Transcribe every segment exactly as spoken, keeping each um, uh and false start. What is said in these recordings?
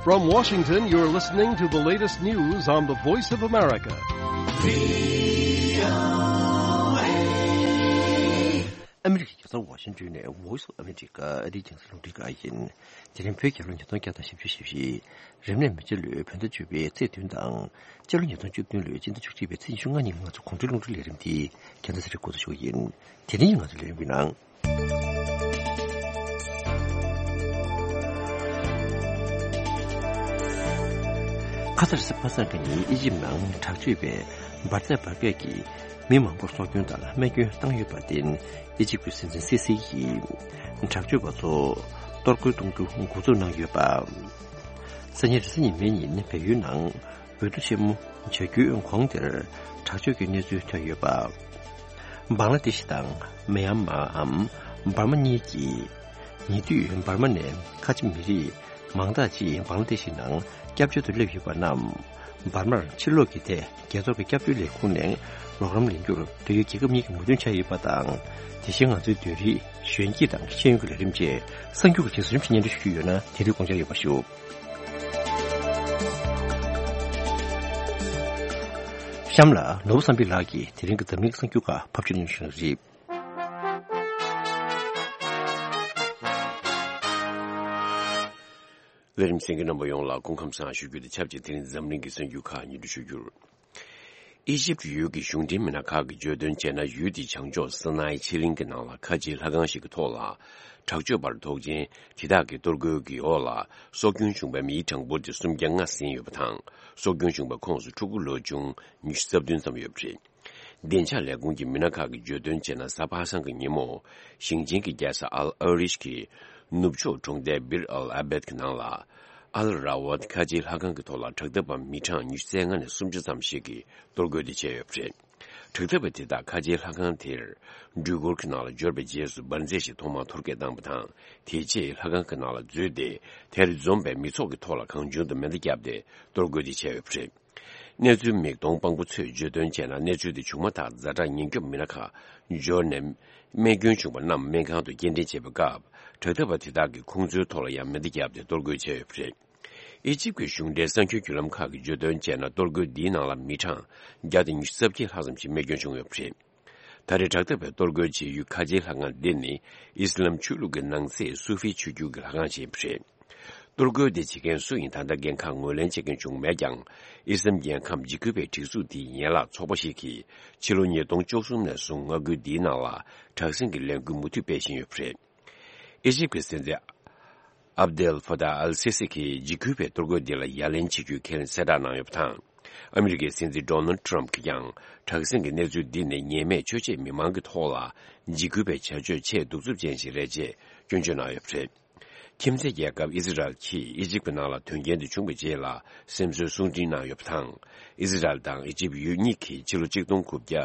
From Washington, you're listening to the latest news on the Voice of America. ཨ་མི་རི་ཀའི་རྒྱལ་ས་ཝ་ཤིང་ཏོན་ནས་Voice of America ཨ་རིའི་རྒྱང་སྲིང་རླུང་འཕྲིན་ཁང་ཡིན། དེ་རིང་བོད་རྒྱལ་ལོ་ཉིས་སྟོང་བརྒྱ་དང་བཞི་བཅུ་ཞེ་བཞི། རབ་གནས་མེ་བྱ་ལོའི་བོད་ཟླ་བཅུ་པའི་ཚེས་བདུན་དང་། སྤྱི་ལོ་ཉིས་སྟོང་བཅུ་བདུན་ལོའི་སྤྱི་ཟླ་བཅུ་གཅིག་པའི་ཚེས་ཉི་ཤུ་ལྔ་ཉིན་ང་ཚོ་དགུང་སྒྲོན་རླུང་འཕྲིན་ལས་རིམ་འདི་རྒྱང་སྲིང་རིག་འགོ་ཚུགས་ཞུ་གི་ཡིན། དེ་རིང་ང་ཚོ་ལས་རིམ་གྱི་ནང་། ཁ་སང་རེས་གཟའ་པ་སངས་ཀྱི་ཉིན་ཨི་ཇིབ་ནང་དྲག་སྤྱོད་པས་འབར་རྫས་འབར་གས་ཀྱིས་མི་མང་པོར་སྲོག་སྐྱོན་དང་རྨས་སྐྱོན་བཏང་ཡོད་པར་བརྟེན། ཨི་ཇིབ་ཀྱི་སྲིད་འཛིན་སི་སི་ཡིས་དྲག་སྤྱོད་པ་ཚོ་གཏོར་རྒོལ་གཏོང་རྒྱུ་འགོ་འཛུགས་གནང་ཡོད་པ། སང་ཉིན་རེས་གཟའ་ཉི་མའི་ཉིན་བལ་ཡུལ་ནང་འོས་བསྡུ་ཆེན་མོ་བྱ་རྒྱུའི་གོང་དེར་དྲག་སྤྱོད་ཀྱི་གནས་ཚུལ་ཐོན་ཡོད་པ། བང་ལ་དེ་ཤི་དང་མི་ཡན་མའམ་འབར་མ་གཉིས་ཀྱིས། ཉེ་དུས་འབར་མ་ནས་ཁ་ཆེ་མི་རིགས་མང་དག་ཅིག་བང་ལ་དེ་ཤི་ནང་སྐྱབས་བཅོལ་དུ་སླེབས་ཡོད་པ་རྣམས། འབར་མར་ཕྱིར་ལོག་གི་ཐད་རྒྱལ་ཚོགས་ཀྱི་སྐྱབས་བཅོལ་ལས་ཁུངས་ནས་རོགས་རམ་ལེན་རྒྱུར་འབྲེལ་ཡོད་རྒྱལ་ཁབ་གཉིས་ཀྱི་མོས་མཐུན་ཆགས་ཡོད་པ་དང་། དེ་བཞིན་ང་ཚོའི་བདུན་རེའི་གཞོན་སྐྱེས་དང་ཤེས་ཡོན་གྱི་ལས་རིམ་བཅས་གསར་འགྱུར་གྱི་རྗེས་སུ་རིམ་བཞིན་སྙན་སྒྲོན་ཞུ་རྒྱུ་ཡོད་ན་དེ་དུས་དགོངས་འཆར་ཡོད་པ་ཞུ། གཤམ་ལ་ནོར་བུ་བསམ་འཕེལ་ལགས་ཀྱིས་དེ་རིང་གི་འཛམ་གླིང་གི་གསར་འགྱུར་ཁག་ཕབ་སྒྱུར་གནང་བཞིན་རེད། ལས་རིམ་གསན་མཁན་རྣམ་པ་ཡོངས་ལ་སྐུ་ཁམས་བཟང་ཞུ་རྒྱུ་དང་ཆབས་ཅིག་དེ་རིང་འཛམ་གླིང་གི་གསར་འགྱུར་ཁག་སྙན་སྒྲོན་ཞུ་རྒྱུར། ཨི་ཇིབ་ཡུལ་གྱི་གཞུང་འབྲེལ་མི་སྣ་ཁག་གིས་བརྗོད་དོན་བྱས་ན། ཡུལ་དེའི་བྱང་ཕྱོགས་སི་ནའི་ཆེ་གླིང་གི་ནང་ལ་ཁ་ཆེའི་ལྷ་ཁང་ཞིག་གི་ཐོག་ལ། དྲག་སྤྱོད་པ་ཐོག་ཆེན་དེ་དག་གི་གཏོར་རྒོལ་གྱི་འོག་ལ་སྲོག་སྐྱོན་བྱུང་བའི་མིའི་གྲངས་འབོར་དེ་སུམ་བརྒྱ་ལྔ་ཟིན་ཡོད་པ་དང་། སྲོག་སྐྱོན་བྱུང་བའི་ཁོངས་སུ་ཕྲུ་གུ་ལོ་ཆུང་ཉི་ཤུ་རྩ་བདུན་ཙམ་ཡོད་པ་རེད། བདེ་འཇགས་ལས་ཁུངས་ཀྱི་མི་སྣ་ཁག་གིས་བརྗོད་དོན་བྱས་ན། གཟའ་པ་སངས་ཀྱི་ཉིན་མོ། ཞིང་ཆེན་གྱི་རྒྱལ་ས་ཨལ་ཨ་རིཤ་གི་ནུབ་ཕྱོགས་གྲོང་རྡལ་བིར་ཨལ་ཨ་བེད་ཀྱི་ནང་ལ། ཨལ་ར་ཝད་ཁ་ཆེའི་ལྷ་ཁང་གི་ཐོག་ལ་དྲག་འཐབ་པ་མི་གྲངས་ཉི་ཤུ་རྩ་ལྔ་ནས་སུམ་ཅུ་ཙམ་ཞིག་གིས་གཏོར་རྒོལ་དེ་བྱས་ཡོད་པ་རེད། དྲག་འཐབ་པ་དེ་དག་ཁ་ཆེའི་ལྷ་ཁང་དེར་འགྲུལ་འཁོར་གྱི་ནང་ལ་འབྱོར་བའི་རྗེས་སུ་འབར་རྫས་ཤིག་ཐོག་མར་གཏོར་སྐྱོན་བཏང་བ་དང་། དེ་རྗེས་ལྷ་ཁང་གི་ནང་ལ་འཛུལ་ཏེ། དེར་འཛོམས་པའི་མི་ཚོགས་ཀྱི་ཐོག་ལ་གང་བྱུང་དུ་མེ་མདའ་བརྒྱབ་སྟེ་གཏོར་རྒོལ་དེ་བྱས་ཡོད་པ་རེད། གནས་ཚུལ་མིག་མཐོང་དཔང་པོ་ཚོས་བརྗོད་དོན་བྱས་ན། གནས་ཚུལ་དེ་བྱུང་མ་ཐག་ཛ་དྲག་ཉེན་སྐྱོབ་མི་སྣ་ཁག་འབྱོར་ནས། རྨས་སྐྱོན་བྱུང་བ་རྣམས་སྨན་ཁང་དུ་སྐྱེལ་འདྲེན་བྱེད་པའི་སྐབས། དྲག་འཐབ་པ་དེ་དག་གིས་ཁོང་ཚོའི་ཐོག་ལ་ཡང་མེ་མདའ་བརྒྱབ་སྟེ་གཏོར་རྒོལ་བྱས་ཡོད་པ་རེད། ཨི་ཇིབ་ཀྱི་གཞུང་འབྲེལ་གསར་འགྱུར་བརྒྱུད་ལམ་ཁག་གིས་བརྗོད་དོན་བྱས་ན། གཏོར་རྒོལ་འདིའི་ནང་ལ་མི་གྲངས་བརྒྱ་དང་ཉི་ཤུ་རྩ་བརྒྱད་ལྷག་ཙམ་ཞིག་རྨས་སྐྱོན་བྱུང་ཡོད་པ་རེད། ད་རེས་དྲག་འཐབ་པའི་གཏོར་རྒོལ་བྱེད་ཡུལ་ཁ་ཆེའི་ལྷ་ཁང་འདི་ནི་ཨི་སི་ལམ་ཆོས་ལུགས་ཀྱི་ནང་གསེས་སུ་ཧྥི་ཆོས་བརྒྱུད་ཀྱི་ལྷ་ཁང་ཞིག་ཡིན་པ་རེད། གཏོར་རྒོལ་འདི་བྱེད་མཁན་སུ་ཡིན་ད་ལྟ་འགན་ཁག་ངོས་ལེན་བྱེད་མཁན་བྱུང་མེད་ཀྱང་། ཨི་སི་ལམ་རྒྱལ་ཁམས་འཇིགས་སྐུལ་བའི་སྒྲིག་འཛུགས་དེའི་ཡན་ལག་ཚོགས་པ་ཞིག་གིས་ཕྱི་ལོ་ཉིས་སྟོང་བཅུ་གསུམ་ནས་བཟུང་མངའ་ཁུལ་འདིའི་ནང་ལ་དྲག་ཟིང་གི་ལས་འགུལ་མུ་མཐུད་སྤེལ་བཞིན་ཡོད་པ་རེད། ཨི་ཇིབ་ཀྱི་སྲིད་འཛིན་ཨབ་དེལ་ཕ་ཏཱ་ཨལ་སི་སི་གིས་འཇིགས་སྐུལ་བའི་གཏོར་རྒོལ་འདི་ལ་ཡ་ལན་བྱེད་རྒྱུའི་ཁས་ལེན་གསལ་བསྒྲགས་གནང་ཡོད་པ་དང་། ཨ་མི་རི་ཀའི་སྲིད་འཛིན་ཌོ་ནལ་ཊམ་གྱིས་ཀྱང་དྲག་ཟིང་གི་གནས་ཚུལ་འདི་ནི་ཉེས་མེད་ཆོས་བྱེད་མི་མང་གི་ཐོག་ལ་འཇིགས་སྐུལ་བའི་བྱ་སྤྱོད་ཆེས་གདུག་རྩུབ་ཅན་ཞིག་རེད་ཅེས་སྐྱོན་བརྗོད་གནང་ཡོད་པ་རེད། ཁྱིམ་མཚེས་རྒྱལ་ཁབ་ཨི་ཟི་རལ་གྱིས་ཨི་ཇིབ་ཀྱི་ནང་ལ་དོན་རྐྱེན་དེ་བྱུང་བའི་རྗེས་ལ་སེམས་གསོའི་གསུང་འཕྲིན་གནང་ཡོད་པ་དང་། ཨི་ཟི་རལ་དང་ཨི་ཇིབ་ཡུལ་གཉིས་ཀྱིས་ཕྱི་ལོ་གཅིག་སྟོང་དགུ་བརྒྱ་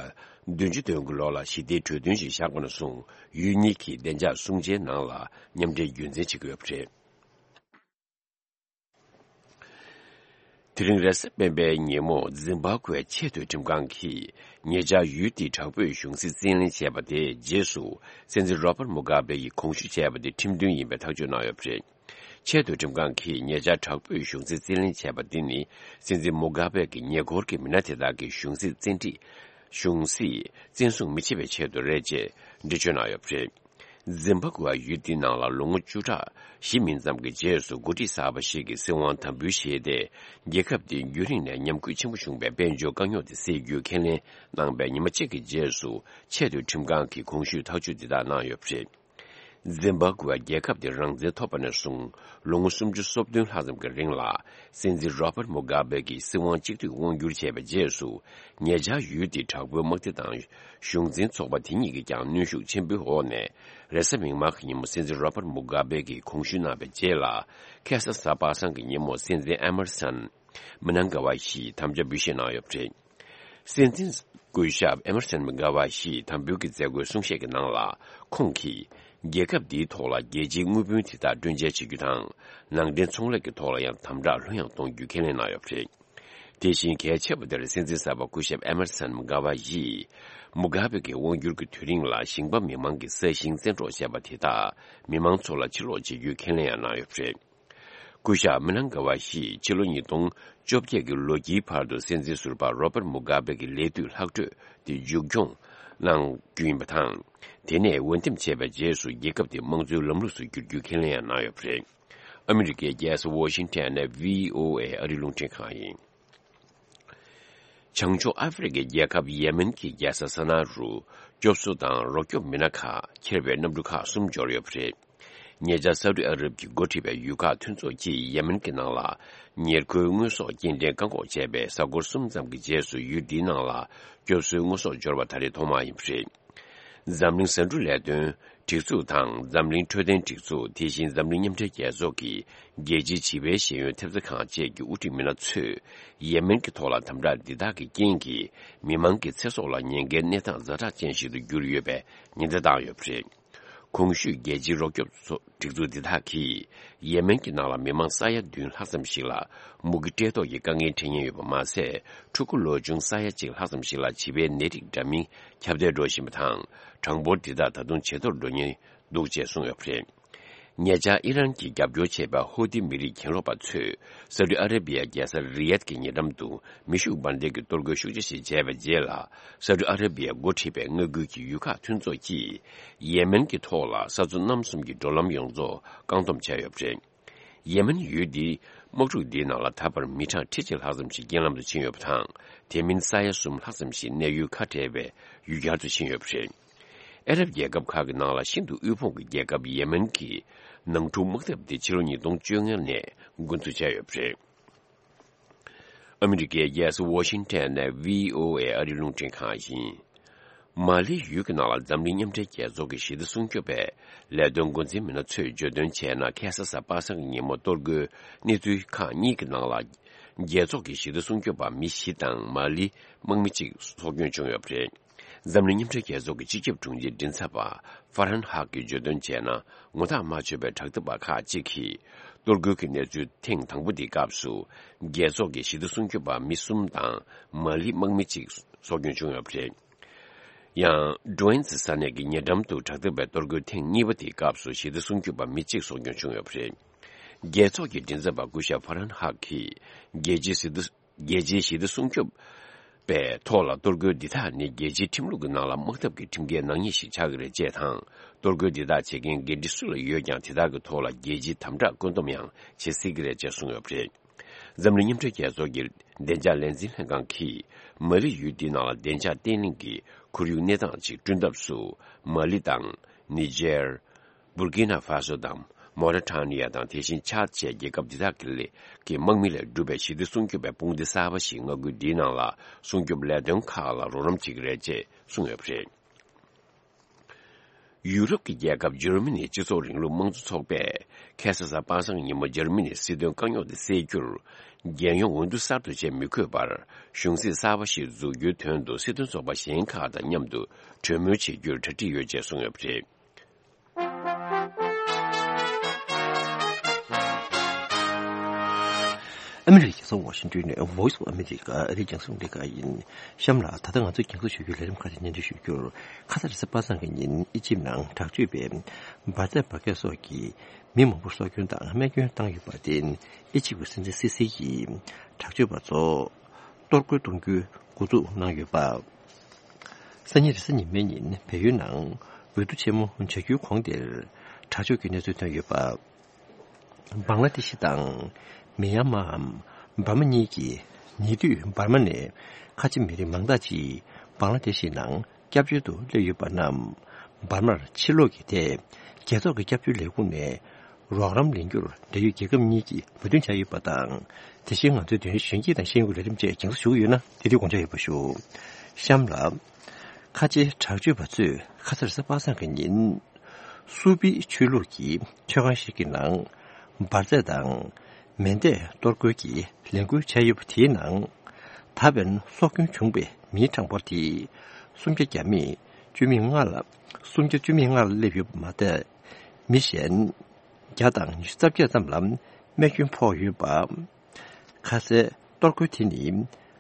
བདུན་ཅུ་དོན་དགུ་ལོ་ལ་ཞི་བདེའི་གྲོས་མཐུན་ཞིག་བཞག་པ་ནས་བཟུང་ཡུལ་གཉིས་ཀྱིས་བདེ་འཇགས་སྲུང་བྱའི་ནང་ལ་མཉམ་འབྲེལ་རྒྱུན་འཛིན་བྱེད་ཀྱི་ཡོད་པ་རེད། དེ་རིང་རེས་གཟའ་སྤེན་པའི་ཉིན་མོ་ཛིམ་བྷ་ཀུའེ་ཆེས་མཐོའི་ཁྲིམས་ཁང་གིས་ཉེ་ཆར་ཡུལ་དེའི་དྲག་པོའི་གཞུང་སྲིད་རྩིས་ལེན་བྱས་པ་དེའི་རྗེས་སུ་སྲིད་འཛིན་རོ་བར་མུ་གྷ་བེ་ཡིས་གོང་ཞུ་བྱས་པ་དེ་ཁྲིམས་མཐུན་ཡིན་པའི་ཐག་གཅོད་གནང་ཡོད་པ་རེད། ཆེས་མཐོའི་ཁྲིམས་ཁང་གིས་ཉེ་ཆར་དྲག་པོའི་གཞུང་སྲིད་རྩིས་ལེན་བྱས་པ་འདི་ནི་སྲིད་འཛིན་མུ་གྷ་བེ་གི་ཉེ་འཁོར་གྱི་མི་སྣ་དེ་དག་གིས་གཞུང་སྲིད་བཙན་ཁྲིད། གཞུང་སྲིད་བཙན་བཟུང་མི་བྱེད་པའི་ཆེད་དུ་རེད་ཅེས་འགྲེལ་བརྗོད་གནང་ཡོད་པ་རེད། ཛིམ་བྷ་ཀུ་ཝ་ཡུལ་འདིའི་ནང་ལ་ལོ་ངོ་བཅུ་ཕྲག་བཞི་མིན་ཙམ་གྱི་རྗེས་སུ་འགོ་ཁྲིད་གསར་པ་ཞིག་གིས་སྲིད་དབང་དམ་འབུལ་བཞེས་ཏེ། རྒྱལ་ཁབ་འདིའི་རྒྱུན་རིང་ནས་ཉམས་རྒུད་ཆེན་པོ་བྱུང་བའི་དཔལ་འབྱོར་དཀའ་རྙོག་དེ་སེལ་རྒྱུའི་ཁས་ལེན་གནང་པའི་ཉི་མ་གཅིག་གི་རྗེས་སུ་ཆེས་མཐོའི་ཁྲིམས་ཁང་གིས་གོང་ཞུས་ཐག་གཅོད་འདི་དག་གནང་ཡོད་པ་རེད། ཛིམ་བྷ་ཀུ་ཝ་རྒྱལ་ཁབ་དེ་རང་བཙན་ཐོབ་པ་ནས་བཟུང་ལོ་ངོ་སུམ་ཅུ་སོ་བདུན་ལྷག་ཙམ་གྱི་རིང་ལ་སྲིད་འཛིན་རོ་བར་མུ་གྷ་བེ་གིས་སྲིད་དབང་གཅིག་སྡུད་དབང་བསྒྱུར་བྱས་པའི་རྗེས་སུ་ཉེ་ཆར་ཡུལ་དེའི་དྲག་པོའི་དམག་སྡེ་དང་གཞུང་འཛིན་ཚོགས་པ་དེ་གཉིས་ཀྱིས་ཀྱང་གནོན་ཤུགས་ཆེན་པོའི་འོག་ནས། རེས་གཟའ་མིག་དམར་གྱི་ཉིན་མོ་སྲིད་འཛིན་རོ་བར་མུ་གྷ་བེ་གིས་གོང་ཞུས་གནང་བའི་རྗེས་ལ། ཁ་སང་གཟའ་པ་སངས་ཀྱི་ཉིན་མོ་སྲིད་འཛིན་ཨེ་མར་སན་མི་ནང་ག་བ་ཞིས་དམ་བཅའ་འབུལ་བཞེས་གནང་ཡོད་པ་རེད། སྲིད་འཛིན་སྐུ་ཞབས་ཨེ་མར་སན་མི་ནང་ག་བ་ཞིས་དམ་འབུལ་གྱི་མཛད་སྒོའི་གསུང་བཤད་ཀྱི་ནང་ལ། ཁོང་གིས་རྒྱལ་ཁབ་འདིའི་ཐོག་ལ་རྒྱལ་སྤྱིའི་དངུལ་བུན་དེ་དག་སྤྲོད་འཇལ་བྱེད་རྒྱུ་དང་། ནང་འདྲེན་ཚོང་ལས་ཀྱི་ཐོག་ལ་ཡང་དམ་དྲག་ལྷོད་ཡངས་གཏོང་རྒྱུའི་ཁས་ལེན་གནང་ཡོད་པ་རེད། དེ་བཞིན་གལ་ཆེ་བ་དེར་སྲིད་འཛིན་གསར་པ་སྐུ་ཞབས་ཨེ་མར་སན་མུ་གྷ་བ་ཡིས། མུ་གྷ་བེ་གི་དབང་སྒྱུར་གྱི་དུས་རིང་ལ་ཞིང་པ་མི་མང་གི་ས་ཞིང་བཙན་འཕྲོག་བྱས་པ་དེ་དག་མི་མང་ཚོ་ལ་ཕྱིར་སློག་བྱེད་རྒྱུའི་ཁས་ལེན་ཡང་གནང་ཡོད་པ་རེད། སྐུ་ཞབས་མི་ནང་ག་བ་ཤིས་ཕྱི་ལོ་ཉིས་སྟོང་བཅོ་བརྒྱད་ཀྱི་ལོ་དཀྱིལ་བར་དུ་སྲིད་འཛིན་ཟུར་པ་རོ་པར་མུ་གྷ་བེ་གི་ལས་དུས་ལྷག་འཕྲོས་དེ་མཇུག་སྐྱོང་གནང་རྒྱུ་ཡིན་པ་དང་། དེ་ནས་འོས་འདེམས་བྱས་པའི་རྗེས་སུ་རྒྱལ་ཁབ་དེ་དམངས་གཙོའི་ལམ་ལུགས་སུ་བསྒྱུར་རྒྱུའི་ཁས་ལེན་ཡང་གནང་ཡོད་པ་རེད། ཨ་མི་རི་ཀའི་རྒྱལ་ས་ཝོ་ཤིང་ཊོན་ནས་བྷི་ཨོ་ཨེ་ཨ་རིའི་རླུང་འཕྲིན་ཁང་ཡིན། བྱང་ཕྱོགས་ཨ་ཧྥེ་རི་ཁའི་རྒྱལ་ཁབ་ཡེ་མེན་གྱི་རྒྱལ་ས་ས་ན་རུ་སྐྱོབ་གསོ་དང་རོགས་སྐྱོབ་མི་སྣ་ཁག་འཁྱེར་བའི་གནམ་གྲུ་ཁག་གསུམ་འབྱོར་ཡོད་པ་རེད། ཉེ་ཆར་སའུ་ཏི་ཨ་རབ་ཀྱིས་འགོ་ཁྲིད་པའི་ཡུལ་ཁག་མཐུན་ཚོགས་ཀྱིས་ཡེ་མེན་གྱི་ནང་ལ་ཉེར་མཁོའི་དངོས་ཟོག་སྐྱེལ་འདྲེན་བཀག་འགོག་བྱས་པའི་གཟའ་འཁོར་གསུམ་ཙམ་གྱི་རྗེས་སུ་ཡུལ་འདིའི་ནང་ལ་སྐྱོབ་གསོའི་དངོས་ཟོག་འབྱོར་བ་ད་རེས་ཐོག་མ་ཡིན་པ་རེད། འཛམ་གླིང་བཟའ་འབྲུ་ལས་དོན་སྒྲིག་འཛུགས་དང་། འཛམ་གླིང་འཕྲོད་བསྟེན་སྒྲིག་འཛུགས། དེ་བཞིན་འཛམ་གླིང་མཉམ་འབྲེལ་རྒྱལ་ཚོགས་ཀྱི་རྒྱལ་སྤྱིའི་བྱིས་པའི་ཤེས་ཡོན་ཐེབས་རྩ་ཁང་བཅས་ཀྱི་དབུ་ཁྲིད་མི་སྣ་ཚོས་ཡེ་མེན་གྱི་ཐོག་ལ་དམ་དྲག་འདི་དག་གི་རྐྱེན་གྱིས་མི་མང་གི་ཚེ་སྲོག་ལ་ཉེན་ཁའི་གནས་སྟངས་ཛ་དྲག་ཅན་ཞིག་ཏུ་གྱུར་ཡོད་པའི་ཉེན་བརྡ་བཏང་ཡོད་པ་རེད། གོང་ཞུས་རྒྱལ་སྤྱིའི་རོགས་སྐྱོབ་ཚོ་སྒྲིག་འཛུགས་འདི་དག་གིས་ཡེ་མེན་གྱི་ནང་ལ་མི་མང་ས་ཡ་བདུན་ལྷག་ཙམ་ཞིག་ལ་མུ་གེ་བཀྲེས་ལྟོགས་ཀྱི་དཀའ་ངལ་འཕྲད་ཉེན་ཡོད་པ་མ་ཟད། ཕྲུ་གུ་ལོ་ཆུང་ས་ཡ་གཅིག་ལྷག་ཙམ་ཞིག་ལ་བྱིས་པའི་ནད་རིགས་འདྲ་མིན་ཁྱབ་གདལ་འགྲོ་བཞིན་པ་དང་། གྲངས་འབོར་འདི་དག་ད་དུང་ཇེ་མཐོར་འགྲོ་ཉེན་འདུག་ཅེས་གསུངས་ཡོད་པ་རེད། ཉེ་ཆར་ཨི་རན་གྱིས་རྒྱབ་སྐྱོར་བྱས་པའི་ཧོ་ཏི་མི་རིགས་གྱེན་ལོག་པ་ཚོས་སའུ་ཏི་ཨ་ར་བི་ཡ་རྒྱལ་ས་རི་ཡད་ཀྱི་ཉེ་འགྲམ་དུ་མེ་ཤུགས་འབར་མདེལ་གྱི་གཏོར་རྒོལ་ཤུགས་ཆེ་ཞིག་བྱས་པའི་རྗེས་ལ། སའུ་ཏི་ཨ་ར་བི་ཡ་འགོ་ཁྲིད་པའི་མངའ་ཁུལ་གྱི་ཡུལ་ཁག་མཐུན་ཚོགས་ཀྱིས་ཡེ་མེན་གྱི་ཐོག་ལ་ས་མཚོ་གནམ་གསུམ་གྱི་འགྲོ་ལམ་ཡོངས་རྫོགས་བཀག་སྡོམ་བྱས་ཡོད་པ་རེད། ཡེ་མེན་ཡུལ་འདིའི་དམག་འཁྲུག་འདིའི་ནང་ལ་ད་བར་མི་གྲངས་ཁྲི་གཅིག་ལྷག་ཙམ་ཞིག་རྐྱེན་ལམ་དུ་ཕྱིན་ཡོད་པ་དང་། དེ་མིན་ས་ཡ་གསུམ་ལྷག་ཙམ་ཞིག་གནས་ཡུལ་ཁ་བྲལ་བའི་ཡུལ་གྱར་དུ་ཕྱིན་ཡོད་པ་རེད། ཨ་རབ་རྒྱལ་ཁབ་ཁག་གི་ནང་ལ་ཤིན་ཏུ་དབུལ་ཕོངས་ཀྱི་རྒྱལ་ཁབ་ཡེ་མེན་གྱི་ནང་འཁྲུག་དམག་འཐབ་འདི་ཕྱི་ལོ་ཉིས་སྟོང་བཅོ་ལྔ་ནས་འགོ་འཛུགས་བྱས་ཡོད་པ་རེད། ཨ་མི་རི་ཀའི་རྒྱལ་ས་ཝོ་ཤིང་ཊོན་ནས་བྷི་ཨོ་ཨེ་ཨ་རིའི་རླུང་འཕྲིན་ཁང་ཡིན། མ་ལི་ཡུལ་གྱི་ནང་ལ་འཛམ་གླིང་མཉམ་འབྲེལ་རྒྱལ་ཚོགས་ཀྱི་ཞི་བདེ་སྲུང་སྐྱོབ་པའི་ལས་དོན་འགོ་འཛིན་མི་སྣ་ཚོས་བརྗོད་དོན་བྱས་ན། ཁ་སང་གཟའ་པ་སངས་ཀྱི་ཉིན་མོ་གཏོར་རྒོལ་གནས་ཚུལ་ཁག་གཉིས་ཀྱི་ནང་ལ། རྒྱལ་ཚོགས་ཀྱི་ཞི་བདེ་སྲུང་སྐྱོབ་པ་མི་བཞི་དང་མ་ལི་དམག་མི་གཅིག་སྲོག་སྐྱོན་བྱུང་ཡོད་པ་རེད། འཛམ་གླིང་མཉམ་འབྲེལ་རྒྱལ་ཚོགས་ཀྱི་སྤྱི་ཁྱབ་དྲུང་ཆེ་མགྲིན་ཚབ་པ་ཧྥ་རན་ཧག་གིས་བརྗོད་དོན་བྱས་ན། ངོ་ཐག་མ་ཆོད་པའི་དྲག་འཐབ་པ་ཁག་ཅིག་གིས་གཏོར་རྒོལ་གྱི་གནས་ཚུལ་ཐེངས་དང་པོ་དེའི་སྐབས་སུ། རྒྱལ་ཚོགས་ཀྱི་ཞི་བདེ་སྲུང་སྐྱོབ་པ་མི་གསུམ་དང་མ་ལི་དམག་མི་གཅིག་སྲོག་སྐྱོན་བྱུང་ཡོད་པ་རེད། ཡང་། ཌོ་ཨེན་ཛི་ས་གནས་ཀྱི་ཉེ་འགྲམ་དུ་དྲག་འཐབ་པའི་གཏོར་རྒོལ་ཐེངས་གཉིས་པ་དེའི་སྐབས་སུ་ཞི་བདེ་སྲུང་སྐྱོབ་པ་མི་གཅིག་སྲོག་སྐྱོན་བྱུང་ཡོད་པ་རེད། རྒྱལ་ཚོགས་ཀྱི་མགྲིན་ཚབ་པ་སྐུ་ཞབས་ཧྥ་རན་ཧག་གིས། རྒྱལ་སྤྱིའི་ཞི་བདེ། རྒྱལ་སྤྱིའི་ཞི་བདེ་སྲུང་སྐྱོབ་པའི་ཐོག་ལ་གཏོར་རྒོལ་འདི་དག་ནི་རྒྱལ་སྤྱིའི་ཁྲིམས་ལུགས་ཀྱི་ནང་ལ་དམག་འཐབ་ཀྱི་ཁྲིམས་འགལ་ནག་ཉེས་ཤིག་ཆགས་ཀྱི་རེད་ཅེས་དང་། གཏོར་རྒོལ་འདི་དག་བྱེད་མཁན་འགན་འཁྲི་སུ་ལ་ཡོད་ཀྱང་། དེ་དག་གི་ཐོག་ལ་རྒྱལ་སྤྱིའི་དམ་དྲག་བཀོད་འདོམས་ཡང་བྱེད་སྲིད་ཀྱི་རེད་ཅེས་གསུངས་ཡོད་པ་རེད། འཛམ་གླིང་མཉམ་འབྲེལ་རྒྱལ་ཚོགས་ཀྱི་བདེ་འཇགས་ལས་འཛིན་ལྷན་ཁང་གིས། མ་ལི་ཡུལ་འདིའི་ནང་ལ་བདེ་འཇགས་བརྟན་ལྷིང་གི་ཁོར་ཡུག་གནས་སྟངས་ཅིག་བསྐྲུན་ཐབས་སུ། མ་ལི་དང་། ནི་ཇེར། སྦུར་ཀི་ན་ཧྥ་སོ་དང་། མོ་རི་ཊ་ནི་ཡ་དང་། དེ་བཞིན་ཆཱད་བཅས་རྒྱལ་ཁབ་འདི་དག་གི་ལས་ཀྱི་དམག་མི་ལས་གྲུབ་པའི་ཞི་བདེ་སྲུང་སྐྱོབ་པའི་དཔུང་སྡེ་གསར་པ་ཞིག་མངའ་ཁུལ་འདིའི་ནང་ལ་སྲུང་སྐྱོབ་ལས་དོན་ཁག་ལ་རོགས་རམ་བྱེད་ཀྱི་རེད་ཅེས་གསུངས་ཡོད་པ་རེད། ཡུ་རོབ་ཀྱི་རྒྱལ་ཁབ་འཇར་མ་ནིའི་སྤྱི་ཚོགས་རིང་ལུགས་དམངས་གཙོ་ཚོགས་པས་ཁ་སང་གཟའ་པ་སངས་ཉིན་མོ་འཇར་མ་ནིའི་སྲིད་དོན་དཀའ་རྙོག་དེ་སེལ་རྒྱུར། རྒྱལ་ཡོངས་འོས་བསྡུ་གསར་དུ་བྱེད་མི་དགོས་པར་གཞུང་སྲིད་གསར་པ་ཞིག་འཛུགས་རྒྱུའི་དོན་དུ་སྲིད་དོན་ཚོགས་པ་གཞན་ཁག་དང་མཉམ་དུ་གྲོས་མོལ་བྱེད་རྒྱུར་གྲ་སྒྲིག་ཡོད་ཅེས་གསུངས་ཡོད་པ་རེད། ཨ་མི་རི་ཀའི་རྒྱལ་ས་ཝ་ཤིང་ཏོན་ནས་Voice of America ཨ་རིའི་རྒྱང་སྲིང་རླུང་འཕྲིན་ཁང་ཡིན། གཤམ་ལ་ད་ལྟ་ང་ཚོས་རྒྱང་སྲིང་ཞུ་རྒྱུའི་ལས་རིམ་ཁག་ཅིག་སྙན་སྒྲོན་ཞུ་རྒྱུར། ཁ་སང་རེས་གཟའ་པ་སངས་ཀྱི་ཉིན་ཨི་ཇིབ་ནང་དྲག་སྤྱོད་པས་འབར་རྫས་འབར་གས་སོགས་ཀྱིས་མི་མང་པོར་སྲོག་སྐྱོན་དང་རྨས་སྐྱོན་བཏང་ཡོད་པར་བརྟེན། ཨི་ཇིབ་ཀྱི་སྲིད་འཛིན་སི་སི་ཡིས་དྲག་སྤྱོད་པ་ཚོ་གཏོར་རྒོལ་གཏོང་རྒྱུའི་འགོ་འཛུགས་གནང་ཡོད་པ། སང་ཉིན་རེས་གཟའ་ཉི་མའི་ཉིན་བལ་ཡུལ་ནང་འོས་བསྡུ་ཆེན་མོ་བྱ་རྒྱུའི་གོང་དེར་དྲག་སྤྱོད་ཀྱི་གནས་ཚུལ་ཐོན་ཡོད་པ། བང་ལ་དེ་ཤི་དང་། མི་ཡན་མའམ་འབར་མ་གཉིས་ཀྱི་ཉེ་དུས་འབར་མ་ནས་ཁ་ཆེ་མི་རིགས་མང་དག་ཅིག་བང་ལ་དེ་ཤི་ནང་སྐྱབས་བཅོལ་དུ་སླེབས་ཡོད་པ་རྣམས། འབར་མར་ཕྱིར་ལོག་གི་ཐད་རྒྱལ་ཚོགས་ཀྱི་སྐྱབས་བཅོལ་ལས་ཁུངས་ནས་རོགས་རམ་ལེན་རྒྱུར་འབྲེལ་ཡོད་རྒྱལ་ཁབ་གཉིས་ཀྱིས་མོས་མཐུན་བྱས་ཡོད་པ་དང་། དེ་བཞིན་ང་ཚོའི་ལྡན་གཞོན་སྐྱིད་དང་ཤེས་ཡོན་གྱི་ལས་རིམ་བཅས་རྒྱང་སྲིང་ཞུ་གི་ཡོད་ན་དེ་དུས་དགོངས་འཇགས་ཡོད་པ་ཞུ། གཤམ་ལ། ཁ་ཆེ་དྲག་སྤྱོད་པ་ཚོས་ཁ་སང་རེས་གཟའ་པ་སངས་ཀྱི་ཉིན། སུ་པི་ཆོས་ལུགས་ཀྱི་མཆོད་ཁང་ཞིག་གི་ནང་འབར་རྫས་དང་མེ་མདས་གཏོར་རྒོལ་གྱི་ལས་འགུལ་བྱས་ཡོད་པ་དེའི་ནང་། ད་ཕན་སྲོག་སྐྱོན་བྱུང་བའི་མིའི་གྲངས་འབོར་དེ་སུམ་བརྒྱ་བརྒྱ་མེད་བཅུ་མེད་ལྔ་ལ། སུམ་བརྒྱ་བཅུ་མེད་ལྔ་ལ་སླེབས་ཡོད་པ་མ་ཟད། མི་གཞན་བརྒྱ་དང་ཉི་ཤུ་རྩ་བརྒྱད་ཙམ་ལ་རྨས་སྐྱོན་ཕོག་ཡོད་པ། ཁ་སའི་གཏོར་རྒོལ་དེ་ནི་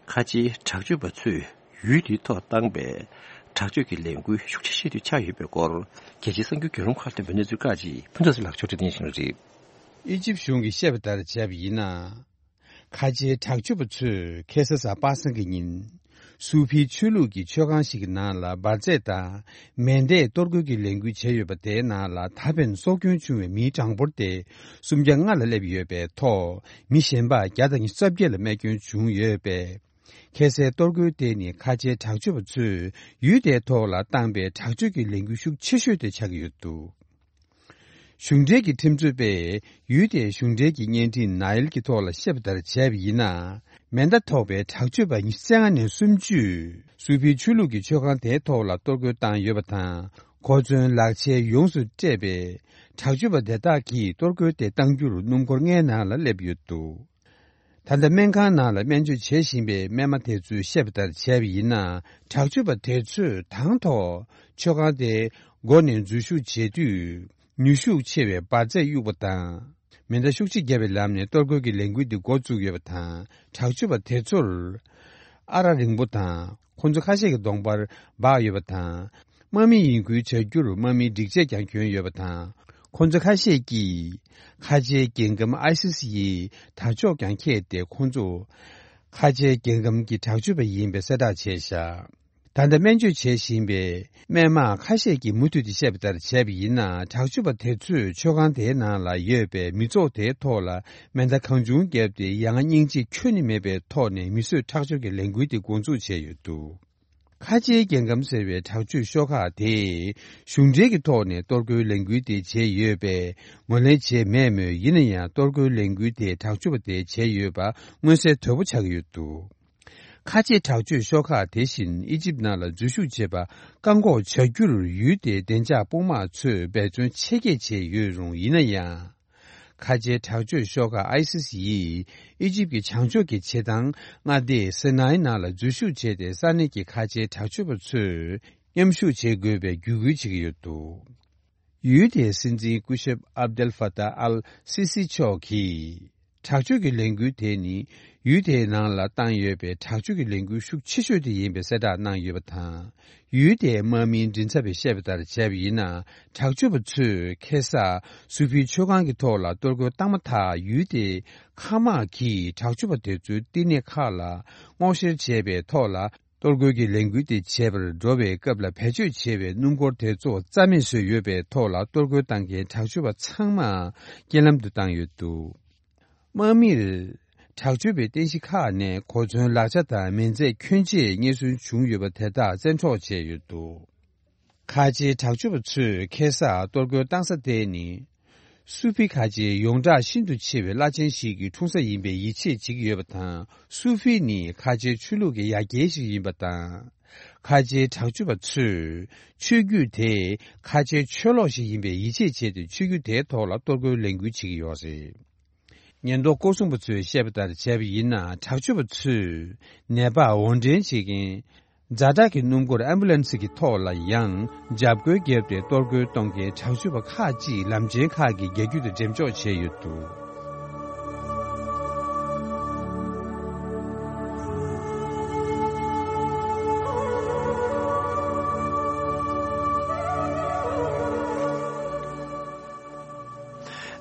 ཁ་ཆེའི་དྲག་སྤྱོད་པ་ཚོས་ཡུལ་དེའི་ཐོག་བཏང་པའི་དྲག་སྤྱོད་ཀྱི་ལས་འགུལ་ཤུགས་ཆེ་ཤོས་དེ་ཆགས་ཡོད་པའི་སྐོར། རྒྱལ་སྤྱིའི་གསར་འགྱུར་བརྒྱུད་ལམ་ཁག་ཐོན་པའི་གནས་ཚུལ་ཁག་ཅིག་ཕུན་ཚོགས་ཟེར་ལགས་ཕྱོགས་སྒྲིག་གནང་བཞིན་རེད། ཨི་ཇིབ་གཞུང་གིས་བཤད་པ་ལྟར་བྱས་པ་ཡིན་ན། ཁ་ཆེའི་དྲག་སྤྱོད་པ་ཚོས་ཁ་སང་གཟའ་པ་སངས་ཀྱི་ཉིན། སུ་ཕིའི་ཆོས་ལུགས་ཀྱི་མཆོད་ཁང་ཞིག་གི་ནང་ལ་འབར་རྫས་དང་མེ་མདས་གཏོར་རྒོལ་གྱི་ལས་འགུལ་བྱས་ཡོད་པ་དེའི་ནང་ལ་ད་ཕན་སྲོག་སྐྱོན་བྱུང་བའི་མིའི་གྲངས་འབོར་དེ་སུམ་བརྒྱ་ལྔ་ལ་སླེབས་ཡོད་པའི་ཐོག་མི་གཞན་པ་བརྒྱ་དང་ཉི་ཤུ་རྩ་བརྒྱད་ལ་རྨས་སྐྱོན་བྱུང་ཡོད་པས། ཁ་སའི་གཏོར་རྒོལ་དེ་ནི་ཁ་ཆེའི་དྲག་སྤྱོད་པ་ཚོས་ཡུལ་དེའི་ཐོག་ལ་བཏང་པའི་དྲག་སྤྱོད་ཀྱི་ལས་འགུལ་ཤུགས་ཆེ་ཤོས་དེ་ཆགས་ཀྱི་ཡོད་འདུག་གཞུང་འབྲེལ་གྱི་ཁྲིམས་རྩོད་པས་ཡུལ་དེའི་གཞུང་འབྲེལ་གྱི་བརྙན་འཕྲིན་ནའིལ་གྱི་ཐོག་ལ་བཤད་པ་ལྟར་བྱས་པ་ཡིན་ན། མེ་མདའ་ཐོགས་པའི་དྲག་སྤྱོད་པ་ཉི་ཤུ་རྩ་ལྔ་ནས་སུམ་ཅུས་སུ་ཕིའི་ཆོས་ལུགས་ཀྱི་མཆོད་ཁང་དེའི་ཐོག་ལ་གཏོར་རྒོལ་བཏང་ཡོད་པ་དང་། གོ་མཚོན་ལག་ཆས་ཡོངས་སུ་སྤྲས་པའི་དྲག་སྤྱོད་པ་དེ་དག་གིས་གཏོར་རྒོལ་དེ་བཏང་རྒྱུར་སྣུམ་འཁོར་ལྔའི་ནང་ལ་སླེབས་ཡོད་འདུག་ད་ལྟ་སྨན་ཁང་ནང་ལ་སྨན་བཅོས་བྱེད་བཞིན་པའི་སྨན་མ་དེ་ཚོས་བཤད་པ་ལྟར་བྱས་པ་ཡིན་ན། དྲག་སྤྱོད་པ་དེ་ཚོས་དང་ཐོག་མཆོད་ཁང་དེའི་སྒོ་ནས་འཛུལ་ཞུགས་བྱེད་དུས། ནུས་ཤུགས་ཆེ་བའི་འབར་རྫས་གཡུགས་པ་དང་། མེ་མདའ་ཤུགས་ཆེ་བརྒྱབ་པའི་ལམ་ནས་གཏོར་རྒོལ་གྱི་ལས་འགུལ་འདི་འགོ་བཙུགས་ཡོད་པ་དང་། དྲག་སྤྱོད་པ་དེ་ཚོར། ཨ་རག་རིང་པོ་དང་། ཁོ་ཚོ་ཁ་ཤས་ཀྱི་གདོང་པར་སྦགས་ཡོད་པ་དང་། དམག་མི་ཡིན་ཁུལ་བྱ་རྒྱུར་དམག་མིའི་སྒྲིག་ཆས་ཀྱང་གྱོན་ཡོད་པ་དང་། ཁོ་ཚོ་ཁ་ཤས་ཀྱིས་ཁ་ཆེའི་རྒྱལ་ཁམས་ཨའི་སི་སི་ཡི་དར་ལྕོག་ཀྱང་འཁྱེར་ཏེ། ཁོ་ཚོ་ཁ་ཆེའི་རྒྱལ་ཁམས་ཀྱི་དྲག་སྤྱོད་པ་ཡིན་པའི་གསལ་བསྒྲགས་བྱས་བཞག་ད་ལྟ་སྨན་བཅོས་བྱེད་བཞིན་པའི་སྨན་མ་ཁ་ཤས་ཀྱིས་མུ་མཐུད་དེ་བཤད་པ་ལྟར་བྱས་པ་ཡིན་ན། དྲག་སྤྱོད་པ་དེ་ཚོས་མཆོད་ཁང་དེའི་ནང་ལ་ཡོད་པའི་མི་ཚོགས་དེའི་ཐོག་ལ་མེ་མདའ་གང་བྱུང་བརྒྱབ་སྟེ། ཡ་ང་སྙིང་རྗེ་ཁྱོན་ནས་མེད་པའི་ཐོག་ནས་མི་གསོད་ཁྲག་སྦྱོར་གྱི་ལས་འགུལ་དེ་འགོ་འཛུགས་བྱས་ཡོད་འདུག་ཁ་ཆེའི་རྒྱལ་ཁམས་ཟེར་བའི་དྲག་སྤྱོད་ཤོག་ཁག་དེས་གཞུང་འབྲེལ་གྱི་ཐོག་ནས་གཏོར་རྒོལ་ལས་འགུལ་དེ་བྱས་ཡོད་པས་ངོས་ལེན་བྱས་མེད་མོད། ཡིན་ན་ཡང་གཏོར་རྒོལ་ལས་འགུལ་དེ་དྲག་སྤྱོད་པ་དེས་བྱས་ཡོད་པ་མངོན་གསལ་དོད་པོ་ཆགས་ཀྱི་ཡོད་འདུག་ཁ་ཆེ་དྲག་སྤྱོད་ཤོག་ཁག་དེ་བཞིན་ཨི་ཇིབ་ནང་ལ་འཛུལ་ཞུགས་བྱེད་པ་བཀག་འགོག་བྱ་རྒྱུར་ཡུལ་དེའི་བདེ་འཇགས་དཔུང་དམག་ཚོས་འབད་བརྩོན་ཆེ་བསྐྱེད་བྱས་ཡོད་རུང་། ཡིན་ན་ཡང་། ཁ་ཆེའི་དྲག་སྤྱོད་ཤོག་ཁག་ཨའི་སི་སི་ཡིས་ཨི་ཇིབ་ཀྱི་བྱང་ཕྱོགས་ཀྱི་བྱེ་ཐང་མངའ་སྡེ་སི་ནའི་ནང་ལ་འཛུལ་ཞུགས་བྱས་ཏེ། ས་གནས་ཀྱི་ཁ་ཆེའི་དྲག་སྤྱོད་པ་ཚོས་མཉམ་ཞུགས་བྱེད་དགོས་པའི་བརྒྱུད་སྐུལ་བྱེད་ཀྱི་ཡོད་འདུག་ཡུལ་དེའི་སྲིད་འཛིན་སྐུ་ཞབས་ཨབ་དེལ་ཧྥ་ཏཱ་ཨལ་སི་སི་མཆོག་གིས། དྲག་སྤྱོད་ཀྱི་ལས་འགུལ་དེ་ནི་ཡུལ་དེའི་ནང་ལ་བཏང་ཡོད་པའི་དྲག་སྤྱོད་ཀྱི་ལས་འགུལ་ཤུགས་ཆེ་ཤོས་དེ་ཡིན་པའི་གསལ་བསྒྲགས་གནང་ཡོད་པ་དང་། ཡུལ་དེའི་དམག་མིའི་མགྲིན་ཚབ་པས་བཤད་པ་ལྟར་བྱས་པ་ཡིན་ན། དྲག་སྤྱོད་པ་ཚོས་ཁ་སང་སུ་ཕིའི་མཆོད་ཁང་གི་ཐོག་ལ་གཏོར་རྒོལ་བཏང་མ་ཐག་ཡུལ་དེའི་མཁའ་དམག་གིས་དྲག་སྤྱོད་པ་དེ་ཚོའི་བསྟི་གནས་ཁག་ལ་སྔོག་བཤེར་བྱས་པའི་ཐོག་ལ། གཏོར་རྒོལ་གྱི་ལས་འགུལ་དེ་བྱེད་པར་འགྲོ་བའི་སྐབས་ལ་བེད་སྤྱོད་བྱས་པའི་སྣུམ་འཁོར་དེ་ཚོ་རྩ་མེད་བཟོས་ཡོད་པའི་ཐོག་ལ། གཏོར་རྒོལ་བཏང་མཁན་དྲག་སྤྱོད་པ་ཚང་མ་རྐྱེན་ལམ་དུ་བཏང་ཡོད་འདུག་དམག་མིར་དྲག་སྤྱོད་པའི་རྟེན་གཞི་ཁག་ནས་གོ་མཚོན་ལག་ཆ་དང་མེ་མདས་ཁྱོན་ཆེ་རྙེད་སོན་བྱུང་ཡོད་པ་དེ་དག་བཙན་འཕྲོག་བྱས་ཡོད་འདུག་ཁ་ཆེའི་དྲག་སྤྱོད་པ་ཚོས་ཁ་སང་གཏོར་རྒོལ་བཏང་ས་དེ་ནི། སུ་ཕི་ཁ་ཆེའི་ཡོངས་གྲགས་ཤིན་ཏུ་ཆེ་བའི་བླ་ཆེན་ཞིག་གི་འཁྲུངས་ས་ཡིན་པའི་ཡིད་ཆེས་བྱེད་ཀྱི་ཡོད་པ་དང་། སུ་ཕི་ནི་ཁ་ཆེའི་ཆོས་ལུགས་ཀྱི་ཡ་གྱལ་ཞིག་ཡིན་པ་དང་། ཁ་ཆེའི་དྲག་སྤྱོད་པ་ཚོས་ཆོས་བརྒྱུད་དེ་ཁ་ཆེའི་ཆོས་ལོག་ཞིག་ཡིན་པའི་ཡིད་ཆེས་བྱས་ཏེ། ཆོས་བརྒྱུད་དེའི་ཐོག་ལ་གཏོར་རྒོལ་ལས་འགུལ་བྱེད་ཀྱི་ཡོད་རེད། ཉེན་རྟོག་སྐོར་སྲུང་པ་ཚོས་བཤད་པ་ལྟར་བྱས་པ་ཡིན་ན། དྲག་སྤྱོད་པ་ཚོས་ནད་པ་དབོར་འདྲེན་བྱེད་མཁན་ཛ་དྲག་གི་སྣུམ་འཁོར་ཨེམ་བུ་ལན་སི་གི་ཐོག་ལ་ཡང་འཇབ་རྒོལ་བརྒྱབ་སྟེ། གཏོར་རྒོལ་གཏོང་མཁན་དྲག་སྤྱོད་པ་ཁག་ཅིག་ལམ་ཆེན་ཁག་གི་རྒྱ་རྒྱུད་དུ་འགྲེམས་འཇོག་བྱས་ཡོད་འདུག་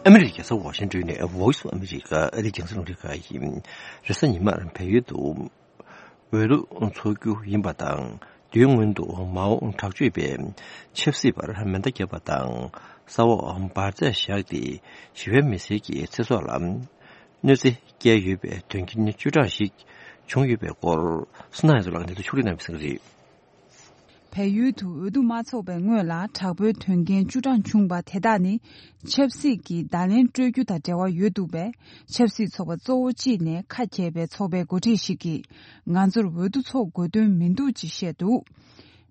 ཨ་མི་རི་ཀའི་རྒྱལ་ས་ཝ་ཤིང་ཏོན་ནས་Voice of America ཨ་རིའི་རྒྱང་སྲིང་རླུང་འཕྲིན་ཁང་ཡིན། རེས་གཟའ་ཉི་མར་བལ་ཡུལ་དུ་འོས་བསྡུ་འཚོགས་རྒྱུ་ཡིན་པ་དང་། དུས་སྔོན་དུ་མའོ་དྲག་སྤྱོད་པས་ཆབ་སྲིད་པར་མེ་མདའ་བརྒྱབ་པ་དང་། ས་འོག་འབར་རྫས་བཞག་སྟེ་ཞི་བའི་མི་སེར་གྱི་ཚེ་སྲོག་ལ་གནོད་འཚེ་བསྐྱལ་ཡོད་པའི་དོན་རྐྱེན་བཅུ་གྲངས་ཤིག་བྱུང་ཡོད་པའི་སྐོར། སུ་ན་ཡ་ཛོ་ལགས་ནས་ཕྱོགས་སྒྲིག་གནང་བའི་གསུང་གི་རེད། བལ་ཡུལ་དུ་འོས་བསྡུ་མ་འཚོགས་པའི་སྔོན་ལ་དྲག་པོའི་དོན་རྐྱེན་བཅུ་གྲངས་བྱུང་བ་དེ་དག་ནི། ཆབ་སྲིད་ཀྱི་བརྡ་ལན་སྤྲོད་རྒྱུ་དང་འབྲེལ་བ་ཡོད་འདུག་པས། ཆབ་སྲིད་ཚོགས་པ་གཙོ་བོ་གཅིག་ནས་ཁ་གྱེས་པའི་ཚོགས་པའི་འགོ་ཁྲིད་ཞིག་གིས། ང་ཚོར་འོས་བསྡུ་འཚོགས་དགོས་དོན་མི་འདུག་ཅེས་བཤད་འདུག་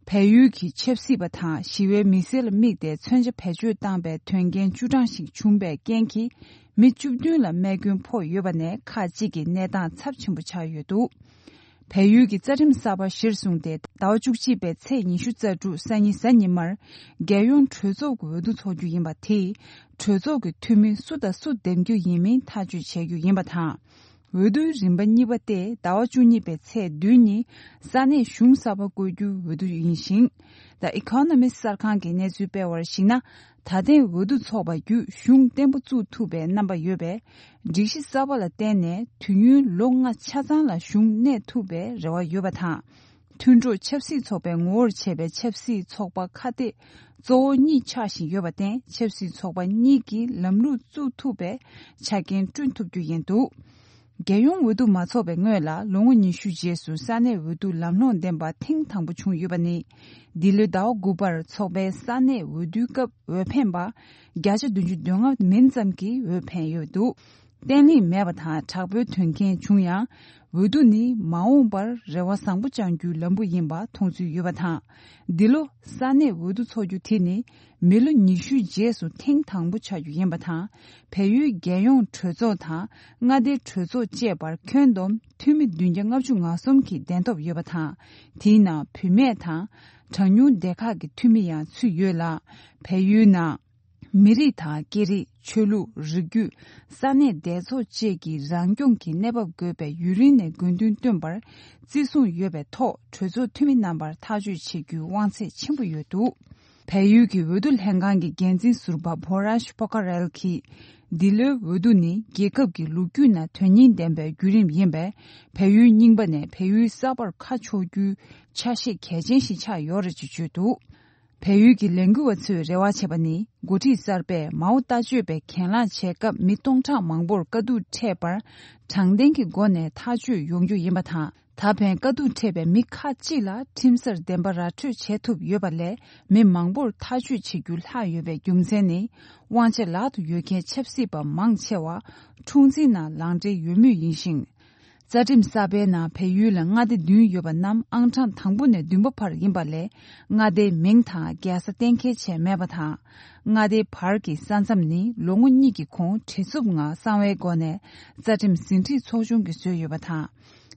བལ་ཡུལ་གྱི་ཆབ་སྲིད་པ་དང་ཞི་བའི་མི་སེར་ལ་དམིགས་ཏེ་མཚོན་ཆ་བེད་སྤྱོད་བཏང་པའི་དོན་རྐྱེན་བཅུ་གྲངས་ཤིག་བྱུང་བའི་རྐྱེན་གྱིས། མི་བཅུ་བདུན་ལ་རྨས་སྐྱོན་ཕོག་ཡོད་པ་ནས། ཁག་ཅིག་གི་གནས་སྟངས་ཚབས་ཆེན་པོ་ཆགས་ཡོད་འདུག་བལ་ཡུལ་གྱི་རྩ་ཁྲིམས་གསར་པ་གཞིར་བཟུང་སྟེ། ཟླ་བ་བཅུ་གཅིག་པའི་ཚེས་ཉི་ཤུ་རྩ་དྲུག་སང་ཉིན་གཟའ་ཉི་མར། རྒྱལ་ཡོངས་གྲོས་ཚོགས་ཀྱི་འོས་བསྡུ་འཚོགས་རྒྱུ་ཡིན་པ་དེས། གྲོས་ཚོགས་ཀྱི་འཐུས་མི་སུ་དང་སུ་འདེམས་རྒྱུ་ཡིན་མིན་ཐག་གཅོད་བྱེད་རྒྱུ་ཡིན་པ་དང་། འོས་བསྡུའི་རིམ་པ་གཉིས་པ་སྟེ་ཟླ་བ་བཅུ་གཉིས་པའི་ཚེས་བདུན་ཉིན་ས་གནས་གཞུང་གསར་པ་བསྐོ་རྒྱུའི་འོས་བསྡུ་ཡིན་ཞིང་། The Economist གསར་ཁང་གིས་གནས་ཚུལ་སྤེལ་བར་གཞིགས་ན། ད་ཐེངས་འོས་བསྡུ་འཚོགས་པ་བརྒྱུད་གཞུང་བརྟན་པོ་བཙུགས་ཐུབ་པའི་རྣམ་པ་ཡོད་པས། སྒྲིག་གཞི་གསར་པ་ལ་བརྟེན་ནས་དུས་ཡུན་ལོ་ལྔ་ཆ་ཚང་ལ་གཞུང་གནས་ཐུབ་པའི་རེ་བ་ཡོད་པ་དང་། མཐུན་གྲོགས་ཆབ་སྲིད་ཚོགས་པའི་ངོ་བོར་བྱས་པའི་ཆབ་སྲིད་ཚོགས་པ་ཁ་གཏད་གཙོ་བོ་གཉིས་ཆགས་བཞིན་ཡོད་པར་བརྟེན། ཆབ་སྲིད་ཚོགས་པ་གཉིས་ཀྱིས་ལམ་ལུགས་བཙུགས་ཐུབ་པའི་ཆ་རྐྱེན་བསྐྲུན་ཐུབ་རྒྱུ་ཡིན་འདུག་རྒྱལ་ཡོངས་འོས་བསྡུ་མ་འཚོགས་པའི་སྔོན་ལ་ལོ་ངོ་ཉི་ཤུ་རྗེས་སུ་ས་གནས་འོས་བསྡུ་ལམ་ལྷོང་ལྡན་པ་ཐེངས་དང་པོ་བྱུང་ཡོད་པ་ནི། འདི་ལོའི་ཟླ་བ་དགུ་པར་འཚོགས་པའི་ས་གནས་འོས་བསྡུའི་སྐབས་འོས་འཕེན་པ་བརྒྱ་ཆ་བདུན་ཅུ་དོན་ལྔ་མིན་ཙམ་གྱིས་འོས་འཕེན་ཡོད་འདུག་བརྟན་ལྷིང་མེད་པ་དང་དྲག་པོའི་དོན་རྐྱེན་བྱུང་ཡང་། འོས་བསྡུ་ནི་མ་འོངས་པར་རེ་བ་བཟང་པོ་བཅང་རྒྱུའི་ལམ་བུ་ཡིན་པ་མཐོང་ཚུལ་ཡོད་པ་དང་། འདི་ལོ་ས་གནས་འོས་བསྡུ་འཚོགས་རྒྱུ་དེ་ནི་མི་ལོ་ཉི་ཤུའི་རྗེས་སུ་ཐེངས་དང་པོ་ཆགས་རྒྱུ་ཡིན་པ་དང་། བལ་ཡུལ་རྒྱལ་ཡོངས་གྲོས་ཚོགས་དང་མངའ་སྡེའི་གྲོས་ཚོགས་བཅས་པར་ཁྱོན་བསྡོམས་འཐུས་མི་བདུན་བརྒྱ་ལྔ་བཅུ་ང་གསུམ་གྱི་གདན་ཐོབ་ཡོད་པ་དང་། དེའི་ནང་བུད་མེད་དང་གྲངས་ཉུང་སྡེ་ཁག་གི་འཐུས་མི་ཡང་ཚུད་ཡོད་ལ། བལ་ཡུལ་ནང་མི་རིགས་དང་སྐད་རིགས། ཆོས་ལུགས། རིགས་རྒྱུད། ས་གནས་སྡེ་ཚོགས་བཅས་ཀྱི་རང་སྐྱོང་གི་གནས་བབ་དགོས་པའི་ཡུན་རིང་ནས་དགོས་འདུན་བཏོན་པར་བརྩི་སྲུང་ཡོད་པའི་ཐོག་གྲོས་ཚོགས་འཐུས་མི་རྣམ་པར་ཐག་གཅོད་བྱེད་རྒྱུའི་དབང་ཚད་ཆེན་པོ་ཡོད་འདུག་བལ་ཡུལ་གྱི་འོས་བསྡུ་ལྷན་ཁང་གི་འགན་འཛིན་ཟུར་པ་བྷོ་རཱཤ་པོ་ཁ་རེལ་གྱིས། འདི་ལོའི་འོས་བསྡུ་ནི་རྒྱལ་ཁབ་ཀྱི་ལོ་རྒྱུས་ནང་དོན་སྙིང་ལྡན་པའི་བརྒྱུད་རིམ་ཡིན་པས། བལ་ཡུལ་རྙིང་པ་ནས་བལ་ཡུལ་གསར་པར་ཁ་ཕྱོགས་རྒྱུའི་ཆ་ཤས་གལ་ཆེན་ཞིག་ཆགས་ཡོད་རེད་ཅེས་བརྗོད་འདུག་བལ་ཡུལ་གྱི་ལས་འགུལ་བ་ཚོས་རེ་བ་བྱས་པ་ནི། འགོ་ཁྲིད་གསར་པས་མའོ་ལྟ་སྤྱོད་པའི་གྱེན་ལངས་བྱས་སྐབས་མི་སྟོང་ཕྲག་མང་པོར་དཀའ་སྡུག་འཕྲད་པར་དྲང་བདེན་གྱི་སྒོ་ནས་ཐག་གཅོད་ཡོང་རྒྱུ་ཡིན་པ་དང་། ད་ཕན་དཀའ་སྡུག་འཕྲད་པའི་མི་ཁག་ཅིག་ལ་ཁྲིམས་སར་བདེན་པ་ར་འཕྲོད་བྱེད་ཐུབ་ཡོད་པ་ལས། མི་མང་པོར་ཐག་གཅོད་བྱེད་རྒྱུ་ལྷག་ཡོད་པའི་རྒྱུ་མཚན་ནི། དབང་ཆ་ལག་ཏུ་ཡོད་མཁན་ཆབ་སྲིད་པ་མང་ཆེ་བ་འཁྲུག་འཛིང་ནང་ལངས་འབྲེལ་ཡོད་མུས་ཡིན་ཞིང་། རྩ་ཁྲིམས་གསར་པའི་ནང་བལ་ཡུལ་ལ་མངའ་སྡེ་བདུན་ཡོད་པ་རྣམས་ཨང་གྲངས་དང་པོ་ནས་བདུན་པ་བར་ཡིན་པ་ལས། མངའ་སྡེའི་མིང་དང་རྒྱལ་ས་གཏན་འཁེལ་བྱས་མེད་པ་དང་། མངའ་སྡེའི་བར་གྱི་ས་མཚམས་ནི་ལོ་ངོ་གཉིས་ཀྱི་གོང་བྲེལ་འཚུབ་ངང་གསང་བའི་སྒོ་ནས་རྩ་ཁྲིམས་ཟིན་བྲིས་ཚོགས་ཆུང་གིས་བཟོས་ཡོད་པ་དང་།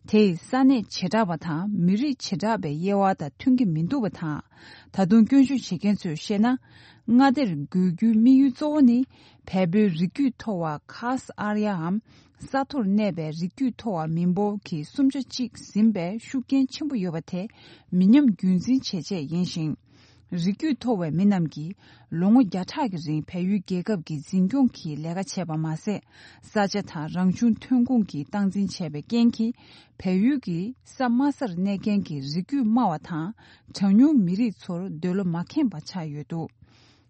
དེས་ས་གནས་བྱེ་བྲག་པ་དང་མི་རིགས་བྱེ་བྲག་པའི་དབྱེ་བ་དང་མཐུན་གྱི་མི་འདུག་པ་དང་། ད་དུང་སྐྱོན་བརྗོད་བྱེད་མཁན་ཚོས་བཤད་ན། མངའ་སྡེར་དགོས་རྒྱུའི་དམིགས་ཡུལ་གཙོ་བོ་ནི། བལ་པོའི་རིགས་རྒྱུད་མཐོ་བ་ཁཱས་ཨར་ཡའམ། ས་མཐོར་གནས་པའི་རིགས་རྒྱུད་མཐོ་བ་མི་འབོར་གྱི་སུམ་ཆ་གཅིག་ཟིན་པའི་ཤུགས་རྐྱེན་ཆེན་པོ་ཡོད་པ་དེ་མི་ཉམས་རྒྱུན་འཛིན་བྱེད་ཆེད་ཡིན་ཞིང་། རིགས་རྒྱུད་མཐོ་བའི་མི་རྣམས་ཀྱིས་ལོ་ངོ་བརྒྱ་ཕྲག་གི་རིང་བལ་ཡུལ་རྒྱལ་ཁབ་ཀྱི་འཛིན་སྐྱོང་གི་ལས་ཀ་བྱས་པ་མ་ཟད། ས་ཆ་དང་རང་བྱུང་ཐོན་ཁུངས་ཀྱི་སྟངས་འཛིན་བྱས་པའི་རྐྱེན་གྱིས། བལ་ཡུལ་གྱི་ས་དམའ་སར་གནས་མཁན་གྱི་རིགས་རྒྱུད་དམའ་བ་དང་གྲངས་ཉུང་མི་རིགས་ཚོར་འདོད་བློ་མ་ཁེངས་པ་ཆགས་ཡོད་འདུག་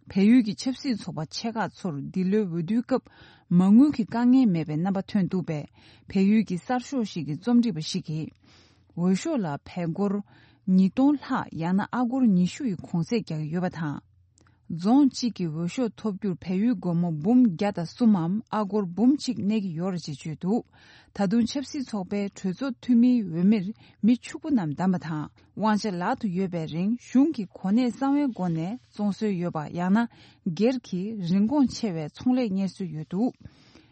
བལ་ཡུལ་གྱི་ཆབ་སྲིད་ཚོགས་པ་ཆེ་ཁག་ཚོར་འདི་ལོའི་འོས་བསྡུའི་སྐབས་མ་དངུལ་གྱི་དཀའ་ངལ་མེད་པའི་རྣམ་པ་ཐོན་འདུག་པས། བལ་ཡུལ་གྱི་གསར་ཤོག་ཞིག་གི་རྩོམ་སྒྲིག་པ་ཞིག་གིས། འོས་ཤོག་ལ་བལ་སྒོར་ཉིས་སྟོང་ལྷག་ཡང་ན་ཨ་སྒོར་ཉི་ཤུ་ཡི་གོང་ཚད་རྒྱག་གི་ཡོད་པ་དང་། རྫོང་གཅིག་གི་འོས་ཤོག་ཐོབ་རྒྱུར་བལ་ཡུལ་སྒོར་མོ་འབུམ་བརྒྱ་དང་གསུམ་མམ་ཨ་སྒོར་འབུམ་གཅིག་གནས་ཀྱི་ཡོད་རེད་ཅེས་བརྗོད་འདུག་ད་དུང་ཆབ་སྲིད་ཚོགས་པའི་གྲོས་ཚོགས་འཐུས་མིའི་འོས་མིར་མི་ཕྱུག་པོ་རྣམས་བདམས་པ་དང་། དབང་ཆ་ལག་ཏུ་ཡོད་པའི་རིང་གཞུང་གི་གོ་གནས་གསང་བའི་སྒོ་ནས་བཙོང་སྲོལ་ཡོད་པ་ཡང་ན་སྒེར་གྱི་རིན་གོང་ཆེ་བའི་ཚོང་ལས་གཉེར་སྲོལ་ཡོད་འདུག་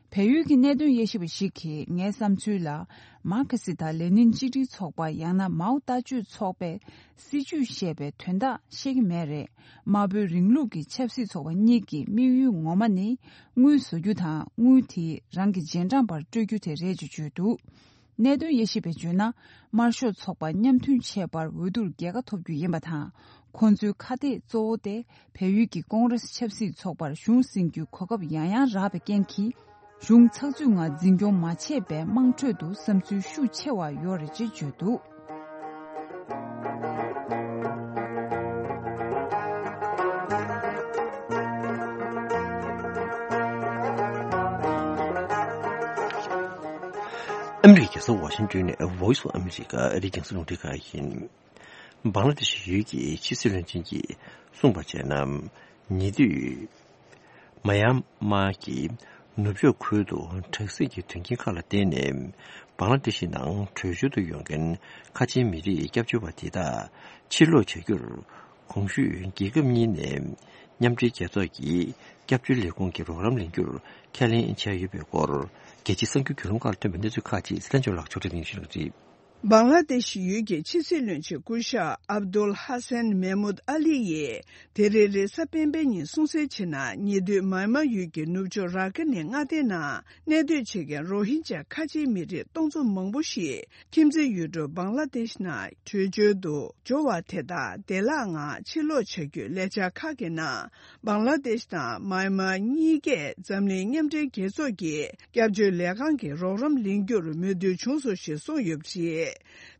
བལ་ཡུལ་གྱི་གནད་དོན་དབྱེ་ཞིབ་པ་ཞིག་གིས་ངའི་བསམ་ཚུལ་ལ། མར་ཁེ་སི་དང་ལེ་ནིན་གཅིག་སྒྲིལ་ཚོགས་པ་ཡང་ན་མའོ་ལྟ་སྤྱོད་ཚོགས་པས་སྲིད་ཇུས་བཤད་པའི་དོན་དག་ཤེས་ཀྱི་མེད་རེད། དམར་པོའི་རིང་ལུགས་ཀྱི་ཆབ་སྲིད་ཚོགས་པ་གཉིས་ཀྱི་དམིགས་ཡུལ་ངོ་མ་ནི་དངུལ་བཟོ་རྒྱུ་དང་དངུལ་དེ་རང་གི་རྗེས་འབྲང་པར་སྤྲོད་རྒྱུ་དེ་རེད་ཅེས་བརྗོད་འདུག་གནད་དོན་དབྱེ་ཞིབ་པས་བརྗོད་ན། དམར་ཤོག་ཚོགས་པ་མཉམ་མཐུན་བྱས་པར་འོས་བསྡུར་རྒྱལ་ཁ་ཐོབ་རྒྱུ་ཡིན་པ་དང་། ཁོང་ཚོའི་ཁ་གཏད་གཙོ་བོ་སྟེ། བལ་ཡུལ་གྱི་ཀོང་རེས་ཆབ་སྲིད་ཚོགས་པར་གཞུང་ཟིན་རྒྱུའི་གོ་སྐབས་ཡང་ཡང་རག་པའི་རྐྱེན་གྱིས། གཞུང་ཚགས་ཚུད་ངང་འཛིན་སྐྱོང་མ་བྱས་པའི་དམངས་ཁྲོད་དུ་བསམ་ཚུལ་ཤུགས་ཆེ་བ་ཡོད་རེད་ཅེས་བརྗོད་འདུག་ཨ་མི་རི་ཀའི་རྒྱལ་ས་ཝ་ཤིང་ཏོན་ནས་Voice of America ཨ་རིའི་རྒྱང་སྲིང་རླུང་འཕྲིན་ཁང་ཡིན། བང་ལ་དེ་ཤི་ཡུལ་གྱི་ཕྱི་སྲིད་བློན་ཆེན་གྱིས་གསུངས་པར་བྱས་ན། ཉེ་དུས་མ་ཡན་མར་གྱི་ནུབ་ཕྱོགས་ཁུལ་དུ་དྲག་ཟིང་གི་དོན་རྐྱེན་ཁག་ལ་བརྟེན་ནས་བང་ལ་དེ་ཤི་ནང་བྲོས་བྱོལ་དུ་ཡོང་མཁན་ཁ་ཆེའི་མི་རིགས་སྐྱབས་བཅོལ་བ་དེ་དག་ཕྱིར་ལོག་བྱ་རྒྱུར། གོང་ཞུས་རྒྱལ་ཁབ་གཉིས་ནས་མཉམ་འབྲེལ་རྒྱལ་ཚོགས་ཀྱི་སྐྱབས་བཅོལ་ལས་ཁུངས་ཀྱི་རོགས་རམ་ལེན་རྒྱུར་ཁས་ལེན་བྱས་ཡོད་པའི་སྐོར། རྒྱལ་སྤྱིའི་གསར་འགྱུར་བརྒྱུད་ལམ་ཁག་ལ་ཐོན་པའི་གནས་ཚུལ་ཁག་ཅིག་སྲིད་བློན་ལྕམ་ལགས་ཕྱོགས་སྒྲིག་གནང་བཞིན་པ་རེད། བང་ལ་དེ་ཤི་ཡུལ་གྱི་ཕྱི་སྲིད་བློན་ཆེན་སྐུ་ཞབས་ཨབ་དུལ་ཧ་སན་མེ་མུད་ཨ་ལི་ཡིས། དེ་རིང་རེས་གཟའ་སྤེན་པའི་ཉིན་གསུང་གསལ་བྱས་ན། ཉེ་དུས་མཱ་མཱ་ཡུལ་གྱི་ནུབ་ཕྱོགས་ར་ཁི་ནི་མངའ་སྡེའི་ནང་གནས་སྡོད་བྱེད་མཁན་རོ་ཧིན་ཇཱ་ཁ་ཆེའི་མི་རིགས་སྟོང་ཚོ་མང་པོ་ཞིག་ཁྱིམ་མཚེས་ཡུལ་གྲུ་བང་ལ་དེ་ཤི་ནང་བྲོས་བྱོལ་དུ་འབྱོར་བ་དེ་དག་བདེ་བླག་ངང་ཕྱིར་ལོག་བྱ་རྒྱུའི་ལས་འཆར་ཁག་གི་ནང་། བང་ལ་དེ་ཤི་དང་མཱ་མཱ་གཉིས་ཀས་འཛམ་གླིང་མཉམ་འབྲེལ་རྒྱལ་ཚོགས་ཀྱི་སྐྱབས་བཅོལ་ལས་ཁང་གི་རོགས་རམ་ལེན་རྒྱུར་མོས་མཐུན་བྱུང་སོང་ཞེས་གསུངས་ཡོད་པ་རེད།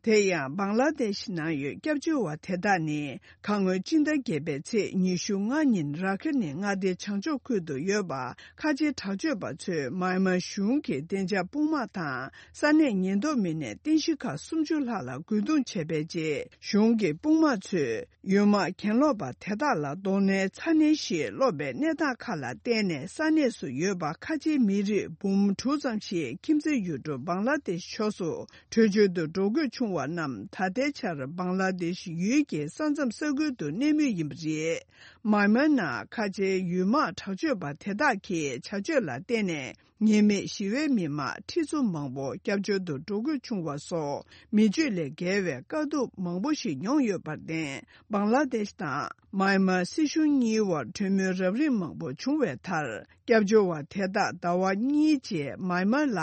དེ་ཡང་བང་ལ་དེ་ཤི་ནང་ཡོད་སྐྱབས་བཅོལ་བ་དེ་དག་ནི། ཁ་སྔོན་སྤྱི་ཟླ་བརྒྱད་པའི་ཚེས་ཉི་ཤུ་ལྔ་ཉིན་ར་ཁི་ནི་མངའ་སྡེའི་བྱང་ཕྱོགས་ཁུལ་དུ་ཡོད་པ་ཁ་ཆེའི་དྲག་སྤྱོད་པ་ཚོས་མཱ་མཱ་གཞུང་གི་བདེ་འཇགས་དཔུང་དམག་དང་ས་གནས་ཉེན་རྟོག་མི་སྣས་རྟེན་གཞི་ཁག་སུམ་ཅུ་ལྷག་ལ་རྒོལ་རྡུང་བྱས་པའི་རྗེས། གཞུང་གི་དཔུང་དམག་ཚོས་ཡུལ་དམག་གྱེན་ལོག་པ་དེ་དག་ལ་གདོང་ལེན་ཚ་ནན་ཞིག་སློག་པའི་གནས་སྟངས་ཁག་ལ་བརྟེན་ནས། ས་གནས་སུ་ཡོད་པ་ཁ་ཆེའི་མི་རིགས་འབུམ་དྲུག་ཙམ་ཞིག་ཁྱིམ་མཚེས་ཡུལ་གྲུ་བང་ལ་དེ་ཤི་ཕྱོགས་སུ་བྲོས་བྱོལ་དུ་འགྲོ་དགོས་བྱུང་བ་རྣམས། ད་ལྟའི་ཆར་བང་ལ་དེ་ཤི་ཡུལ་གྱི་ས་མཚམས་ས་ཁུལ་དུ་གནས་མུས་ཡིན་པ་རེད། མཱ་མཱ་ནང་ཁ་ཆེའི་ཡུལ་དམག་དྲག་སྤྱོད་པ་དེ་དག་གི་བྱ་སྤྱོད་ལ་བརྟེན་ནས། ཉེས་མེད་ཞི་བའི་མི་མང་ཁྲི་ཚོ་མང་པོ་སྐྱབས་བཅོལ་དུ་འགྲོ་དགོས་བྱུང་བ་སོགས། མི་སྤྱོད་ལས་བརྒལ་བའི་དཀའ་སྡུག་མང་པོ་ཞིག་མྱོང་ཡོད་པར་བརྟེན། བང་ལ་དེ་ཤི་དང་མཱ་མཱ་སྲིད་གཞུང་གཉིས་དབར་གྲོས་མོལ་རབ་རིམ་མང་པོ་བྱུང་བའི་མཐར། སྐྱབས་བཅོལ་བ་དེ་དག་ཟླ་བ་གཉིས་རྗེས་མཱ་མཱ་ལ་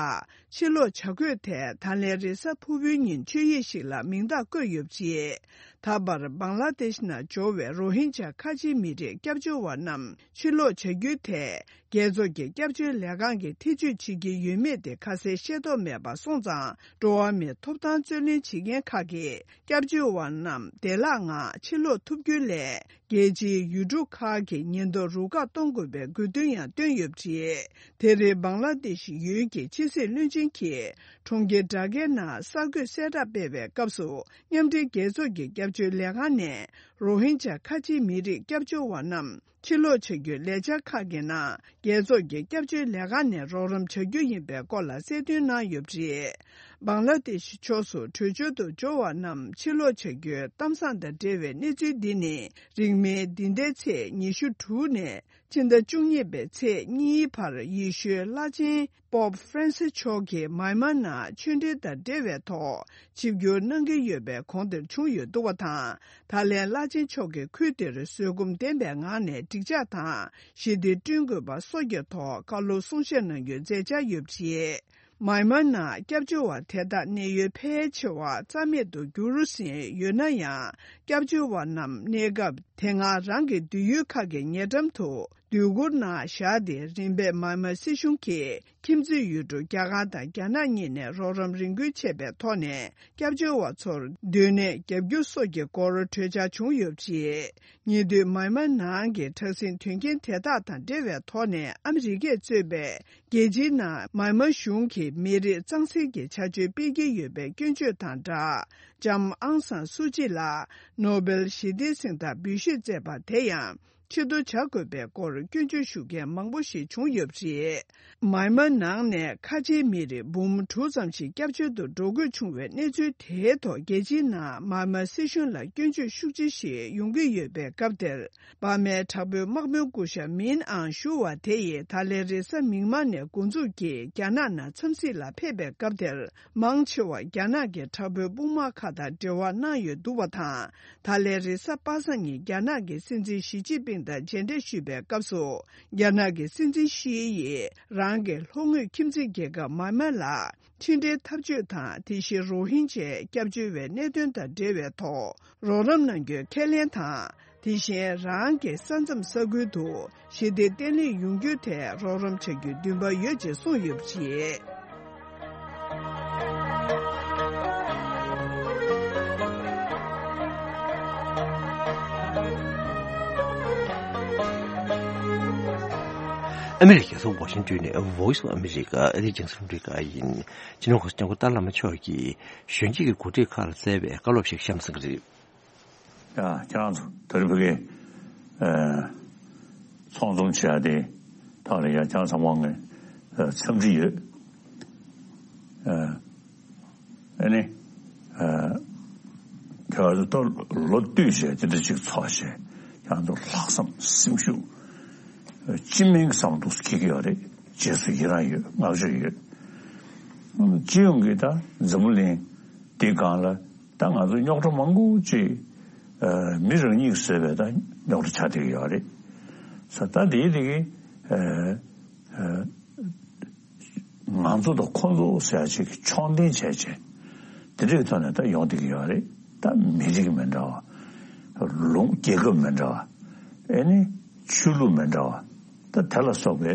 ཕྱིར་ལོག་བྱ་དགོས་ཐད། ད་ལན་རེས་གཟའ་ཕུར་བུའི་ཉིན་ཆོད་ཡིག་ཞིག་ལ་མིང་རྟགས་བཀོད་ཡོད་པ་རེད། ད་བར་བང་ལ་དེ་ཤི་ནང་འབྱོར་བའི་རོ་ཧིན་ཇཱ་ཁ་ཆེའི་མི་རིགས་སྐྱབས་བཅོལ་བ་རྣམས་ཕྱིར་ལོག་བྱ་རྒྱུའི་ཐད། རྒྱལ་ཚོགས་ཀྱི་སྐྱབས་བཅོལ་ལས་ཁང་གིས་ཐེ་བྱུས་བྱེད་ཀྱི་ཡོད་མེད་དེ་ཁ་གསལ་ཤེས་རྟོགས་མེད་པ་སོང་ཙང་། འགྲོ་བ་མིའི་ཐོབ་ཐང་རྩོད་ལེན་བྱེད་མཁན་ཁག་གིས་སྐྱབས་བཅོལ་བ་རྣམས་བདེ་བླག་ངང་ཕྱིར་ལོག་ཐུབ་རྒྱུའི་སླད། རྒྱལ་སྤྱིའི་ཡུལ་གྲུ་ཁག་གི་ཉེན་རྟོག་རུ་ཁག་གཏོང་དགོས་པའི་དགོས་འདུན་ཡང་བཏོན་ཡོད་པ་རེད། དེ་རིང་བང་ལ་དེ་ཤི་ཡུལ་གྱི་ཕྱི་སྲིད་བློན་ཆེན་གྱིས་གྲོང་ཁྱེར་ཌ་ཀའི་ནང་གསར་འགོད་གསལ་བསྒྲགས་སྤེལ་བའི་སྐབས་སུ། མཉམ་འབྲེལ་རྒྱལ་ཚོགས་ཀྱི་སྐྱབས་བཅོལ་ལས་ཁང་ནས་རོ་ཧིན་ཇཱ་ཁ་ཆེའི་མི་རིགས་སྐྱབས་བཅོལ་བ་རྣམས། ཕྱིར་ལོག་བྱ་རྒྱུའི་ལས་འཆར་ཁག་གི་ནང་། རྒྱལ་ཚོགས་ཀྱི་སྐྱབས་བཅོལ་ལས་ཁང་ནས་རོགས་རམ་བྱ་རྒྱུ་ཡིན་པའི་སྐོར་ལ་གསལ་སྟོན་གནང་ཡོད་པ་རེད། བང་ལ་དེ་ཤི་ཕྱོགས་སུ་བྲོས་བྱོལ་དུ་འབྱོར་བ་རྣམས་ཕྱིར་ལོག་བྱ་རྒྱུའི་གཏམ་བཟང་དང་འབྲེལ་བའི་གནས་ཚུལ་འདི་ནི། རིང་མིན་འདི་ཟླའི་ཚེས་ཉི་ཤུ་དྲུག་ནས་ཕྱི་ཟླ་བཅུ་གཉིས་པའི་ཚེས་གཉིས་བར་ཡེ་ཤུའི་བླ་ཆེན་པོབ་ཧྥ་རན་སི་མཆོག་གིས་མཱ་མཱ་ནང་ཆོས་འབྲེལ་དང་འབྲེལ་བའི་ཐོག་ཆིབས་བསྒྱུར་གནང་གི་ཡོད་པའི་གོང་དེར་བྱུང་ཡོད་འདུག་པ་དང་། ད་ལན་བླ་ཆེན་མཆོག་གིས་ཁུལ་དེར་བཟོད་སྒོམ་ལྡན་པའི་ངང་ནས་འགྲིག་འཇགས་དང་ཞི་བདེ་བསྐྲུན་དགོས་པ་སོགས་ཀྱི་ཐོག་བཀའ་སློབ་གསུང་བཤད་གནང་རྒྱུའི་མཛད་འཆར་ཡོད་པ་རེད། མཱ་མཱ་ནང་སྐྱབས་བཅོལ་བ་དེ་དག་གནས་ཡུལ་ཕལ་ཆེ་བ་རྩ་མེད་དུ་འགྱུར་ཟིན་ཡོད་ན་ཡང་། སྐྱབས་བཅོལ་བ་རྣམས་གནས་སྐབས་དེ་སྔ་རང་གི་སྡོད་ཡུལ་ཁག་གི་ཉེ་འགྲམ་དུ་སྡོད་གུར་ནང་བཞག་སྟེ། རིམ་པས་མཱ་མཱ་སྲིད་གཞུང་གིས་ཁྱིམ་མཚེས་ཡུལ་གྲུ་རྒྱ་གར་དང་རྒྱ་ནག་གཉིས་ནས་རོགས་རམ་རེ་འཁུར་བྱས་པའི་ཐོག་ནས། སྐྱབས་བཅོལ་བ་ཚོར་སྡོད་གནས་བརྒྱབ་རྒྱུ་སོགས་ཀྱི་སྐོར་གྲོས་འཆར་བྱུང་ཡོད་པ་རེད། ཉེ་དུས་མཱ་མཱ་ནང་གི་དྲག་ཟིང་དོན་རྐྱེན་དེ་དག་དང་འབྲེལ་བའི་ཐོག་ནས། ཨ་མི་རི་ཀས་གཙོས་པའི་རྒྱལ་སྤྱིའི་ནང་མཱ་མཱ་གཞུང་གིས་མི་རིགས་གཙང་སེལ་གྱི་བྱ་སྤྱོད་སྤེལ་གྱི་ཡོད་པའི་སྐྱོན་བརྗོད་དང་སྦྲགས། ལྕམ་ཨང་སང་སུ་ཅི་ལ་ནོ་སྦེལ་ཞི་བདེའི་གཟེངས་རྟགས་འབུལ་བཞེས་མཛད་པ་དེ་ཡང་ཕྱིར་བསྡུ་བྱ་དགོས་པའི་སྐོར་སྐྱོན་བརྗོད་ཞུ་མཁན་མང་པོ་ཞིག་བྱུང་ཡོད་པ་རེད། མཱ་མཱ་ནང་ནས་ཁ་ཆེའི་མི་རིགས་འབུམ་དྲུག་ཙམ་ཞིག་སྐྱབས་བཅོལ་དུ་འགྲོ་དགོས་བྱུང་བའི་གནས་ཚུལ་དེའི་ཐོག་རྒྱལ་སྤྱིའི་ནང་མཱ་མཱ་སྲིད་གཞུང་ལ་སྐྱོན་བརྗོད་ཤུགས་ཆེ་ཞིག་ཡོང་གི་ཡོད་པའི་སྐབས་དེར། འབར་མའི་དྲག་པོའི་དམག་དཔོན་སྐུ་ཞབས་མིན་ཨང་ཞུ་བ་དེ་ཡིས་ད་ལན་རེས་གཟའ་མིག་དམར་ནས་འགོ་འཛུགས་ཀྱིས་རྒྱ་ནག་ནང་འཚམས་གཟིགས་ལ་ཕེབས་པའི་སྐབས་དེར། མང་ཆེ་བ་རྒྱ་ནག་གི་དྲག་པོའི་དཔུང་དམག་ཁག་དང་འབྲེལ་བ་གནང་ཡོད་འདུག་པ་དང་། ད་ལན་རེས་གཟའ་པ་སངས་ཉིན་རྒྱ་ནག་གི་སྲིད་འཛིན་ཞི་ཅིན་ཕིང་དང་མཇལ་འཕྲད་ཞུས་པའི་སྐབས་སུ། རྒྱ་ནག་གི་སྲིད་འཛིན་ཞི་ཡིས་རང་གི་ལྷོ་ངོས་ཁྱིམ་མཚེས་རྒྱལ་ཁབ་མཱ་མཱ་ལ་ཕྱི་འབྲེལ་འཐབ་ཇུས་དང་། དེ་བཞིན་རོ་ཧིན་ཇའི་སྐྱབས་བཅོལ་བའི་གནད་དོན་དང་འབྲེལ་བའི་ཐོག་རོགས་རམ་གནང་རྒྱུའི་ཁས་ལེན་དང་། དེ་བཞིན་རང་གི་ས་མཚམས་ས་ཁུལ་དུ་ཞི་བདེ་བརྟན་ལྷིང་ཡོང་རྒྱུའི་ཐད་རོགས་རམ་བྱ་རྒྱུའི་འདུན་པ་ཡོད་ཅེས་གསུངས་ཡོད་པ་རེད། ཨ་མི་རི་ཀའི་རྒྱལ་ས་ཝ་ཤིང་ཏོན་ནས་Voice of America ཨ་རིའི་རྒྱང་སྲིང་རླུང་འཕྲིན་ཁང་ཡིན། སྤྱི་ནོར་གོང་ས་སྐྱབས་མགོན་ཏཱ་བླ་མ་མཆོག་གིས་གཞོན་སྐྱེས་ཀྱི་འགོ་ཁྲིད་ཁག་ལ་སྩལ་བའི་བཀའ་སློབ་ཞིག་གཤམ་གསན་གྱི་རེད། ཡ། ཁྱེད་རང་ཚོ་ད་རེས་ཕ་གིའི་ཨ་ཚོགས་འཛོམས་བྱེད་ཡ་དེ་ཐོག་ལ་ཡ་ཁྱེད་རང་ཚང་མ་ངས་ཨ་འཚམས་འདྲི་ཡོད། ཨ་ཨ་ནི་ཨ་ཁྱེད་རང་ཚོ་ད་ལོ་བསྟུད་བྱས་དེ་འདྲ་ཅིག་ཚོགས་བྱས། ཁྱེད་རང་ཚོ་ལྷག་བསམ་སེམས་ཤུགས་ཨ་སྤྱི་སྨན་གྱི་བསམ་བློ་འདུག་སེ་འཁྱེར་གྱི་ཡོད་རེད། རྗེས་སུ་ཡི་རང་ཡོད། བསྔགས་བརྗོད་ཡོད། སྤྱི་ཡོངས་ཀྱི་ད་འཛམ་བུ་གླིང་ དེའི་སྒང་ལ་ད་ང་ཚོ་རྙོག་དྲ་མང་པོ་ཅིག་ཨ་མི་རང་ཉིད་ཀྱིས་བཟོས་པའི་ད་རྙོག་དྲ་ཆགས་བསྡད་ཀྱི་ཡོད་རེད། ས་ད་དེའི་དེ་གི་ཨ་ཨ་ང་ཚོ་དང་ཁོ་ཚོ་ཟེར་ཡ་ཅིག་གི་ཕྱོགས་འཐེན་བྱས་བྱས་དེ་འདྲའི་ཐོག་ནས་ད་ཡོང་བསྡད་ཀྱི་ཡོད་རེད། ད་མི་རིགས་མི་འདྲ་བ། ལུང་རྒྱལ་ཁབ་མི་འདྲ་བ། ཨེ་ནི་ཆོས་ལུགས་མི་འདྲ་བ། ད་དེ་ལ་སོགས་པའི་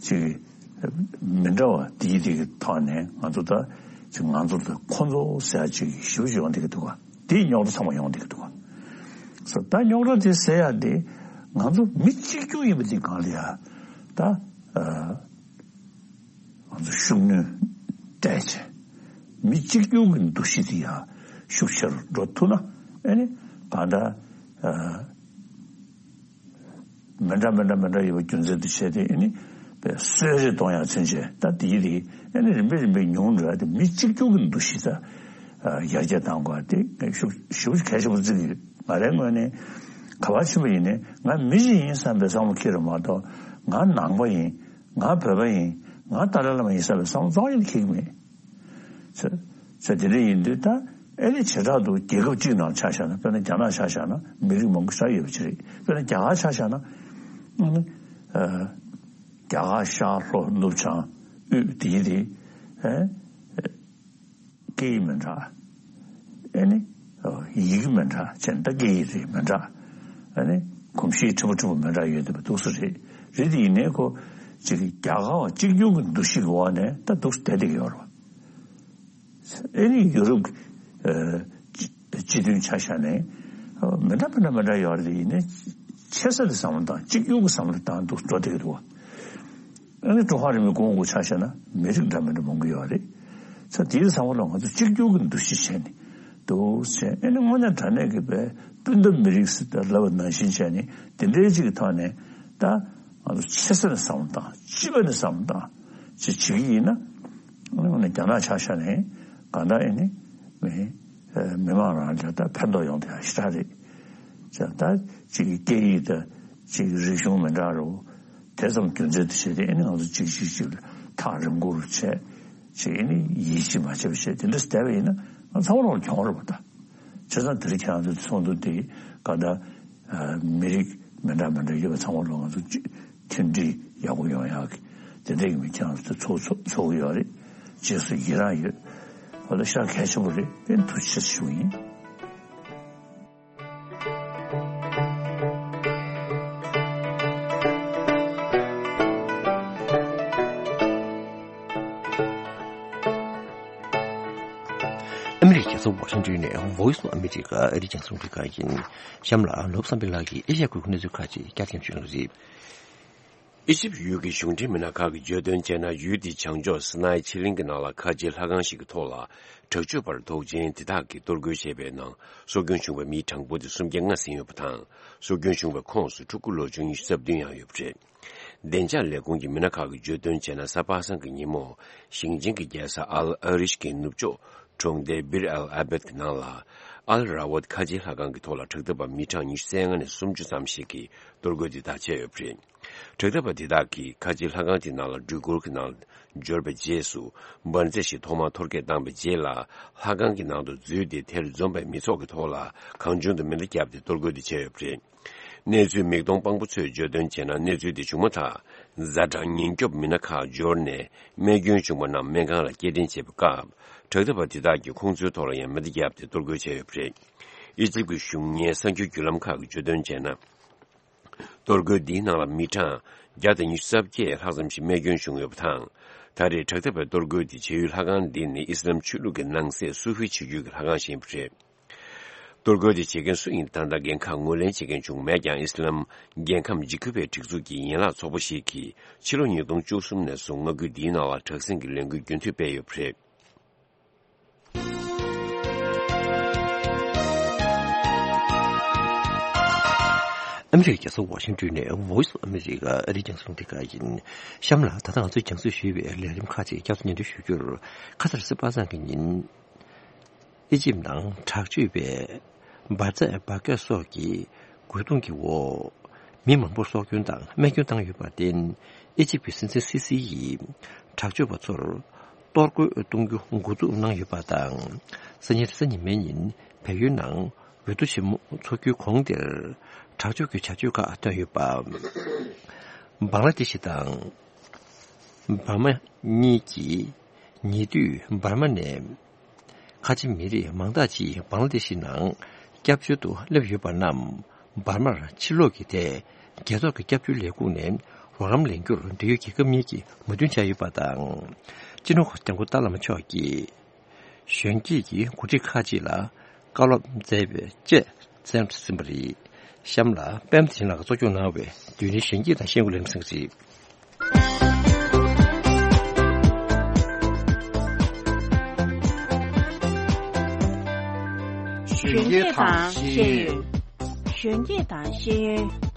ཅིག་མི་འདྲ་བ་དེའི་དེ་གི་ཐོག་ནས་ང་ཚོ་ད་ཅིག་ང་ཚོ་དང་ཁོ་ཚོ་ཟེར་ཡ་ཅིག་ཞེ་པོ་ཅིག་ཡོང་བསྡད་ཀྱི་འདུག་ག་དེའི་རྙོག་དྲ་ཚང་མ་ཡོང་བསྡད་ཀྱི་འདུག་ག་ས་ད་རྙོག་དྲ་དེ་སེལ་ཡ་དེ་ང་ཚོ་མི་གཅིག་གྱུར་ཡིན་པ་དེ་སྒང་ལ་ཡ་ད་ཨ། ང་ཚོ་ཤུགས་སྣོན་སྤྲད་བྱས། མི་གཅིག་གྱུར་གྱི་འདུ་ཤེས་དེ་ཡང་ཤུགས་ཆེ་རུ་འགྲོ་ཐུབ་ན་ཨེ་ནི་གང་ལྟར་ཨ་མི་འདྲ་མི་འདྲ་མི་འདྲ་ཡོད་པ་རྒྱུ་མཚན་དུ་བྱས་ཏེ་ཨེ་ནི་པའི་གསོད་རེས་གཏོང་ཡ་ཚུན་ཆད་ད་དེའི་རིགས་ཨེ་ནི་རིམ་པས་རིམ་པས་ཉུང་འགྲོ་ཡ་དེ་མི་གཅིག་གྱུར་གྱི་འདུ་ཤེས་ད་ཡར་རྒྱས་གཏང་དགོས་དེ་ཤུགས་ཞེ་པོ་གལ་ཆེན་པོ་བརྩི་གི་ཡོད། ང་རའི་ངོས་ནས་ག་པར་ཕྱིན་པ་ཡིན་ནའི་ང་མི་ཞིག་ཡིན་བསམ་པའི་བསམ་བློ་འཁྱེར་རེད་མ་གཏོགས་ང་ནང་པ་ཡིན། ང་བོད་པ་ཡིན། ང་ཏཱ་ལའི་བླ་མ་ཡིན་བསམ་པའི་བསམ་བློ་རྩ་བ་ཉིད་ནས་འཁྱེར་གྱི་མེད། ཚེ་ཚེ་དེ་འདྲ་ཡིན་དུས་ད་ཨེ་ནི་བྱེ་བྲག་ཏུ་རྒྱལ་ཁབ་གཅིག་ནང་ཆ་བཞག་ན་དཔེར་ན་རྒྱ་ནག་ཆ་བཞག་ན་མི་རིགས་མང་པོ་ཞེ་དྲག་ཡོད་པ་ཅིག་རེད། དཔེར་ན་རྒྱ་གར་ཆ་བཞག་ན་ཨ་ནི་ཨ་རྒྱ་གར་ཤར་ལྷོ་ནུབ་བྱང་དབུས་དེ་ཡི་དེ་ཨེ། སྐད་ཡིག་མི་འདྲ། ཨེ་ནི། ཡི་གེ་མི་འདྲ་བྱས་ན་ད་སྐད་ཡིག་རེད་མི་འདྲ། ཨེ་ནི། གོམས་གཤིས་ཕྲན་བུ་ཕྲན་བུ་མི་འདྲ་ཡོད་བསྡད་པ་འདུག་སེ་རེད། རེད་དེ་ཡིན་ནའི་ཁོ་ཅིག་རྒྱ་གར་བ་གཅིག་གྱུར་གྱི་འདུ་ཤེས་ཀྱི་འོག་ནས་ད་འདུག་སེ་བསྡད་བསྡད་ཀྱི་ཡོད་རེད་བ། ཨེ་ནི་ཡུ་རོབ་ཀྱི་སྤྱི་མཐུན་ཆ་བཞག་ནས་མི་འདྲ་མི་འདྲ་མི་འདྲ་ཡོད་རེད་དེ་ཡིན་ནའི་ཆེ་ས་ལ་བསམ་བློ་བཏང་གཅིག་གྱུར་གྱི་བསམ་བློ་བཏང་འདུག་འགྲོ་བསྡད་ཀྱི་འདུག་བ། ཨ་ནི་ཀྲུང་ཧྭ་རིན་པོ་ཆེ་ཁོང་ཚོ་ཆ་བཞག་ན་མི་རིགས་འདྲ་མི་འདྲ་མང་པོ་ཡོད་རེད། ས་དེའི་བསམ་བློ་ལ་ང་ཚོ་གཅིག་གྱུར་གྱི་འདུ་ཤེས་བྱས་ནས་འདུག་ཟེར། ཨ་ནི་དངོས་གནས་དྲང་གནས་ཀྱི་པའི་སྤུན་ཟླ་མི་རིགས་ཟེར་ད་ལབ་པ་ནང་བཞིན་བྱས་ནས་དེ་འདྲའི་ཅིག་གི་ཐོག་ནས་ད་ང་ཚོ་ཆེ་ས་ནས་བསམ་བློ་བཏང་། སྤྱི་པ་ནས་བསམ་བློ་བཏང་ཅིག་བྱེད་ཀྱི་ཡིན་ན། ཨ་ནི་དངོས་གནས་རྒྱ་ནག་ཆ་བཞག་ནས་གང་ལྟར་ཨ་ནི་མི་མི་མང་རང་ལ་ད་ཕན་ཐོགས་ཡོང་དེ་ཡང་ཞེ་དྲག་རེད། ཅེས་ད་ཅིག་གི་སྐད་ཡིག་དང་ཅིག་གི་རིག་གཞུང་མི་འདྲ་རུ། དེ་ཙམ་རྒྱུ་མཚན་དུ་བྱས་ཏེ་ཨ་ནི་ང་ཚོ་གཅིག་གཅིག་གཅིག་ལ་ཐག་རིང་པོ་རུ་བྱས། ཅིག་ཨ་ནི་ཡིད་ཆེས་མ་བྱས་པ་བྱས་དེ་འདྲ་བསྡད་པ་ཡིན་ན་ང་ཚང་མ་ལོག་གྱོང་རེད་པ་ད། བྱས་ཙང་དེ་རིང་ཁྱེད་རང་ཚོའི་ཚོགས་འདུ་དེ་ག་ད་མི་རིགས་མི་འདྲ་མི་འདྲ་ཡོད་པ་ཚང་མ་ལོག་ང་ཚོ་གཅིག་མཐུན་སྒྲིལ་ཡག་པོ་ཡོང་ཡག་གི་དེ་འདྲའི་གི་མི་ཁྱེད་རང་ཚོ་ཚོགས་ཚོགས་ཚོགས་གི་ཡོད་རེད། རྗེས་སུ་ཡི་རང་ཡོད། ཨོ་ད་ཤ་གལ་ཆེན་པོ་རེད། དཔེ་ཐུགས་རྗེ་ཆེ་ཞུ་གི་ཡིན། ཨ་མི་རི་ཀའི་རྒྱལ་ས་ཝ་ཤིང་ཊོན་ནས་Voice of America ཨ་རིའི་རྒྱང་སྲིང་རླུང་འཕྲིན་ཁང་ཡིན། གཤམ་ལ་ནོར་བུ་བསམ་འཕེལ་ལགས་ཀྱིས་ཨེ་ཤ་ཡ་ཁུལ་གྱི་གནས་ཚུལ་ཁག་ཅིག་བསྐྱར་སླེབས་ཞུ་གནང་གི་རེད། ཨི་ཇིབ་ཡུལ་གྱི་གཞུང་འབྲེལ་མི་སྣ་ཁག་གིས་བརྗོད་དོན་བྱས་ན། ཡུལ་དེའི་བྱང་ཕྱོགས་སི་ནའི་ཆེ་གླིང་གི་ནང་ལ་ཁ་ཆེའི་ལྷ་ཁང་ཞིག་གི་ཐོག་ལ་དྲག་སྤྱོད་པ་རུ་དོགས་ཅན་དེ་དག་གིས་གཏོར་རྒོལ་བྱས་པའི་ནང་སྲོག་སྐྱོན་བྱུང་བའི་མིའི་གྲངས་འབོར་དེ་སུམ་བརྒྱ་ལྔ་ཟིན་ཡོད་པ་དང་། སྲོག་སྐྱོན་བྱུང་བའི་ཁོངས་སུ་ཕྲུ་གུ་ལོ་ཆུང་ཉི་ཤུ་རྩ་བདུན་ཡང་ཡོད་པ་རེད། བདེ་འཇགས་ལས་ཁུངས་ཀྱི་མི་སྣ་ཁག་གིས་བརྗོད་དོན་བྱས་ན། གཟའ་པ་སངས་ཀྱི་ཉིན་མོ་ཞིང་ཆེན་གྱི་རྒྱལ་ས་ཨལ་ཨ་རིཤ་གི་ནུབ་ཕྱོགས་གྲོང་སྡེ་བིར་ཨལ་ཨ་བེད་ཀྱི་ནང་ལ་ཨལ་ར་ཝད་ཁ་ཆེའི་ལྷ་ཁང་གི་ཐོག་ལ་དྲག་འཐབ་པ་མི་གྲངས་ཉི་ཤུ་རྩ་ལྔ་ནས་སུམ་ཅུ་ཙམ་ཞིག་གིས་གཏོར་རྒོལ་དེ་དག་བྱས་ཡོད་པ་རེད། དྲག་འཐབ་པ་དེ་དག་གིས་ཁ་ཆེའི་ལྷ་ཁང་དེའི་ནང་ལ་སྒྲིག་བཀུར་གྱི་ནང་འབྱོར་བའི་རྗེས་སུ་འབར་རྫས་ཤིག་ཐོག་མར་གཏོར་སྐྱོན་བཏང་བའི་རྗེས་ལ། ལྷ་ཁང་གི་ནང་དུ་འཛུལ་ཏེ་དེར་འཛོམས་པའི་མི་ཚོགས་ཀྱི་ཐོག་ལ་གང་བྱུང་དུ་མེ་མདའ་བརྒྱབ་སྟེ་གཏོར་རྒོལ་དེ་བྱས་ཡོད་པ་རེད། གནས་ཚུལ་མིག་མཐོང་དཔང་པོ་ཚོས་བརྗོད་དོན་བྱས་ན། གནས་ཚུལ་དེ་བྱུང་མ་ཐག་ཛ་དྲག་ཉེན་སྐྱོབ་མི་སྣ་ཁག་འབྱོར་ནས་རྨས་སྐྱོན་བྱུང་བ་རྣམས་སྨན་ཁང་ལ་སྐྱེལ་འདྲེན་བྱེད་པའི་སྐབས། དྲག་འཐབ་པ་དེ་དག་གིས་ཁོང་ཚོའི་ཐོག་ལ་ཡང་མེ་མདའ་བརྒྱབ་སྟེ་གཏོར་རྒོལ་བྱས་ཡོད་པ་རེད། ཨི་ཇིབ་ཀྱི་གཞུང་གཉེར་གསར་འགྱུར་བརྒྱུད་ལམ་ཁག་གིས་བརྗོད་དོན་བྱས་ན། གཏོར་རྒོལ་འདིའི་ནང་ལ་མི་གྲངས་བརྒྱ་དང་ཉི་ཤུ་རྩ་བརྒྱད་ལྷག་ཙམ་ཞིག་རྨས་སྐྱོན་བྱུང་ཡོད་པ་དང་། ད་རེས་དྲག་འཐབ་པའི་གཏོར་རྒོལ་འདི་བྱེད་ཡུལ་ལྷ་ཁང་འདི་ནི་ཨི་སི་ལམ་ཆོས་ལུགས་ཀྱི་ནང་གསེས་སུ་ཧི་བྱེས་རྒྱུད་ཀྱི་ལྷ་ཁང་ཞིག་ཡིན་པ་རེད། གཏོར་རྒོལ་དེ་བྱེད་མཁན་སུ་ཡིན་ད་ལྟ་འགན་ཁག་ངོས་ལེན་བྱེད་མཁན་བྱུང་མེད་ཀྱང་། ཨི་སི་ལམ་རྒྱལ་ཁམས་འཇིགས་སྐུལ་བའི་སྒྲིག་འཛུགས་ཀྱི་ཡན་ལག་ཚོགས་པ་ཞིག་གིས་ཕྱི་ལོ་ཉིས་སྟོང་བཅུ་གསུམ་ནས་བཟུང་མངའ་ཁུལ་འདིའི་ནང་ལ་དྲག་ཟིང་གི་ལས་འགུལ་རྒྱུན་མཐུད་སྤེལ་ཡོད་པ་རེད། ཨ་མི་རི་ཀའི་རྒྱལ་ས་ཝ་ཤིང་ཊོན་ནས་Voice of America ཨ་རིའི་རྒྱང་སྲིང་རླུང་འཕྲིན་ཁང་ཡིན། གཤམ་ལ་ད་ལྟ་ང་ཚོས་རྒྱང་སྲིང་ཞུས་པའི་ལས་རིམ་ཁག་ཅིག་བསྐྱར་དུ་སྙན་སྒྲོན་ཞུ་རྒྱུར། ཁ་སང་གཟའ་པ་སངས་ཀྱི་ཉིན། ཨི་ཇིབ་ནང་དྲག་སྤྱོད་པས་འབར་རྫས་འབར་གས་སོགས་ཀྱི་རྒོལ་རྡུང་གི་འོག་མི་མང་པོར་སྲོག་སྐྱོན་དང་རྨས་སྐྱོན་བཏང་ཡོད་པར་བརྟེན། ཨི་ཇིབ་ཀྱི་སྲིད་འཛིན་སི་སི་ཡིས་དྲག་སྤྱོད་པ་ཚོར་ གཏོར་རྒོལ་གཏོང་རྒྱུ་འགོ་འཛུགས་གནང་ཡོད་པ་དང་། སང་ཉིན་རེས་གཟའ་ཉི་མའི་ཉིན་བལ་ཡུལ་ནང་འོས་བསྡུ་ཆེན་མོ་འཚོགས་རྒྱུའི་གོང་དེར་དྲག་སྤྱོད་ཀྱི་བྱ་སྤྱོད་ཁག་བཏོན་ཡོད་པ། བང་ལ་དེ་ཤི་དང་འབར་མ་གཉིས་ཀྱིས་ཉེ་དུས་འབར་མ་ནས་ཁ་ཆེ་མི་རིགས་མང་དག་ཅིག་བང་ལ་དེ་ཤི་ནང་སྐྱབས་བཅོལ་དུ་སླེབས་ཡོད་པ་རྣམས་འབར་མར་ཕྱིར་ལོག་གི་ཐད་རྒྱལ་ཚོགས་ཀྱི་སྐྱབས་བཅོལ་ལས་ཁུངས་ནས་རོགས་རམ་ལེན་རྒྱུར་འབྲེལ་ཡོད་རྒྱལ་ཁབ་གཉིས་ཀྱིས་མོས་མཐུན་བྱས་ཡོད་པ་དང་། སྤྱི་ནོར་༸གོང་ས་༸སྐྱབས་མགོན་ཏཱ་བླ་མ་མཆོག་གིས་གཞོན་སྐྱེས་ཀྱི་འགོ་ཁྲིད་ཁག་ཅིག་ལ་བཀའ་སློབ་སྩལ་བའི་བཅས་གསན་ཟིན་པ་རེད། གཤམ་ལ་པད་མ་བདེ་ཆེན་ལགས་ཀྱིས་གཙོ་སྐྱོང་གནང་བའི་བདུན་ནས་གཞོན་སྐྱེས་དང་ཤེས་ཡོན་ལས་རིམ་གསན་གྱི་རེད། གཞོན་སྐྱེས་དང་ཤེས་ཡོན། གཞོན་སྐྱེས་དང་ཤེས་ཡོན།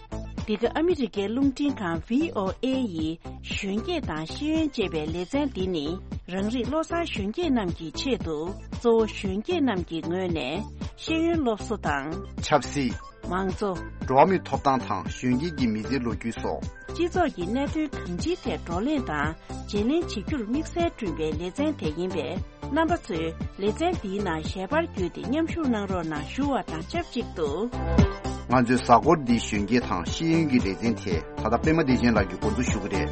འདི་ག་ཨ་མི་རི་ཀའི་རླུང་འཕྲིན་ཁང་བྷི་ཨོ་ཨེ་ཡི་གཞོན་སྐྱེས་དང་ཤེས་ཡོན་ཅེས་པའི་ལེ་ཚན་འདི་ནི། རང་རིགས་བློ་བཟང་གཞོན་སྐྱེས་རྣམས་ཀྱི་ཆེད་དུ། གཙོ་བོ་གཞོན་སྐྱེས་རྣམས་ཀྱི་ངོས་ནས་ཤེས་ཡོན་སློབ་གསོ་དང་། ཆབ་སྲིད། མང་གཙོ། འགྲོ་བ་མིའི་ཐོབ་ཐང་དང་གཞོན་སྐྱེས་ཀྱི་མི་ཚེའི་ལོ་རྒྱུས་སོགས། སྤྱི་ཚོགས་ཀྱི་གནད་དོན་གང་ཅིའི་ཐད་བགྲོ་གླེང་དང་བརྗེ་ལེན་བྱེད་རྒྱུར་དམིགས་བསལ་བསྐྲུན་པའི་ལེ་ཚན་དེ་ཡིན་པས། རྣམ་པ་ཚོས་ལེ་ཚན་འདིའི་ནང་ཞལ་པར་བརྒྱུད་དེ་མཉམ་ཞུགས་གནང་རོགས་གནང་ཞུ་བ་དང་ཆབས་ཅིག་ཏུ། ང་ཚོའི་གཟའ་འཁོར་འདིའི་གཞོན་སྐྱེས་དང་ཤེས་ཡོན་གྱི་ལེ་ཚན་དེ་ད་ལྟ་པད་མ་བདེ་ཆེན་ལགས་ཀྱིས་འགོ་འཛུགས་ཞུ་གི་རེད།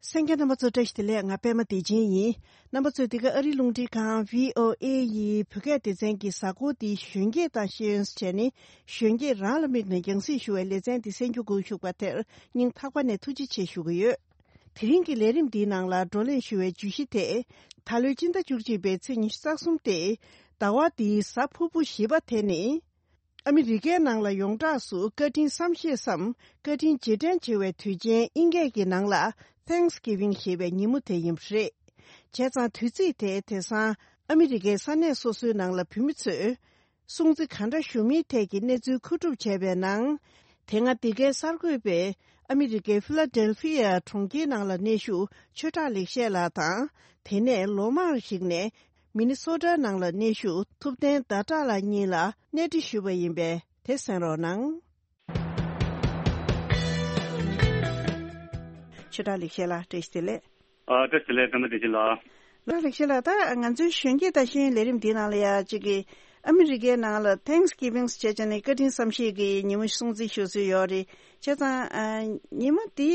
གསན་མཁན་རྣམ་པ་ཚོ་བཀྲ་ཤིས་བདེ་ལེགས། ང་པད་མ་བདེ་ཆེན་ཡིན། རྣམ་པ་ཚོས་འདི་ག་ཨ་རིའི་རླུང་འཕྲིན་ཁང་བྷི་ཨོ་ཨེ་ཡི་བོད་སྐད་སྡེ་ཚན་གྱི་གཟའ་འཁོར་འདིའི་གཞོན་སྐྱེས་དང་ཤེས་ཡོན་ཟེར་ནས། གཞོན་སྐྱེས་རང་ལ་དམིགས་ནས་རྒྱང་སྲིང་ཞུ་བའི་ལེ་ཚན་འདི་གསན་རྒྱུ་འགོ་ཞུགས་པ་དེར་སྙིང་ཐག་པ་ནས་ཐུགས་རྗེ་ཆེ་ཞུ་གི་ཡོད། དེ་རིང་གི་ལས་རིམ་འདིའི་ནང་ལ་བགྲོ་གླེང་ཞུ་བའི་བརྗོད་གཞི་དེ། ད་ལོའི་སྤྱི་ཟླ་བཅུ་གཅིག་པའི་ཚེས་ཉི་ཤུ་རྩ་གསུམ་སྟེ། ཟླ་བ་འདིའི་གཟའ་ཕུར་བུ་བཞི་པ་དེ་ནི། ཨ་མི་རི་ཀའི་ནང་ལ་ཡོངས་གྲགས་སུ་བཀའ་དྲིན་བསམ་ཤེས་སམ། བཀའ་དྲིན་རྗེས་དྲན་བྱེད་པའི་དུས་ཆེན་དབྱིན་སྐད་ཀྱི་ནང་ལ་Thanksgiving ཞེས་པའི་ཉིན་མོ་དེ་ཡིན་པ་རེད། བྱས་ཙང་དུས་ཚིགས་དེ་དེང་སང་ཨ་མི་རི་ཀའི་ས་གནས་སོ་སོའི་ནང་ལ་བོད་མི་ཚོས་སྲུང་བརྩི་ག་འདྲ་ཞུ་མིན་ཐད་ཀྱི་གནས་ཚུལ་མཁོ་སྒྲུབ་བྱས་པའི་ནང་། དེ་སྔ་འདི་གའི་གསར་འགོད་པས་ཨ་མི་རི་ཀའི་ཕི་ལ་ཌེལ་ཕི་ཡ་གྲོང་ཁྱེར་ནང་ལ་གནས་བཞུགས་ཆོས་གྲགས་ལེགས་བཤད་ལགས་དང་། དེ་ནས་ལོ་མང་ཞིག་ནས་མི་ནི་སོ་ཊ་ནང་ལ་གནས་བཞུགས་ཐུབ་བསྟན་ཟླ་གྲགས་ལགས་གཉིས་ལ་གནས་འདྲི་ཞུས་པ་ཡིན་པས་དེ་གསན་རོགས་གནང་། ཆོས་གྲགས་ལེགས་བཤད་ལགས་བཀྲ་ཤིས་བདེ་ལེགས། ཨ། བཀྲ་ཤིས་བདེ་ལེགས། པད་མ་བདེ་ཆེན་ལགས། ལགས་ལེགས་བཤད་ལགས། ད་ང་ཚོའི་གཞོན་སྐྱེས་དང་ཤེས་ཡོན་ལས་རིམ་འདིའི་ནང་ལ་ཡ་གཅིག་གི་ཨ་མི་རི་ཀའི་ནང་ལ་Thanksgiving ཟེར་བྱས་ནས་བཀའ་དྲིན་བསམ་ཤེས་ཀྱི་ཉིན་མོ་སྲུང་བརྩི་ཞུ་སྲོལ་ཡོད་རེད། བྱས་ཙང་ཨ། ཉིན་མོ་འདི་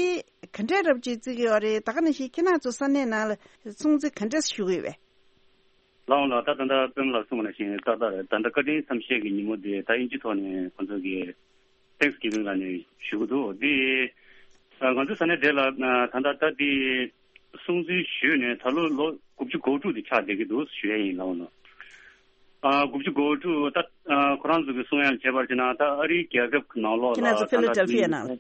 ག་འདྲས་རབ་ཅིག་བརྩི་གི་ཡོད་རེད། ད་ག་ནང་བཞིན་ཁྱེད་རང་ཚོ་ས་གནས་ནང་ལ་སྲུང་བརྩི་ག་འདྲས་ཞུ་གི་ཡོད་པས། ལགས་འོང་ལགས། ད་ད་ལྟ་པད་མ་ལགས་གསུངས་པ་ནང་བཞིན་ཏག་ཏག་རེད། ད་ལྟ་བཀའ་དྲིན་བསམ་ཤེས་ཀྱི་ཉིན་མོ་འདི་ད་དབྱིན་ཇིའི་ཐོག་ནས་ཁོང་ཚོ་གིས་Thanksgiving ལབ་ནས་ཞུ་གི་འདུག་འདི་ང་ཚོའི་ས་གནས་དེ་ལ་ད་ལྟ་ད་འདི་སྲུང་བརྩི་ཞུས་ནས་ད་ལོ་ལོ་དགུ་བཅུ་གོ་དྲུག་དེ་ཆགས་བསྡད་ཀྱི་འདུག་ཞུ་ཡས་ཡིན། ལགས་འོང་། ཨ། དགུ་བཅུ་གོ་དྲུག་ད་ཨ། ཁོ་རང་ཚོ་གི་གསུང་ཡག་བྱས་པར་བྱས་ན་ད་ཨ་རིའི་རྒྱལ་ཁབ་ནང་ལོགས་ལ་ཁྱེད་རང་ཚོ་ད་ལྟ་ཕི་ལ་ཌེལ་ཕི་ཡ་ནང་ལ།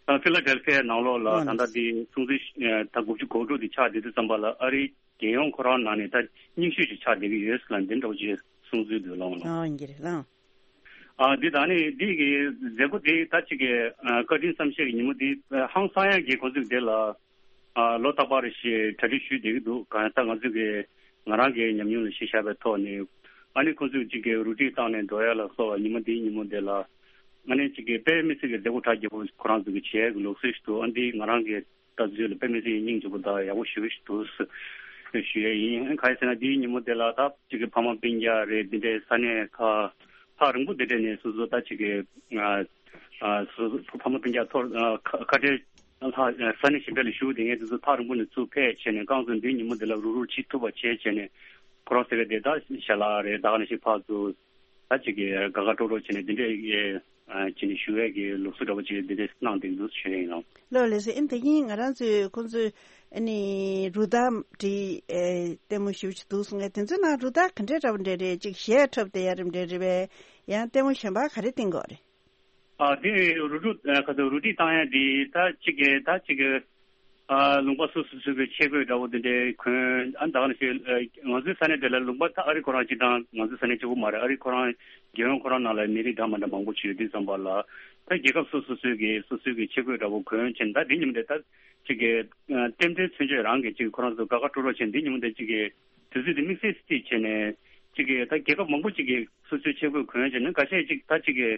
ཨ། ཕི་ལ་ཌེལ་ཕི་ཡ་ནང་ལོགས་ལ་ཨོ་ད་ལྟ་འདི་སྲུང་བརྩི་ད་དགུ་བཅུ་གོ་དྲུག་དེ་ཆགས་བསྡད་དུས་ཙམ་པ་ལ་ཨ་རིའི་རྒྱལ་ཡོངས་ཁོ་རང་ནང་ནས་ད་རྙིང་ཤོས་ཅིག་ཆགས་བསྡད་ཀྱི་ཡོད་ཟེར་ལ་འདི་འདྲ་བོ་ཅིག་གསུང་ཚུལ་འདུག། ལགས་འོང་། ཨོ་ཡིན་གྱི་རེད། ལགས་འོང་། ཨ། འདི་ད་ནི་འདི་གི་མཛད་སྒོ་འདི་ད་ཅིག་གི་ཨ། བཀའ་དྲིན་བསམ་ཤེས་ཀྱི་ཉིན་མོ་འདི་ཨ། ཧང་སང་ཡག་གི་ཁོང་ཚོས་འདི་ལ་ཨ། ལོ་རྟག་པར་ཞིག་གྲ་སྒྲིག་ཞུས་བསྡད་ཀྱི་འདུག། གང་ལྟར་ང་ཚོས་ཀྱི་ང་རང་གི་ཉམས་མྱོང་ལ་གཞི་བཞག་པའི་ཐོག་ནས་ཨ་ནི་ཁོང་ཚོས་ཅིག་གི་རུ་སྒྲིག་བཏང་ནས་འགྲོ་ཡ་ལ་སོགས་པ་ཉིན་མོ་འདིའི་ཉིན་མོ་འདི་ལ་ཨ་ནི་ཅིག་གི་དཔེ་མི་སྲིད་ཀྱི་མཛད་སྒོ་གྲ་རྒྱས་པོ་ཁོ་རང་ཚོས་ཀྱི་བྱེད་ཡ་གི་ལུགས་སྲོལ་ཞིག་འདུག། ཨ། འདི་ང་རང་གི་ལྟ་ཚུལ་ལ་དཔེ་མི་སྲིད་སྙིང་རྗེ་པོ་དང་ཡག་པོ་ཞེ་པོ་ཞིག་འདུག་ཞུ་ཡས་ཡིན། གང་ཡིན་ཟེར་ན་འདིའི་ཉིན་མོ་དེ་ལ་ད་ཅིག་གི་ཕ་མ་སྤུན་ཀྱག་རེད། འདི་འདྲའི་ས་གནས་ཁག་ཐག་རིང་པོ་འདི་འདྲ་ནས་སོ་སོ་ད་ཅིག་གི་ཨ། ཨ། སོ་སོ་ཕ་མ་སྤུན་ཀྱག་ཐོག་ཨ། ཁ་ཁ་བྲལ་ལྷག་ས་གནས་གཞན་པ་ལ་བཞུགས་བསྡད་མཁན་དེ་ཚོ་ཐག་རིང་པོ་ནས་ཚུར་ཕེབས་བྱས་ནས་རྐང་བཙུགས་འདིའི་ཉིན་མོ་འདི་ལ་རུག་རུག་བྱེད་ཐུབ་པ་བྱས་བྱས་ནས་ཁོ་རང་ཟེར་བའི་དེ་ད་ཞལ་ལག་རེད། ད་ག་ནང་བཞིན་ཕར་ཚུར་ད་ཅིག་གི་དགའ་དགའ་སྤྲོ་སྤྲོ་བྱས་ནས་འདི་འདྲའི་ཨ། བྱས་ནས་ཞུ་ཡས་ཀྱི་ལུགས་སྲོལ་འདྲ་པོ་ཅིག་འདི་འདྲ་གནང་བསྡད་འདུག་ཞུ་ཡས་ཡིན། ལགས་ལགས་ལགས་སེ། ཨ་ནི་ད་གིན་ང་རང་ཚོས་ཁོང་ཚོས་ཨ་ནི་རུ་སྟར་འདི་ཨེ། ལྟད་མོ་ཞེ་པོ་ཅིག་འདུག་གསུང་ཡས་དེ་ཚོའི་ནང་རུ་སྟར་ག་འདྲའི་འདྲ་པོ་འདྲ་རེད། ཅིག་གཞས་འཁྲབ་བསྡད་ཡ་རེད་འདྲ་རེད་པས། ཡང་ལྟད་མོ་གཞན་པ་ག་རེ་བསྟན་གྱི་ཡོད་རེད། ཨ། འདི་རུ་སྒྲིག་ཨ། ག་ཚོད་རུ་སྒྲིག་བཏང་ཡ་འདི་ད་ཅིག་གི་ད་ཅིག་གི་ཨ། ལུང་པ་སོ་སོ་སོ་གི་ཆས་གོས་འདྲ་པོ་འདི་འདྲའི་གོན། ཨ། ད་ག་ནང་བཞིན་ཨ། ང་ཚོའི་ས་གནས་དེ་ལ་ལུང་པ་ད་ཨ་རི་ཁོ་རང་སྤྱིར་བཏང་ང་ཚོའི་ས་གནས་གཅིག་པུ་མ་རེད། ཨ་རི་ཁོ་རང་རྒྱལ་ཡོངས་ཁོ་རང་ནང་ལ་མི་རིགས་འདྲ་མི་འདྲ་མང་པོ་ཅིག་ཡོད་དུས་ཙམ་པ་ལ་ད་རྒྱལ་ཁབ་སོ་སོ་སོའི་གི་སོ་སོའི་གི་ཆས་གོས་འདྲ་པོ་གོན་བྱས་ནས་ད་འདི་ཉིན་མོ་འདི་ད་ཅིག་གི་ཨ། རྟེན་འབྲེལ་མཚོན་བྱེད་རང་གི་ཅིག་ཁོ་རང་ཚོ་དགའ་དགའ་སྤྲོ་སྤྲོ་བྱས་འདི་ཉིན་མོ་འདི་ཅིག་གི་དུས་ཚོད་འདི་དམིགས་བསལ་བརྩིས་བྱས་ནས་ཅིག་གི་ད་རྒྱལ་ཁབ་མང་པོ་ཅིག་གི་སོ་སོའི་ཆས་གོས་གོན་བྱས་ནས་འགའ་ཤས་ཅིག་ད་ཅིག་གི་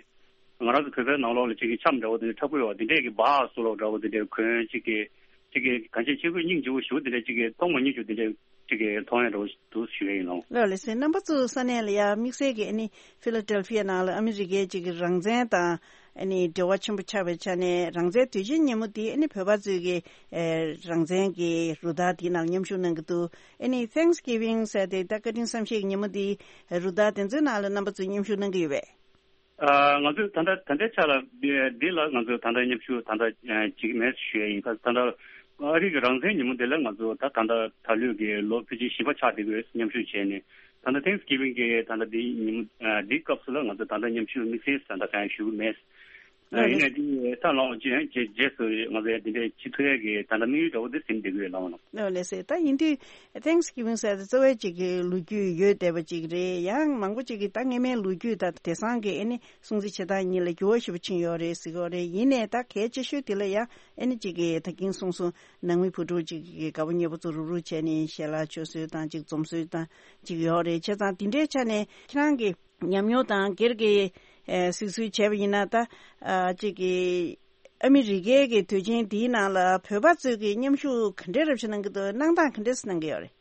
ང་རང་ཚོ་བོད་པའི་ནང་ལོགས་ལ་ཅིག་གི་འཆམ་འདྲ་བོ་དེ་འདྲ་འཁྲབ་གི་ཡོད་པ་དེ་འདྲས་ཀྱི་སྦག་སུ་ལོག་འདྲ་བོ་དེ་འདྲས་གོན་ཅིག་གི་ཅིག་གི་གང་ཅི་ཆེ་གོས་སྙིང་རྗེ་བོ་ཞུ་དེ་འདྲས་ཅིག་གི་མཐོང་མ་མྱོང་ཅུ་དེ་འདྲས་ཅིག་གི་མཐོང་ཡ་འདྲ་བོ་འདུག་ཞུ་ཡ་ཡིན་ལོ། ལགས་ལགས་སེ། རྣམ་པ་ཚོ་ས་གནས་ལ་ཡ་དམིགས་བསལ་གྱི་ཨ་ནི་ཕི་ལ་ཌེལ་ཕི་ཡ་ནང་ལ་ཨ་མི་རི་ཀའི་ཅིག་གི་རང་བཙན་དང་ཨ་ནི་འབྲེལ་བ་ཆེན་པོ་ཆགས་པའི་ཆ་ནས་རང་བཙན་དུས་ཆེན་ཉིན་མོ་འདི་ཨ་ནི་བོད་པ་ཚོས་ཀྱི་ཨེ་རང་བཙན་གྱི་རུ་སྟར་འདིའི་ནང་མཉམ་ཞུགས་གནང་གི་འདུག་ཨ་ནི་Thanksgiving ཟེར་ཏེ་ད་བཀའ་དྲིན་བསམ་ཤེས་ཀྱི་ཉིན་མོ་འདི་རུ་སྟར་དེ་ཚོའི་ནང་ལ་རྣམ་པ་ཚོས་མཉམ་ཞུགས་གནང་གི་ཡོད་པས། ཨ། ང་ཚོས་ད་ལྟ་ད་ལྟའི་ཆ་ལ་འདི་འདི་ལ་ང་ཚོས་ད་ལྟ་མཉམ་ཞུགས་ད་ལྟ་ཨ་བྱེད་ཀྱི་མེད་ཞུ་ཡ་ཡིན། ད་ད་ལྟ་ཨ་རི་གི་རང་བཙན་ཉིན་མོ་འདི་ལ་ང་ཚོ་ད་ད་ལྟ་ད་ལོའི་གི་ལོ་ཕལ་ཆེར་བཞི་པ་ཆགས་བསྡད་ཀྱི་ཡོད། མཉམ་ཞུགས་བྱས་ནས་ད་ལྟ་Thanksgiving གི་ད་ལྟ་འདི་ཉིན་མོ་ཨ་འདིའི་སྐབས་སུ་ལ་ང་ཚོ་ད་ལྟ་མཉམ་ཞུགས་དམིགས་བསལ་ད་ལྟ་གང་ཡང་ཞུ་གི་མེད། ཨ་ཡིན་ནའི་འདི་ད་ལོ་རྗེས་རྗེས་རྗེས་སུ་ང་ཚོས་འདི་འདྲའི་བྱེད་ཐུབ་ཡ་གི་ད་ལྟ་དམིགས་ཡུལ་འདྲ་བོ་འདི་ཟིན་བསྡད་ཀྱི་ཡོད་ལགས་ནོ། ལགས་ལགས་སེ། ད་ཡིན་དུས་Thanksgiving ཟེར་ཏེ་གཙོ་བོ་གཅིག་གི་ལོ་རྒྱུས་ཡོད་བསྡད་པ་གཅིག་རེད། ཡང་མང་པོ་གཅིག་གིས་ད་སྔས་མའི་ལོ་རྒྱུས་དང་དེང་སང་གི་ཨ་ནི་སྲུང་བརྩི་བྱེད་སྟངས་གཉིས་ལ་འགྱུར་བ་ཞེ་པོ་ཕྱིན་ཡོད་རེད་ཟེར་གྱི་ཡོད་རེད། ཡིན་ནའི་ད་གལ་ཆེ་ཤོས་དེ་ལ་ཡང་ཨ་ནི་གཅིག་གིས་ད་གིན་གསུངས་སོང་། ནང་མི་བུ་ཕྲུག་གཅིག་གིས་དགའ་པོ་ཉེ་པོ་ཚོ་རུག་རུག་བྱས་ནས་ཞལ་ལག་མཆོད་སྲོལ་དང་གཅིག་འཛོམས་སྲོལ་དང་གཅིག་ཡོད་རེད། བྱས་ཙང་དེ་འདྲའི་ཆ་ནས་ཁྱེད་རང་གི་ཉམས་མྱོང་དང་སྒེར་གྱི་ཨེ་གཟིགས་ཚུལ་བྱས་པ་ཡིན་ན། ད་ཨ་གཅིག་གི་ཨ་མི་རི་ཀའི་གི་དུས་ཆེན་འདིའི་ནང་ལ་བོད་པ་ཚོས་གི་མཉམ་ཞུགས་ག་འདྲའི་རབ་ཞུ་གནང་གི་འདུག་གནང་སྟངས་ག་འདྲས་གནང་གི་ཡོད་རེད།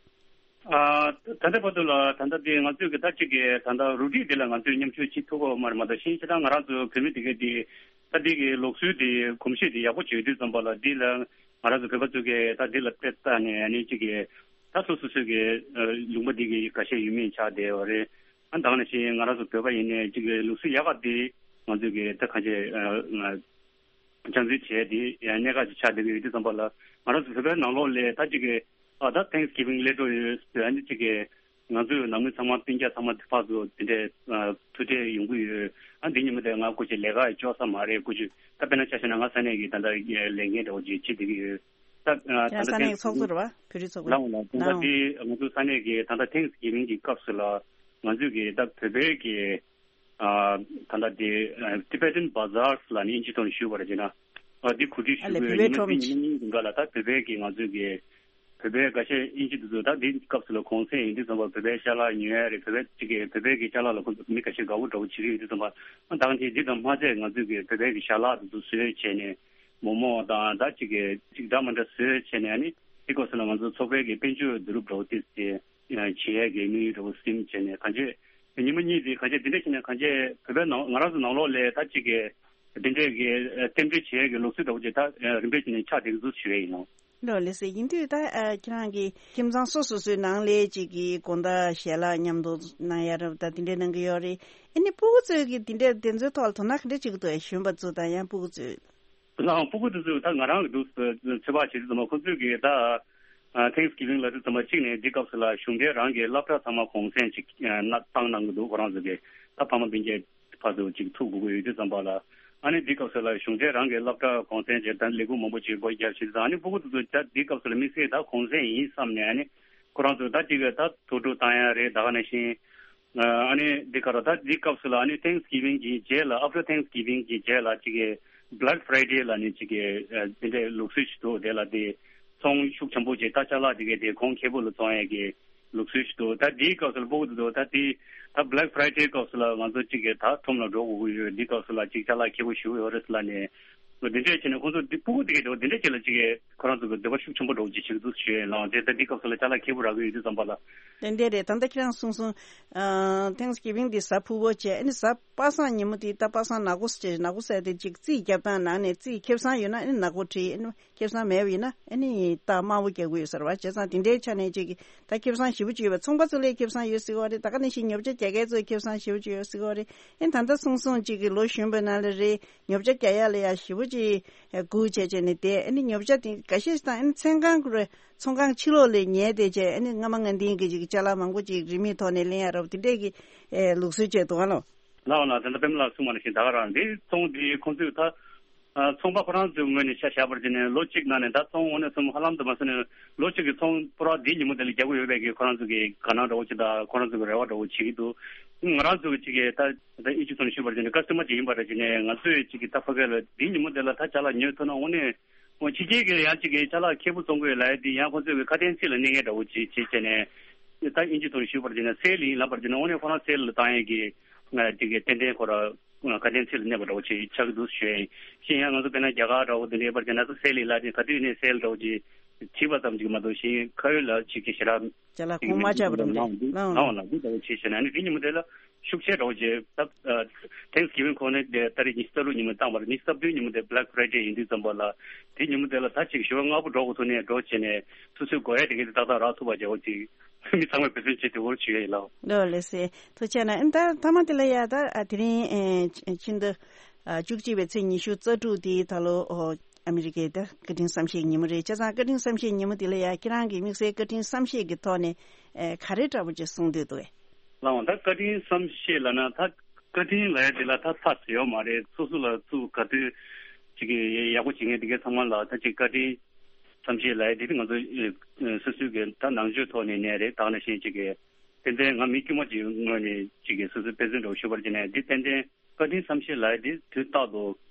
ཨ། ད་ལྟ་བར་དུ་ལ་ད་ལྟ་དེ་ང་ཚོས་གི་ད་གཅིག་གི་ད་ལྟ་རུ་སྒྲིག་འདི་ལ་ང་ཚོས་མཉམ་ཞུགས་བྱེད་ཐུབ་ཀྱི་མ་རེད། མ་གཏོགས་གཞན་ཞེ་དྲག་ང་རང་ཚོ་བོད་མི་དེ་གའི་དེ་ད་འདི་གི་ལུགས་སྲོལ་དེ་གོམས་གཤིས་དེ་ཡག་པོ་བྱེད་དུས་ཙམ་པ་ལ་འདི་ལ་ང་རང་ཚོ་བོད་པ་ཚོ་གི་ད་འདི་ལ་དཔེ་ལྟ་ནས་ཨ་ནི་གཅིག་གི་ད་སོ་སོ་སོའི་གི་ལུང་པ་འདི་གི་ཁ་ཤས་ཡུལ་མི་ཆགས་བསྡད་ཡོད་རེད། ཨ་ད་ག་ནང་བཞིན་ང་རང་ཚོ་བོད་པ་ཡིན་ནའི་གཅིག་གི་ལུགས་སྲོལ་ཡག་ག་དེ་ང་ཚོས་གི་ད་གང་བྱས་སྦྱང་བརྩོན་བྱས་དེ་གནད་འགག་ཅིག་ཆགས་བསྡད་ཀྱི་ཡོད་དུས་ཙམ་པ་ལ་ང་རང་ཚོ་བོད་པའི་ནང་ལོགས་ལ་ད་གཅིག་གི་ཨ་ད་Thanksgiving སླེབས་འགྲོ་ཡོད་ཟེར། ཨ་ནི་གཅིག་གི་ང་ཚོའི་ནང་མི་ཚང་མ་སྤུན་ཀྱག་ཚང་མ་ཕར་ཚུར་དེ་འདྲའི་ཐུག་འཕྲད་ཡོང་གི་ཡོད། ཨ་འདི་ཉིན་མོ་དེ་ང་སྐུ་མཁྱེན་ལས་ཀ་ཡི་ལྕོགས་ས་མ་རེད། སྐུ་མཁྱེན་ད་དཔེར་ན་ཆ་བཞག་ན་ང་ས་གནས་ཀྱི་ད་ལྟ་ལས་འགན་འདྲ་བོ་ཅིག་བྱེད་བསྡད་ཀྱི་ཡོད། ད་ད་ཡང་ལྟ་ས་གནས་ཀྱི་ཚོགས་གཙོ་རེད་བ། བོད་རིགས་ཚོགས་པའི་ལའང་ལ་ད་ལྟ་འདི་ང་ཚོ་ས་གནས་ཀྱི་ད་ལྟ་Thanksgiving གི་སྐབས་སུ་ལ་ང་ཚོས་ཀྱི་ད་བོད་པའི་གི་ཨ་ད་ལྟ་དེ་ཨ་Tibetan Bazaars ལ་ནི་ཨིན་ཇི་ཐོག་ནས་ཞུས་པ་རེད་ཅེ་ན། ཨ་དེ་གོ་སྒྲིག་ཞུ་ཨ་ལས་གི་བོད་པའི་ཡིན་ན་ཁྲོམ་དེ་ཉིན་གཉིས་རིང་ག་ལ་ད་བོད་པའི་གི་ང་ཚོའི་གི་བོད་པའི་འགའ་ཤས་ཨིན་ཇི་དེ་ཚོ་ད་དེ་སྐབས་སུ་ལ་གུང་སེང་ཡིན་དུས་ཙམ་པ་བོད་པའི་ཅ་ལག་ཉོ་ཡ་རེད། བོད་པའི་ཅིག་གི་བོད་པའི་གི་ཅ་ལག་ལ་ཁོ་ཚོ་མི་འགའ་ཤས་དགའ་པོ་འདྲ་པོ་བྱེད་ཀྱི་ཡོད་དུས་ཙམ་པ། ཨ་ད་ག་ནང་བཞིན་དེ་དང་མ་ཚད་ང་ཚོའི་གི་བོད་པའི་གི་ཞལ་ལག་དེ་ཚོ་བཟོས་བྱས་ནས་མོག་མོག་དང་ད་ཅིག་གི་ཅིག་འདྲ་མ་འདྲ་བཟོས་བྱས་ནས་ཨ་ནི་དེ་སྐབས་སུ་ལ་ང་ཚོ་ཚོགས་པའི་གི་དཔལ་འབྱོར་བསྡུ་རུབ་འདྲ་པོ་དེ་ཚོ་བྱེད་ཡས་ཀྱི་དམིགས་ཡུལ་འདྲ་པོ་སེམས་བྱས་ནས་གང་ཅི་ཉི་མ་གཉིས་དེ་གང་ཅི་དེ་འདྲ་བྱས་ནས་གང་ཅི་བོད་པའི་ནང་ང་རང་ཚོ་ནང་ལོགས་ལ་ད་ཅིག་གི་དེ་འདྲའི་གི་རྟེན་འབྲེལ་བྱེད་ཡས་ཀྱི་ལུགས་སྲོལ་འདྲ་པོ་ཅིག་ད་རིམ་པས་བྱས་ནས་ཆགས་བསྡད་ཀྱི་འདུག་ཞུ་ཡས་ཡིན་ནོ། ལོ་ལེ་སེ་ཡིན་དུས་ད་ཨ་ཁྱེད་རང་གི་ཁྱིམ་ཚང་སོ་སོ་སོའི་ནང་ལས་ཅིག་གི་དགོང་དག་ཞལ་ལག་མཉམ་དུ་གནང་ཡ་རབ་ད་དེ་འདྲའི་གནང་གི་ཡོད་རེད། ཨ་ནི་སྤུ་གུ་ཚོས་གི་དེ་འདྲའི་དེ་ཚོའི་ཐོག་ལ་དོ་སྣང་ག་འདྲ་བྱེད་ཀྱི་འདུག་གཞོན་པ་ཚོ་དང་ཡང་སྤུ་གུ་ཚོས། ལའང་སྤུ་གུ་དེ་ཚོས་ད་ང་རང་གི་འདུག་ཚོད་དཔག་བྱེད་དུས་ཙམ་པ་ཁོ་ཚོས་གི་ད་Thanksgiving ལ་དུས་ཙམ་པ་གཅིག་ནས་འདི་སྐབས་སུ་ལ་གཞུང་འབྲེལ་རང་གི་སློབ་གྲྭ་ཚང་མ་གུང་སེང་ཅིག་ན་བཏང་གནང་གི་འདུག་ཁོ་རང་ཚོ་གི་ད་ཕ་མ་སྤུན་ཀྱག་ཕར་ཚུར་ཅིག་ཐུག་དགོས་ཀྱི་ཡོད་དུས་ཙམ་པ་ལ། ཨ་ནི་འདི་སྐབས་སུ་ལ་གཞུང་འབྲེལ་རང་གི་སློབ་གྲྭ་གུང་སེང་བྱས་ད་ལས་ཁུངས་མང་པོ་ཅིག་སྒོ་རྒྱབ་བྱེད་དུས་ཙམ། ཨ་ནི་སྤུ་གུ་དེ་ཚོ་ད་འདི་སྐབས་སུ་ལ་དམིགས་བསལ་ད་གུང་སེང་ཡིན་བསམ་ནས་ཨ་ནི་ཁོ་རང་ཚོ་ད་ཅིག་ད་དུར་ཁྲོད་བཏང་ཡ་རེད། ད་ག་ནང་བཞིན། ཨ་ནི་འདི་ག་ར་ད་འདི་སྐབས་སུ་ལ་ཨ་ནི་Thanksgiving གི་རྗེས་ལ་after Thanksgiving གི་རྗེས་ལ་ཅིག་གི་Black Friday ལ་ནི་ཅིག་གི་ཨ་དེ་འདྲའི་ལུགས་སྲོལ་ཞིག་འདུག་དེ་ལ་དེ་ཚོང་ཤུགས་ཆེན་པོ་ཅིག་ད་ཅ་ལག་དེ་གའི་དེ་གོང་ཁེ་པོ་ལ་བཙོང་ཡས་ཀྱི་ལུགས་སྲོལ་ཞིག་འདུག་ད་འདིའི་སྐབས་སུ་ལ་སྤུ་གུ་དེ་ཚོ་ད་དེ་ད་Black Friday སྐབས་སུ་ལ་ང་ཚོ་ཅིག་གི་ད་ཁྲོམ་ལ་འགྲོ་དགོས་ཀྱི་ཡོད། འདི་སྐབས་སུ་ལ་ཅིག་ཅ་ལག་ཁེ་པོ་ཞིག་ཡོད་རེད་ཟེར་ལབ་ནས་འདི་འདྲས་བྱས་ནས་ཁོང་ཚོ་འདི་སྤུ་གུ་དེ་གའི་དེ་འདི་འདྲས་ཅིག་ལ་ཅིག་གི་ཁོ་རང་ཚོ་གི་འདོད་པ་ཤུགས་ཆེན་པོ་འདྲ་བོ་ཅིག་བྱེད་ཀྱི་འདུག་ཞུ་ཡས་ལགས། དེ་ལྟར་འདི་སྐབས་སུ་ལ་ཅ་ལག་ཁེ་པོ་རག་གི་ཡོད་དུས་ཙམ་པ་ལ། ཏན་ཏན་རེད། ད་ལྟ་ཁྱེད་རང་གསུངས་སོང་། ཨ་Thanksgiving འདི་གཟའ་ཕུར་བུ་བྱས། ཨ་ནི་གཟའ་པ་སངས་ཉིན་མོ་དེ་ད་པ་སངས་ནག་པོ་ཟེར། ནག་པོ་ཟེར་དེ་ཅིག་རྩིས་རྒྱབ་སྟངས་ནང་ནས་རྩིས་ཁེ་བཟང་ཡོད་ན་ཨ་ནི་ནག་པོ་བྲིས། ཨ་ནི་ཁེ་བཟང་མེད་པ་ཡིན་ན་ཨ་ནི་རྟགས་དམར་པོ་རྒྱག་གི་ཡོད་ཟེར་བ། བྱས་ཙང་དེ་འདྲའི་ཆ་ནས་ཅིག་ད་ཁེ་བཟང་ཞེ་པོ་ཅིག་ཡོད་པ། ཚོང་པ་ཚོ་ལས་ཁེ་བཟང་ཡོད་ཟེར་གི་ཡོད་རེད། ད་ག་ནང་བཞིན་ཉོ་ཆ་རྒྱག་མཁན་ཚོ་ཁེ་བཟང་ཞེ་པོ་ཅིག་ཡོད་ཟེར་གི་ཡོད་རེད། ཨ་ནི་ད་ལྟ་གསུངས་སོང་ཅིག་གི་ལོ་གཞོན་པའི་ནང་ལ་རེད། ཉོ་ཆ་རྒྱག་ཡ་ལ་ཡ་ཞེ་པོ་ཅིག་སྒུག་བྱས་བྱས་ནས་བསྡད། ཨ་ནི་ཉོ་ཆ་དེ་འགའ་ཤས་ཤིག་དང་ཨ་ནི་ཚོང་ཁང་ཁོ་རེ་ཚོང་ཁང་ཕྱི་ལོགས་ལ་ཉལ་བསྡད་བྱས། ཨ་ནི་སྔ་མ་སྔ་འདིའི་གི་ཅིག་ཅ་ལག་མང་པོ་ཅིག་རིན་མེད་ཐོག་ནས་ལེན་ཡ་རབས་དེ་འདྲས་ཀྱི་ཨེ་ལུགས་སྲོལ་བྱས་འདུག་ཨ་ལོ། ལའོ་ལ་ད་ལྟ་པདྨ་ལགས་གསུངས་པ་ནང་བཞིན་ད་ག་རང་འདི་ཚོང་འདི་ཁོང་ཚོས་ད་ཨ་ཚོང་པ་ཁོ་རང་ཚོའི་ངོས་ནས་ཆ་བཞག་པར་བྱས་ནས་ལོ་གཅིག་ནང་ནས་ད་ཚོང་དངོས་གནས་སོང་ཧ་ལམ་དུ་མ་སོང་ནས་ལོ་གཅིག་གི་ཚོང་པུ་ར་འདི་ཉིན་མོ་དེ་ལ་རྒྱག་གི་ཡོད་པའི་གི་ཁོ་རང་ཚོ་གི་དགའ་སྣང་འདྲ་བོ་ཅིག་དང་ཁོ་རང་ཚོ་གི་རེ་བ་འདྲ་བོ་བྱེད་ཀྱི་འདུག་ང་རང་ཚོ་གི་ཅིག་གི་ད་ད་ཨིན་ཇི་ཚོ་ནས་ཞུས་པར་བྱས་ནས་ཀ་སི་ཊ་མར་ཅིག་ཡིན་པ་རེད་བྱས་ནས་ང་ཚོས་ཅིག་གི་ད་ཕ་གི་ལ་འདི་ཉིན་མོ་དེ་ལ་ད་ཅ་ལག་ཉོས་ཐུབ་ན་དངོས་གནས་ཕྱི་རྒྱལ་གྱི་ཡང་ཅིག་གི་ཅ་ལག་ཁེ་པོ་བཙོང་གི་ཡོད་ལབ་ཡ་འདི་ཡང་ཁོ་ཚོས་གི་ཁ་དན་ཚིག་ལ་གནས་མཁན་འདྲ་བོ་ཅིག་བྱེད་བྱས་ནས་ད་ཨིན་ཇི་ཚོ་ནས་ཞུས་པར་བྱས་ནས་སེལ་ཡིན་ལབ་པར་བྱས་ནས་དངོས་གནས་ཁོ་རང་སེལ་ལ་བཏང་ཡས་ཀྱི་ཅིག་གི་ཏན་ཏན་ཁོ་ར། ཁ་དན་ཚིག་ལ་གནས་པ་འདྲ་བོ་ཅིག་ཆགས་ཀྱི་འདུག་ཞུ་ཡ་ཡིན། གཞན་ཡང་ང་ཚོ་དཔེར་ན་རྒྱ་གར་འདྲ་བོ་དེ་འདྲའི་བར་གྱི་ན་ཚོ་སེལ་ལི་ལ་དེ་ག་དུས་ནས་སེལ་འདྲ་བོ་ཅིག་བྲིས་པ་ཙམ་ཅིག་མ་གཏོགས་གཞན་ཁ་ཡོད་ལ་ཅིག་གི་ཞེ་དྲག་ཅ་ལག་ཅིག་གོང་མ་ཆགས་པ་འདྲ་བོ་འདི་ལའང་ལའང་ལའང་འདི་འདྲ་བོ་ཅིག་བྱས་ན་ནི་དེ་ཉིན་མོ་དེ་ལ་ཤུགས་ཆེ་འདྲ་བོ་ཅིག་ད་Thanksgiving ཁོ་ནི་དེ་ཏ་རིག་ཉི་ཤུ་རྩ་དྲུག་ཉིན་མོ་བཏང་བ་རེད། ཉི་ཤུ་རྩ་བདུན་ཉིན་མོ་དེ་Black Friday ཡིན་དུས་ཙམ་པ་ལ་དེ་ཉིན་མོ་དེ་ལ་ད་ཅིག་ཞོགས་པ་སྔ་པོ་འགྲོ་དགོས་ཐུག་ནས་འགྲོ་བྱས་ནས་སོ་སོའི་དགོས་ཡ་དེ་གས་དེ་ཏག་ཏག་རག་ཐུབ་པ་བྱ་བ་ཅིག་མི་ཚང་མས་འབད་བརྩོན་བྱེད་དེ་འོར་ཞུ་ཡ་ཡིན་ལགས། ལོ་ལེ་སེ་ཐུགས་རྗེ་གནང་། ཨ་ད་ཐ་མ་དེ་ལ་ཡ་ད་ཨ་དེ་རིང་ཨེ་ཕྱི་ཟླ་ཨ་བཅུ་གཅིག་པའི་ཚེས་ཉི་ཤུ་རྩ་དྲུག་དེ་ད་ལོ་ཨོ་ཨ་མི་རི་ཀའི་ད་བཀའ་དྲིན་བསམ་ཤེས་ཉིན་མོ་རེད། བྱས་ཙང་བཀའ་དྲིན་བསམ་ཤེས་ཉིན་མོ་དེ་ལ་ཡ་ཁྱེད་རང་གི་དམིགས་བསལ་བཀའ་དྲིན་བསམ་ཤེས་ཀྱི་ཐོག་ནས་ཨེ་ག་རེ་འདྲ་པོ་ཅིག་གསུང་འདོད་འདུག་ཨེ། ལགས་འོང་ད་བཀའ་དྲིན་བསམ་ཤེས་ལབ་ན་ད་བཀའ་དྲིན་ལབ་ཡ་དེ་ལ་ད་ཚ་ཟེར་ཡོད་མ་རེད། སོ་སོ་ལ་སུ་ག་དུས་ཅིག་གི་ཡག་པོ་བྱེད་མཁན་དེ་གའི་ཚང་མ་ལ་ད་ཅིག་བཀའ་དྲིན་བསམ་ཤེས་ལབ་ཡ་དེ་ང་ཚོ་ཨེ་སོ་སོའི་གི་ད་ནང་ཆོས་ཐོག་ནས་ནས་རེད། ད་ནང་བཞིན་ཅིག་གི་ཏན་ཏན་ང་མི་དཀྱུས་མ་ཅིག་ངོས་ནས་ཅིག་གི་སོ་སོའི་དཔེ་མཚོན་འདྲ་བོ་ཞུ་བར་བྱས་ནས་འདི་ཏན་ཏན་བཀའ་དྲིན་བསམ་ཤེས་ལབ་ཡ་དེ་དུས་རྟག་ཏུ་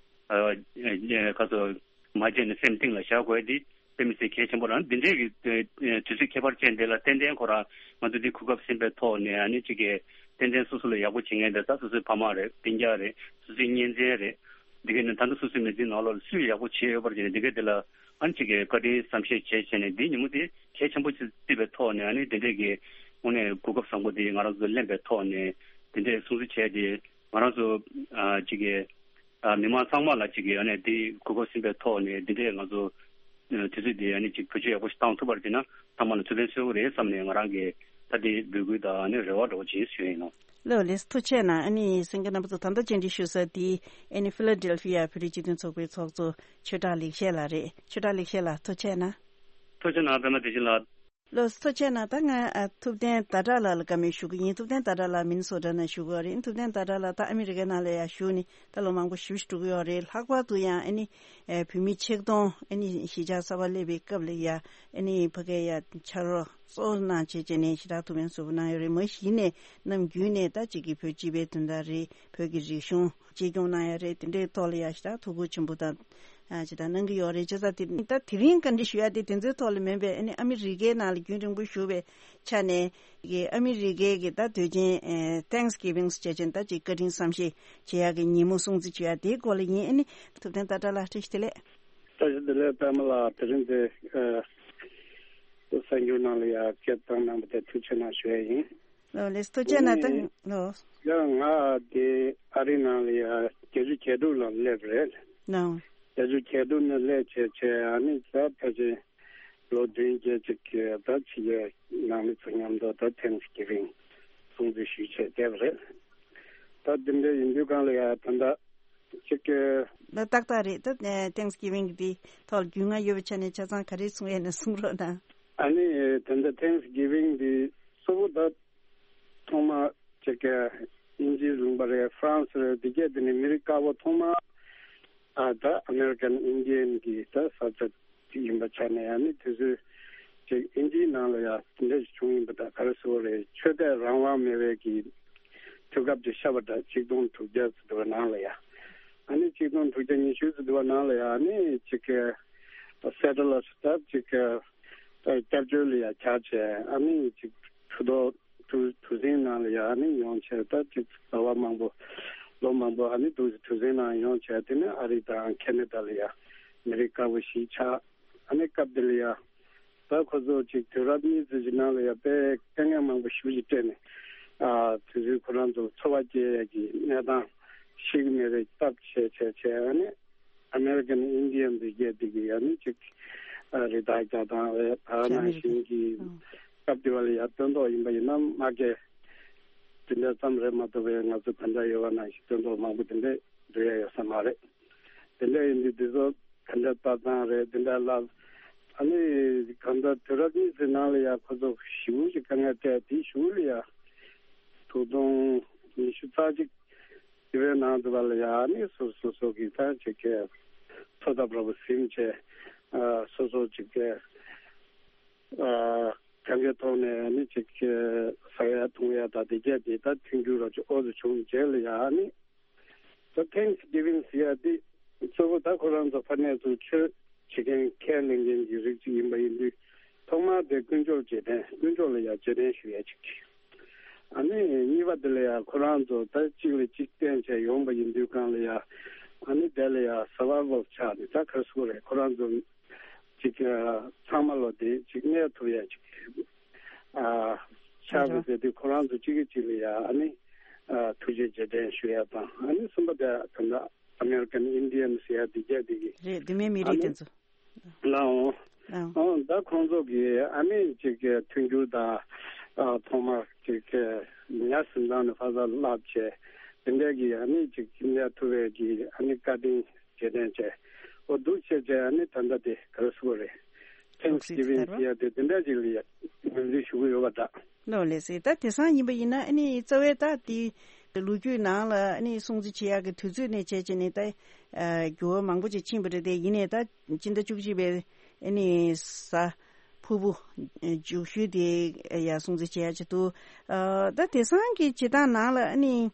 ཨ་ཨ་ག་ཚོད་མ་བརྗེད་ནས་སེམས་གཏིང་ལ་བཞག་དགོས་ཡ་དེ་དཔེ་མི་སྲིད་གལ་ཆེན་པོ་རང་འདི་འདྲའི་གི་ཨ་དུས་ཚོད་ཁྱད་པར་ཅན་དེ་ལ་ཏན་ཏན་ཁོ་རང་ང་ཚོ་འདི་གོ་སྐབས་ཟིན་པའི་ཐོག་ནས་ཨ་ནི་ཅིག་གི་ཏན་ཏན་སོ་སོ་ལ་ཡག་པོ་བྱེད་མཁན་དེ་ད་སོ་སོའི་ཕ་མ་རེད། སྤུན་ཀྱག་རེད། སོ་སོའི་གཉེན་ཚན་རེད། འདི་ག་ནི་ད་ལྟ་སོ་སོའི་མི་ཚེའི་ནང་ལོགས་ལ་སུས་ཡག་པོ་བྱས་ཡོད་པར་བྱས་ནས་འདི་ག་དེ་ལ་ཨ་ནི་ཅིག་གི་བཀའ་དྲིན་བསམ་ཤེས་བྱས་བྱས་ནས་འདི་ཉིན་མོ་དེ་གལ་ཆེན་པོ་ཅིག་བརྩིས་པའི་ཐོག་ནས་ཨ་ནི་དེ་འདྲས་ཀྱི་དངོས་གནས་གོ་སྐབས་བཟང་པོ་དེ་ང་རང་ཚོ་ལེན་པའི་ཐོག་ནས་དེ་འདྲས་སྲུང་བརྩི་བྱས་ཏེ་ང་རང་ཚོ་ཨ་ཅིག་གི་ཨ་མི་མང་ཚང་མ་ལ་ཅིག་གི་ཨ་ནི་དེ་གོ་སྐབས་ཟིན་པའི་ཐོག་ནས་དེ་འདྲས་ང་ཚོ་ཨ་དུས་ཚོད་དེ་ཨ་ནི་ཅིག་བེད་སྤྱོད་ཡག་པོ་ཞིག་བཏང་ཐུབ་པར་བྱས་ན་ཚང་མ་ལ་ཐུགས་ཕན་གསོས་ཀྱི་རེད་བསམ་ནས་ང་རང་གིས་ད་དེ་འབོད་སྐུལ་དང་ཨ་ནི་རེ་བ་འདྲ་བོ་བྱེད་ཞུ་ཡིན་ནོ། ལགས་ལགས་སོ། ཐུགས་རྗེ་གནང་། ཨ་ནི་གསན་མཁན་རྣམ་པ་ཚོ་ད་ལྟ་བཅར་འདྲི་ཞུ་ས་དེ་ཨ་ནི་ཕི་ལ་ཌེལ་ཕི་ཡ་བོད་རིགས་སྤྱི་མཐུན་ཚོགས་པའི་ཚོགས་གཙོ་ཆོས་གྲགས་ལེགས་བཤད་ལགས་རེད། ཆོས་གྲགས་ལེགས་བཤད་ལགས་ཐུགས་རྗེ་གནང་། ཐུགས་རྗེ་གནང་། པད་མ་བདེ་ཆེན་ལགས། ལགས་སོ། ཐུགས་རྗེ་གནང་། ད་ང་ཨ་ཐུབ་བསྟན་ཟླ་གྲགས་ལགས་ལ་བཀའ་མོལ་ཞུ་གི་ཡིན། ཐུབ་བསྟན་ཟླ་གྲགས་ལགས་མི་ནི་སོ་ཊ་ནས་བཞུགས་ཡོད་རེད། ཐུབ་བསྟན་ཟླ་གྲགས་ལགས་ད་ཨ་མི་རི་ཀའི་ནང་ལ་ཡ་བཞུགས་ནས་ད་ལོ་མང་པོ་ཞེ་པོ་ཞིག་འགྲོ་གི་ཡོད་རེད། ལྷག་པར་དུ་ཡང་ཨ་ནི་ཨ་བོད་མི་ཆིག་སྟོང་ཨ་ནི་གཞིས་ཆགས་གསར་པ་སླེབས་པའི་སྐབས་ལ་ཡ་ཨ་ནི་ཕ་གིར་ཡ་ཕྱག་རོགས་གཙོ་བོ་གནང་བྱས་བྱས་ནས་ཞེ་དྲག་ཐུགས་ཕན་གསོས་པོ་གནང་ཡོད་རེད། མ་གཞི་ནས་ནམ་རྒྱུན་ནས་ད་ཅིག་གི་བོད་སྤྱི་པའི་དོན་དག་རེད། བོད་ཀྱི་རིག་གཞུང་གཅེས་སྐྱོང་གནང་ཡ་རེད། དེ་འདྲའི་ཐོག་ལ་ཡ་ཞེ་དྲག་ཐུགས་ཁུར་ཆེན་པོ་དང་ཨ་ཅིག་ད་གནང་གི་ཡོད་རེད། བྱས་ཙང་དེ་ད་དེ་རིང་བཀའ་འདྲི་ཞུ་ཡ་དེ་དེ་ཚོའི་ཐོག་ལ་མིན་པའི་ཨ་ནི་ཨ་མི་རི་ཀའི་ནང་ལ་རྒྱུན་རིང་པོ་བཞུགས་པའི་ཆ་ནས་ཀྱི་ཨ་མི་རི་ཀའི་གི་ད་དུས་ཆེན་ཨེ་Thanksgiving བྱས་ཅན་ད་ཅིག་བཀའ་དྲིན་བསམ་ཤེས་བྱེད་ཡ་གི་ཉིན་མོ་སྲུང་བརྩི་བྱེད་ཡ་དེའི་སྐོར་ལ་ཡིན། ཨ་ནི་ཐུབ་བསྟན་ཟླ་གྲགས་ལགས་བཀྲ་ཤིས་བདེ་ལེགས། བཀྲ་ཤིས་བདེ་ལེགས། པད་མ་ལགས་དེ་རིང་འདི་ཨ་གསར་འགྱུར་ནང་ལ་ཡ་སྐད་བཏང་གནང་བ་དེ་ཐུགས་རྗེ་གནང་ཞུ་ཡ་ཡིན། ལགས་ལགས་སོ། ཐུགས་རྗེ་གནང་། ད་ལགས། ཡང་ང་དེ་ཨ་རི་ནང་ལ་ཡ་བརྒྱད་ཅུ་གྱ་དྲུག་ལ་སླེབས་རེད། ལགས། བརྒྱད་ཅུ་གྱ་དྲུག་ནས་སླེབས་བྱས་བྱས་ཨ་ནི་ད་ཕལ་ཆེར་ལོ་བདུན་བརྒྱད་ཅིག་གི་ད་ཕྱི་རྒྱལ་ནང་མི་ཚོ་མཉམ་དུ་ད་Thanksgiving སྲུང་བརྩི་ཞུས་བྱས་བསྡད་པ་རེད། ད་དེ་འདྲ་ཡིན་དུས་གང་ལ་ཡ་ད་ལྟ་ཅིག་གི་ད་ཏག་ཏག་རེད། ད་Thanksgiving འདི་ཐོག་རྒྱུས་མངའ་ཡོད་པའི་ཆ་ནས་ཆ་ཚང་ག་རེ་གསུང་ཡས་ན་གསུང་རོགས་གནང་། ཨ་ནི་ད་ལྟ་Thanksgiving འདི་གཙོ་བོ་ད་ཐོག་མ་ཅིག་གི་དབྱིན་ཇིའི་ལུང་པ་རེད། ཧྥ་རན་སི་རེད། འདི་གས་དེ་ནི་མི་རིགས་དཀར་པོ་ཐོག་མ་ཨ་ད་American Indian གི་ད་ས་ཆ་ཅིག་ཡིན་པ་ཆ་ནས་ཨ་ནི་དེ་ཚོའི་ཅིག་དབྱིན་ཇིའི་ནང་ལ་ཡ་དེ་འདྲ་ཞིག་བྱུང་ཡིན་པ་ད་ག་རེ་ཟེར་དགོས་རེད། ཆོས་དད་རང་དབང་མེད་པའི་གི་དུས་སྐབས་ཅིག་ཤར་བ་འདྲ། ཆིག་སྟོང་དྲུག་བརྒྱ་ཙམ་དུ་བ་ནང་ལ་ཡ་ཨ་ནི་ཆིག་སྟོང་དྲུག་བརྒྱ་ཉི་ཤུ་ཙམ་དུ་བ་ནང་ལ་ཡ་ཨ་ནི་ཅིག་གི་ད་settlers ད་ཅིག་གི་ད་སྐྱབས་བཅོལ་ལ་ཡ་བཅར་བྱས་ཨ་ནི་ཅིག་གྲོས་ཐོག་གྲུ་གྲུ་གཟིངས་ནང་ལ་ཡ་ཨ་ནི་ཡོང་བྱས་ད་ཅིག་ཟླ་བ་མང་པོ་ལོ་མང་པོ་ཨ་ནི་འདུག་གྲུ་གཟིངས་ནང་ཡོང་བྱས་དེ་ནས་ཨ་རི་དང་ཁེ་ན་ཌ་ལ་ཡ་མི་རིགས་དཀར་པོ་ཞིག་ཆགས། ཨ་ནི་སྐབས་དེ་ལ་ཡ་ད་ཁོ་ཚོ་ཅིག་དུས་རབས་གཉིས་ཙམ་ཞིག་ནང་ལ་ཡ་དཔེ་དཀའ་ངལ་མང་པོ་ཞེ་པོ་ཅིག་སྤྲད་ནས་ཨ་དེ་ཚོའི་ཁོ་རང་ཚོ་འཚོ་བ་སྐྱེལ་ཡ་གི་གནས་སྟངས་ཤེས་ཀྱི་མེད་པའི་སྟབས་བྱས་བྱས་བྱས་ཨ་ནི་American Indian འདི་གས་འདི་གི་ཡ་ནི་ཅིག་ཨ་རི་དྭགས་རྒྱག་སྟངས་རེད། ད་ནང་བཞིན་གྱི་ཨ་སྐབས་དེ་བ་ལ་ཡ་སྟོན་ཐོག་ཡིན་པ་ཡིན་ན་མ་གས་དེ་འདྲ་ཙམ་རེད་མ་གཏོགས་པའི་ང་ཚོ་ད་ལྟ་ཡོད་པ་ནང་བཞིན་སྟོན་ཐོག་མང་པོ་དེ་འདྲ་འགྲོ་ཡ་ཡོད་ས་མ་རེད། དེ་འདྲ་ཡིན་དུས་འདི་ཚོ་ག་འདྲ་ལྟ་སྟངས་རེད། དེ་འདྲ་ལ་ཨ་ནི་གང་ལྟར་དུས་རབས་གཉིས་ཀྱི་ནང་ལ་ཡ་ཁོ་ཚོ་ཞེ་པོ་ཅིག་དཀའ་ངལ་འཕྲད། དེའི་གཞུག་ལ་ཡ་དྲུག་སྟོང་ཉི་ཤུ་རྩ་གཅིག་དེ་བའི་ནང་དུ་བ་ལ་ཡ་ཨ་ནི་སོ་སོ་སོ་གི་ད་ཅིག་གི་འཚོ་ཐབས་འདྲ་པོ་ཟིན་བྱས་ཨ་སོ་སོ་ཅིག་གི་ཨ་གང་གའི་ཐོག་ནས་ཨ་ནི་ཅིག་གི་ཟ་ཡ་འཐུང་ཡ་ད་དེ་གས་དེ་ད་མཐུན་འགྱུར་ར་ཅིག་ཨོ་ཙི་བྱུང་རྗེས་ལ་ཡ་ཨ་ནི། ད་Thanksgiving ཟེར་ཡ་འདི་གཙོ་བོ་ད་ཁོ་རང་ཚོ་ཕ་ནས་ཚུར་ཆོས་བྱེད་མཁན་ཁས་ལེན་མཁན་གྱི་རིགས་ཅིག་ཡིན་པ་ཡིན་དུས་ཐོག་མར་དེ་དཀོན་མཆོག་རྗེས་དྲན། དཀོན་མཆོག་ལ་ཡ་རྗེས་དྲན་ཞུ་ཡ་ཅིག་གི་ ཨ་ནི་གཉིས་པ་དེ་ལ་ཡང་ཁོ་རང་ཚོ་ད་གཅིག་ལ་གཅིག་བརྟེན་བྱས་ཡོང་པ་ཡིན་དུས་གང་ལ་ཡང་ཨ་ནི་དེ་ལ་ཡང་survival་ཆགས་ནས་ད་ག་རེ་ཟེར་དགོས་རེད། ཁོ་རང་ཚོ་གཅིག་ཚང་མ་ལོ་དེ་གཅིག་གནས་ཐུབ་ཡ་གཅིག་ཨ་ཆགས་པ་ཟེར་དུས་ཁོ་རང་ཚོ་གཅིག་གིས་གཅིག་ལ་ཡང་ཨ་ནི་ཨ་ཐུགས་རྗེ་རྗེས་དྲན་ཞུ་ཡ་དང་། ཨ་ནི་གསུམ་པ་དེ་ད་ལྟ་American Indians་ཟེར་ཡ་དེ་རྒྱ་དེ་གི་རེད། དེ་མིན་མི་རིགས་དེ་ཚོ། ལའོ། ལའོ། ཨང་། ད་ཁོང་ཚོ་གི་ཨ་ནི་ཅིག་མཐུན་འགྱུར་དང་ཨ་ཐོག་མར་ཅིག་ཉ་གཟིམ་ཚང་ནས་ཕ་ས་བརླབས་བྱས་དེ་འདྲའི་གི་ཨ་ནི་ཅིག་གནས་ཐུབ་པའི་གི་ཨ་ནི་བཀའ་དྲིན་རྗེས་དྲན་བྱས། འོ་འདུག་བྱས་བྱས་ཨ་ནི་ད་ལྟ་དེ་ག་རེ་ཟེར་དགོས་རེད། Thanksgiving་ཟེར་ཡ་དེ་དེ་འདྲ་ཅིག་ལ་ཡ་ངོས་འཛིན་ཞུ་གི་ཡོད་པ་འདྲ། ལོ་ལེགས་སེ། ད་དེང་སང་ཡིན་པ་ཡིན་ན་ཨ་ནི་རྩ་བའི་ད་དེ་ལོ་རྒྱུས་ནང་ལ་ཨ་ནི་སྲུང་བརྩི་བྱེད་ཡག་གི་དུས་ཚོད་ནས་བྱས་བྱས་ནས་ད་ཨ་འགྱུར་བ་མང་པོ་ཅིག་ཕྱིན་པ་རེད་དེ། ཡིན་ནའི་ད་སྤྱི་ཟླ་བཅུ་གཅིག་པའི་ཨ་ནི་གཟའ་ཕུར་བུ་མཇུག་ཤུལ་དེ་ཡ་སྲུང་བརྩི་བྱེད་ཡག་ཅིག་འདུག་ཨ་ད་དེང་སང་གི་བྱེད་སྟངས་ནང་ལ་ཨ་ནི་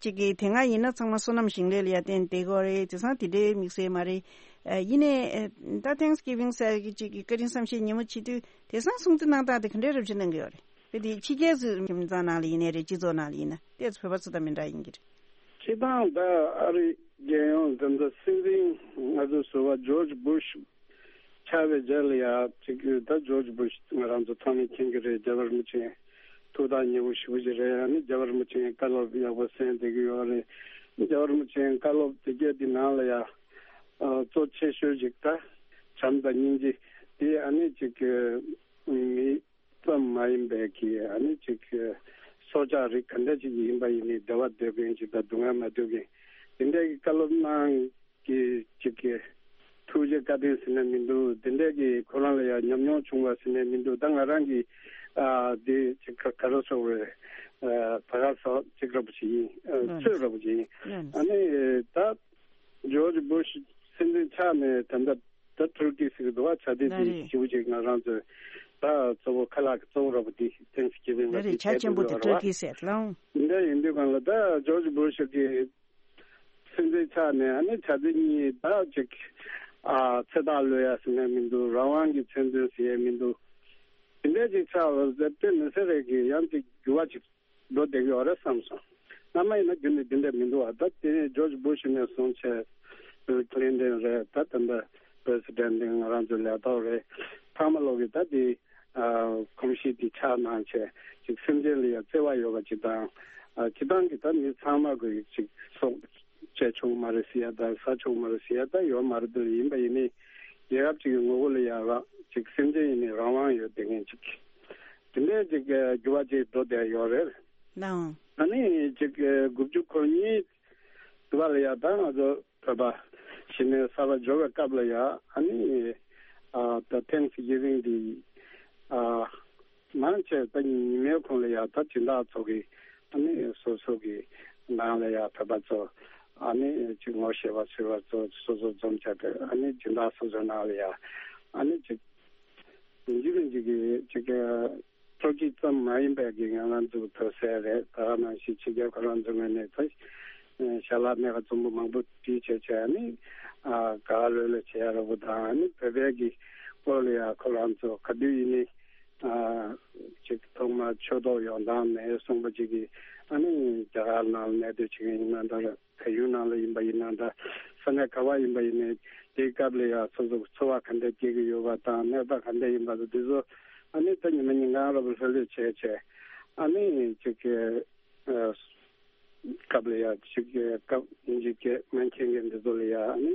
ཅིག་གི་དེ་སྔ་ཡིན་ན་ཚང་མ་སོ་ནམ་ཞིང་ལས་ལ་ཡ་བརྟེན་བསྡད་ཀྱི་ཡོད་རེད། དེང་སང་དེ་འདྲའི་དམིགས་བསལ་མ་རེད། ཨ་ཡིན་ནའི་ཨ་ད་Thanksgiving་ཟེར་གི་ཅིག་གི་བཀའ་དྲིན་བསམ་ཤེས་ཉིན་མོ་བྱེད་དུས་དེང་སང་སྲུང་བརྩི་གནང་སྟངས་དེ་ག་འདྲའི་རབ་བྱེད་གནང་གི་ཡོད་རེད། དཔེ་དེ་ཕྱི་རྒྱལ་ཚོའི་ཁྱིམ་ཚང་ནང་ལ་ཡིན་ནའི་རེད། སྤྱི་ཚོགས་ནང་ལ་ཡིན་ན་དེ་ཚོ་བོད་པ་ཚོ་དང་མི་འདྲ་ཡིན་གྱི་རེད། སྤྱིར་བཏང་ད་ཨ་རི་རྒྱལ་ཡོངས་དེ་ཚོ་སྲིད་འཛིན་ང་ཚོ་ཟུར་པ་ཇོརྗ་བུ་ཤ་ཆགས་པའི་རྗེས་ལ་ཡ་ཅིག་ད་ཇོརྗ་བུ་ཤ་ང་རང་ཚོ་ཚང་མས་མཁྱེན་གྱི་རེད། རྒྱལ་བ་རིན་པོ་ཆེ་ཐུགས་ཐག་ཉེ་པོ་ཞེ་པོ་ཅིག་རེད། ཨ་ནི་རྒྱལ་བ་རིན་པོ་ཆེའི་བཀའ་སློབ་ཡག་པོ་གསན་བསྡད་ཀྱི་ཡོད་རེད། རྒྱལ་བ་རིན་པོ་ཆེའི་བཀའ་སློབ་དེ་གས་དེ་ནང་ལ་ཡ་ཨ་གཙོ་ཆེ་ཤོས་ཅིག་ད་བྱམས་དང་སྙིང་རྗེ་དེ་ཨ་ནི་ཅིག་མི་ཙམ་མ་ཡིན་པའི་གི་ཨ་ནི་ཅིག་སྲོག་ཆགས་རིགས་ག་འདྲ་ཅིག་ཡིན་པ་ཡིན་ནའི་བདེ་བ་འདོད་མཁན་ཅིག་དང་སྡུག་བསྔལ་མ་འདོད་མཁན་དེ་འདྲའི་གི་བཀའ་སློབ་གནང་གི་ཅིག་གི་ཐུགས་རྗེ་བཀའ་དྲིན་ཟེར་ན་མི་འདུག་དེ་འདྲའི་གི་ཁོ་རང་ལ་ཡང་ཉམས་མྱོང་བྱུང་བ་ཟེར་ན་མི་འདུག་ད་ང་རང་གི་ཨ་དེ་ཅིག་ག་ག་རེ་ཟེར་དགོས་རེད། ཨ་ད་ག་ཟེར་ཅིག་ར་བོ་ཅིག་ཡིན། ཨ་ཚོད་ར་བོ་ཅིག་ཡིན། ཨ་ནི་ད་ཇོརྗ་བུ་ཤ་སྲིད་འཛིན་ཆགས་ནས་ད་ལྟ་ད་ཐུར་ཀི་ཟེར་གི་འདུག་བ། ཆ་དེ་དེ་ཞེ་པོ་ཅིག་ང་རང་ཚོས་ད་གཙོ་བོ་ཁ་ལག་གི་གཙོ་བོ་ར་བོ་དེ་Thanksgiving་ལ་དེ་ཆ་ཆེན་པོ་དེ་ཐུར་ཀི་ཟེར་ལ། འདི་ཡིན་དུས་གང་ལ་ད་ཇོརྗ་བུ་ཤ་གི་སྲིད་འཛིན་ཆགས་ནས་ཨ་ནི་ཆ་དེ་གཉིས་ད་ཅིག་ཨ་ཚེ་ཐག་ལུས་ཡ་ཟེར་ནས་མི་འདུག་རང་དབང་གི་མཚན་འདོན་ཟེར་ཡ་མི་འདུག་དེ་འདྲ་ཅིག་ཆགས་པ་དེ་དཔེ་མི་སྲིད་རེད་གི་ཡང་ཅིག་འགྱུར་བ་ཅིག་འགྲོ་བསྡད་ཀྱི་ཡོད་རེད་བསམ་སོང་། སྔ་མ་ཡིན་ན་རྒྱུན་ནས་འདི་འདྲ་མི་འདུག་བ། ད་དེ་ནས་ཇོརྗ་བུ་ཤ་ནས་བཟུང་བྱས་བྷིལ་ཀླིན་ཏོན་རེད། ད་ད་ལྟ་པི་རེ་སི་ཌེན་ཊི་ང་རང་ཚོའི་ལས་ཐོག་རེད། ཚང་མ་ལོག་གི་ད་དེ་ཨ་གོམས་གཤིས་དེ་ཆགས་གནང་བྱས་ཅིག་སེམས་ཅན་ལ་ཡང་བརྩེ་བ་ཡོད་པ་ཅིག་དང་། ཨ་སྤྱི་བཏང་གི་ད་མི་ཚང་མ་གི་ཅིག་སྲོག་བཅད་ཆོག་མ་རེད་ཟེར་ཡ་ད་ཟ་ཆོག་མ་རེད་ཟེར་ཡ་ད་ཡོད་མ་རེད། དེ་ཡིན་པ་ཡིན་ནའི་རྒྱལ་ཁབ་ཅིག་གི་ངོ་བོ་ལ་ཡང་རང་ཅིག་སེམས་ཅན་ཡིན་ནའི་རང་དབང་ཡོད་བསྡད་མཁན་ཅིག་དེ་འདྲའི་ཅིག་འགྱུར་བ་ཅིག་འགྲོ་བསྡད་ཡོད་རེད། ལའང་། ཨ་ནི་ཅིག་དགུ་བཅུ་གོ་གཉིས་དུ་བ་ལ་ཡ་ད་ང་ཚོ་བོད་པ་གཞི་ནས་གསར་པ་འབྱོར་བའི་སྐབས་ལ་ཡ་ཨ་ནི་ཨ་ད་ཐེངས་ཤིག་ཡིན་རིང་འདི་ཨ་མང་ཆེ་ད་ཉི་མའི་གུང་ལ་ཡ་ད་སྦྱིན་བདག་ཚོ་གི་ཨ་ནི་སོ་སོ་གི་ནང་ལ་ཡ་བོད་པ་ཚོ་ཨ་ནི་ཅིག་ངོ་ཤེས་པ་ཚོས་པ་ཚོ་སོ་སོ་འཛོམས་བྱས་ཏེ་ཨ་ནི་སྦྱིན་བདག་སོ་སོའི་ནང་ལ་ཡ་ཨ་ནི་ཅིག་ཡིན་གཅིག་མིན་གཅིག་གི་ཅིག་ཨ་ཕྲུ་གུ་ཙམ་མ་ཡིན་པའི་གི་ང་རང་ཚོ་ཐོས་སྲས་རེད། ད་ག་ནང་བཞིན་ཕྱི་རྒྱལ་ཁོ་རང་ཚོ་ངོས་ནས་ད་ཞལ་ལག་སྣེ་ཁ་འཛོམས་པོ་མང་པོ་བྲིས་བྱས་བྱས་ནི་ཨ་ག་ལོས་ལ་བྱེད་ཡ་ར་བོ་དང་ནི་བོད་པའི་གི་སྐོར་ལ་ཡ་ཁོ་རང་ཚོ་ག་དུས་ཡིན་ནི་ཨ་ཅིག་ཐོག་མ་ཆོས་ཐོག་ཡོང་སྟངས་མེད་གསུངས་པ་ཅིག་གི་ཨ་ནི་རྒྱ་གར་ནང་ལ་གནས་སྡོད་བྱེད་མཁན་ཡིན་ན་འདྲ། བལ་ཡུལ་ནང་ལ་ཡིན་པ་ཡིན་ན་འདྲ། ས་གནས་ག་བ་ཡིན་པ་ཡིན་ནའི་དེའི་སྐབས་ལ་ཡང་སོ་སོ་འཚོ་བ་ག་འདྲ་སྐྱེལ་གྱི་ཡོད་པ་དང་གནས་སྟངས་ག་འདྲ་ཡིན་པ་དང་དེ་ཚོ་ཨ་ནི་ད་ཉི་མ་ཉིན་གང་ར་བ་ལྷོད་ལྷོད་བྱས་བྱས་ཨ་ནི་ཅིག་གི་ཨ་སྐབས་ལ་ཡང་ཅིག་གི་སྐབས་ཡིན་གཅིག་གི་མ་མཁྱེན་མཁན་འདི་ཚོ་ལ་ཡང་ཨ་ནི་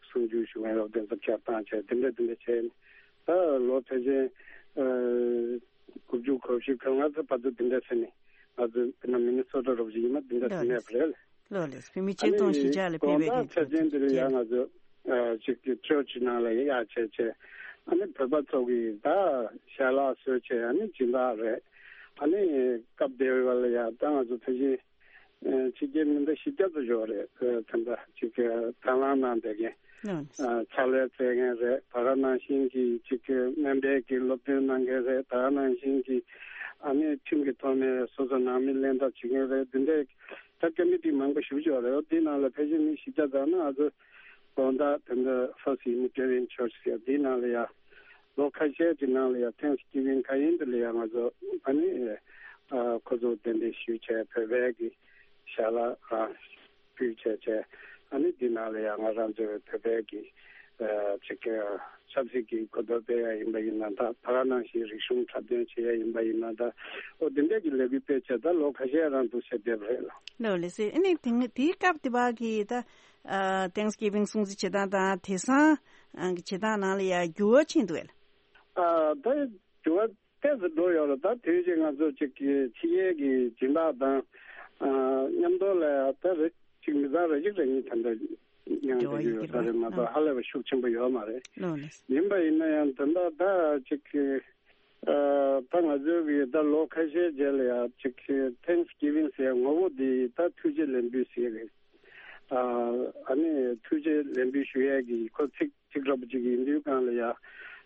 གསུང་ཆོས་ཞུ་མཁན་ར་བ་དེ་ཚོ་ཁྱེར་བཏང་བྱས་དེ་འདྲ་དེ་འདྲ་བྱས་ནས་ད་ལོ་ཕལ་ཆེར་ཨ་དགུ་བཅུ་གོ་བཞི་གོ་ལྔ་ཚོ་བར་དུ་དེ་འདྲ་ཟེར་ནས་ང་ཚོ་དཔེར་ན་མི་ནི་སོ་ཊ་ར་བ་ཅིག་ཡིན་ན་དེ་འདྲ་ཟེར་ནས་རེད། ལགས་ལགས། བོད་མི་ཆིག་སྟོང་བཞི་བརྒྱ་ལ་ཕེབས་པའི་གི་དགོང་དག་ཚེས་བརྟན་འདིར་ཡང་ང་ཚོ་ཨ་ཅིག་གི་ཆོས་ཀྱི་ནང་ལ་ཡ་བྱས་བྱས་ཨ་ནི་བོད་པ་ཚོ་གི་ད་ཞལ་ལག་བཟོས་བྱས་ཨ་ནི་སྦྱིན་བདག་རེད། ཨ་ནི་སྐབས་དེ་བ་ལ་ཡ་ད་ང་ཚོ་ཕལ་ཆེར་ཨ་ཕྱི་རྒྱལ་མི་སྣ་བཞི་བརྒྱ་ཙམ་ཡོད་རེད། ཨ་ད་ལྟ་ཅིག་གི་དང་བླངས་གནང་བསྡད་མཁན་ཨ་ཕྱག་ལས་བཙལ་མཁན་རེད། ད་ག་ནང་བཞིན་གྱི་ཅིག་གི་སྨན་པའི་གི་སློབ་སྟོན་གནང་མཁན་རེད། ད་ག་ནང་བཞིན་གྱི་ཨ་ནི་ཁྲིམས་ཀྱི་ཐོག་ནས་སོ་སོ་ནང་མི་ལེན་ཐབས་བྱེད་མཁན་རེད། འདི་འདྲའི་ད་ཀ་མི་ཊི་མང་པོ་ཞེ་པོ་ཅིག་ཡོད་རེད། འོ་དེའི་ནང་ལ་ཕལ་ཆེར་མི་བཞི་བརྒྱ་ཙམ་ནི་ང་ཚོ་དགོང་དག་དེ་འདྲ་First Unitarian Church་ཟེར་དེའི་ནང་ལ་ཡ་ལོ་ཁ་ཤས་ཀྱི་ནང་ལ་ཡ་Thanksgiving་ཁ་ཡིན་དེ་ལ་ཡ་ང་ཚོ་ཨ་ནི་ ཨ་ཁོ་ཚོ་གདན་འདྲེན་ཞུས་བྱས་བོད་པའི་གི་ཞལ་ལག་ཨ་ཕུལ་བྱས་བྱས། ཨ་ནི་འདི་ནང་ལ་ཡང་ང་རང་ཚོའི་བོད་པའི་གི་ཨ་ཅིག་ཆབ་སྲིད་ཀྱི་གོ་རྟོགས་སྤེལ་ཡ་ཡིན་པ་ཡིན་ན་ད། ད་ག་ནང་བཞིན་རིག་གཞུང་འཁྲབ་སྟོན་བྱེད་ཡ་ཡིན་པ་ཡིན་ན་ད། ཨོ་འདི་འདྲས་ཀྱི་ལས་འགུལ་སྤེལ་བྱས་ད་ལོ་ཁ་ཤས་རང་འདུག་ཟེར་བསྡད་པ་རེད་ལ། ལོ་ལེ་སེ། ཨ་ནི་དེ་དེའི་སྐབས་དེ་བ་གི་ད་ཨ་Thanksgiving སྲུང་བརྩི་བྱེད་སྟངས་དང་དེང་སང་ཨ་གི་བྱེད་སྟངས་ནང་ལ་ཡ་འགྱུར་བ་ཕྱིན་འདུག་ལ། ཨ་ད་འགྱུར་བ་ཏོག་ཙམ་འགྲོ་ཡོད་རེད། ད་དུས་ཅིག་ང་ཚོ་ཅིག་གི་ཕྱི་རྒྱལ་གྱི་སྦྱིན་བདག་དང་ཨ་མཉམ་དུ་ལ་ད་རེ་ཅིག་མི་ཚང་རེ་ཅིག་རེ་གཉིས་ད་ལྟ་མཉམ་དུ་འགྲོ་ཡོད་ཡོད་ས་རེད་མ་གཏོགས་ཧ་ལས་པ་ཤུགས་ཆེན་པོ་ཡོད་མ་རེད། ལོ་ལེ། ཡིན་པ་ཡིན་ན་ཡང་ད་ལྟ་ད་ཅིག་གི་ཨ་ད་ང་ཚོའི་གི་ད་ལོ་ཁ་ཤས་རྗེས་ལ་ཡང་ཅིག་གི་Thanksgiving ཟེར་ངོ་བོ་འདི་ད་ཐུགས་རྗེ་ལེགས་འབུལ་ཟེར་གི་ཨ་ཨ་ནི་ཐུགས་རྗེ་ལེགས་འབུལ་ཞུ་ཡས་གི་ཁོ་ཚིག་གཅིག་འདྲ་པོ་ཅིག་ཡིན་དུས་སྒང་ལ་ཡ།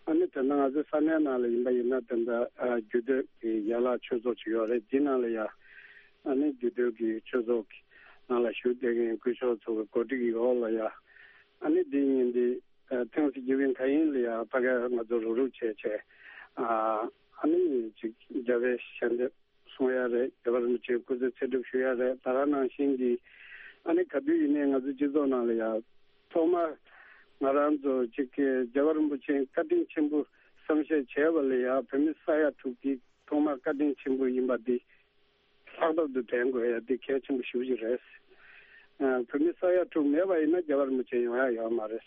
ཨ་ནི་དེ་ན་ང་ཚོའི་ས་གནས་ནང་ལ་ཡིན་པ་ཡིན་ན་དེ་འདྲ་ཨ་རྒྱུད་སྟོད་ཀྱི་ཡན་ལག་ཆོས་ཚོགས་ཅིག་ཡོད་རེད། དེ་ནང་ལ་ཡ་ཨ་ནི་རྒྱུད་སྟོད་ཀྱི་ཆོས་ཚོགས་ཀྱི་ནང་ལ་ཞུགས་བསྡད་མཁན་སྐུ་ཞབས་ཚོ་གི་གོ་སྒྲིག་ཡོད་ལ་ཡ། ཨ་ནི་འདི་ཉིན་འདི་ཨ་Thanksgiving་ག་ཡིན་ལ་ཡ་ཕ་ག་ང་ཚོ་རུག་རུག་བྱས་བྱས་ཨ་ཨ་ནི་ཅིག་རྒྱལ་བའི་ཞལ་འདེབས་གསུང་ཡ་རེད། རྒྱལ་བ་རིན་པོ་ཆེའི་སྐུ་ཚེ་ཚེ་སྒྲུབ་ཞུ་ཡ་རེད། ད་ག་ནང་བཞིན་གྱི་ཨ་ནི་ག་དུས་ཡིན་ནའི་ང་ཚོ་སྤྱི་ཚོགས་ནང་ལ་ཡང་ཐོག་མར་ང་རང་ཚོ་གཅིག་གི་རྒྱལ་བ་རིན་པོ་ཆེའི་བཀའ་དྲིན་ཆེན་པོ་བསམ་ཤེས་བྱས་པ་ལ་ཡང་བོད་མི་ས་ཡ་དྲུག་གི་ཐོག་མར་བཀའ་དྲིན་ཆེན་པོ་ཡིན་པ་འདི་ལྷག་པར་དུ་དྲན་དགོས་ཡ་འདི་གལ་ཆེན་པོ་ཞེ་པོ་ཅིག་རེད། ཨ་བོད་མི་ས་ཡ་དྲུག་མེད་པ་ཡིན་ན་རྒྱལ་བ་རིན་པོ་ཆེ་ཡོང་ཡ་ཡོད་མ་རེད།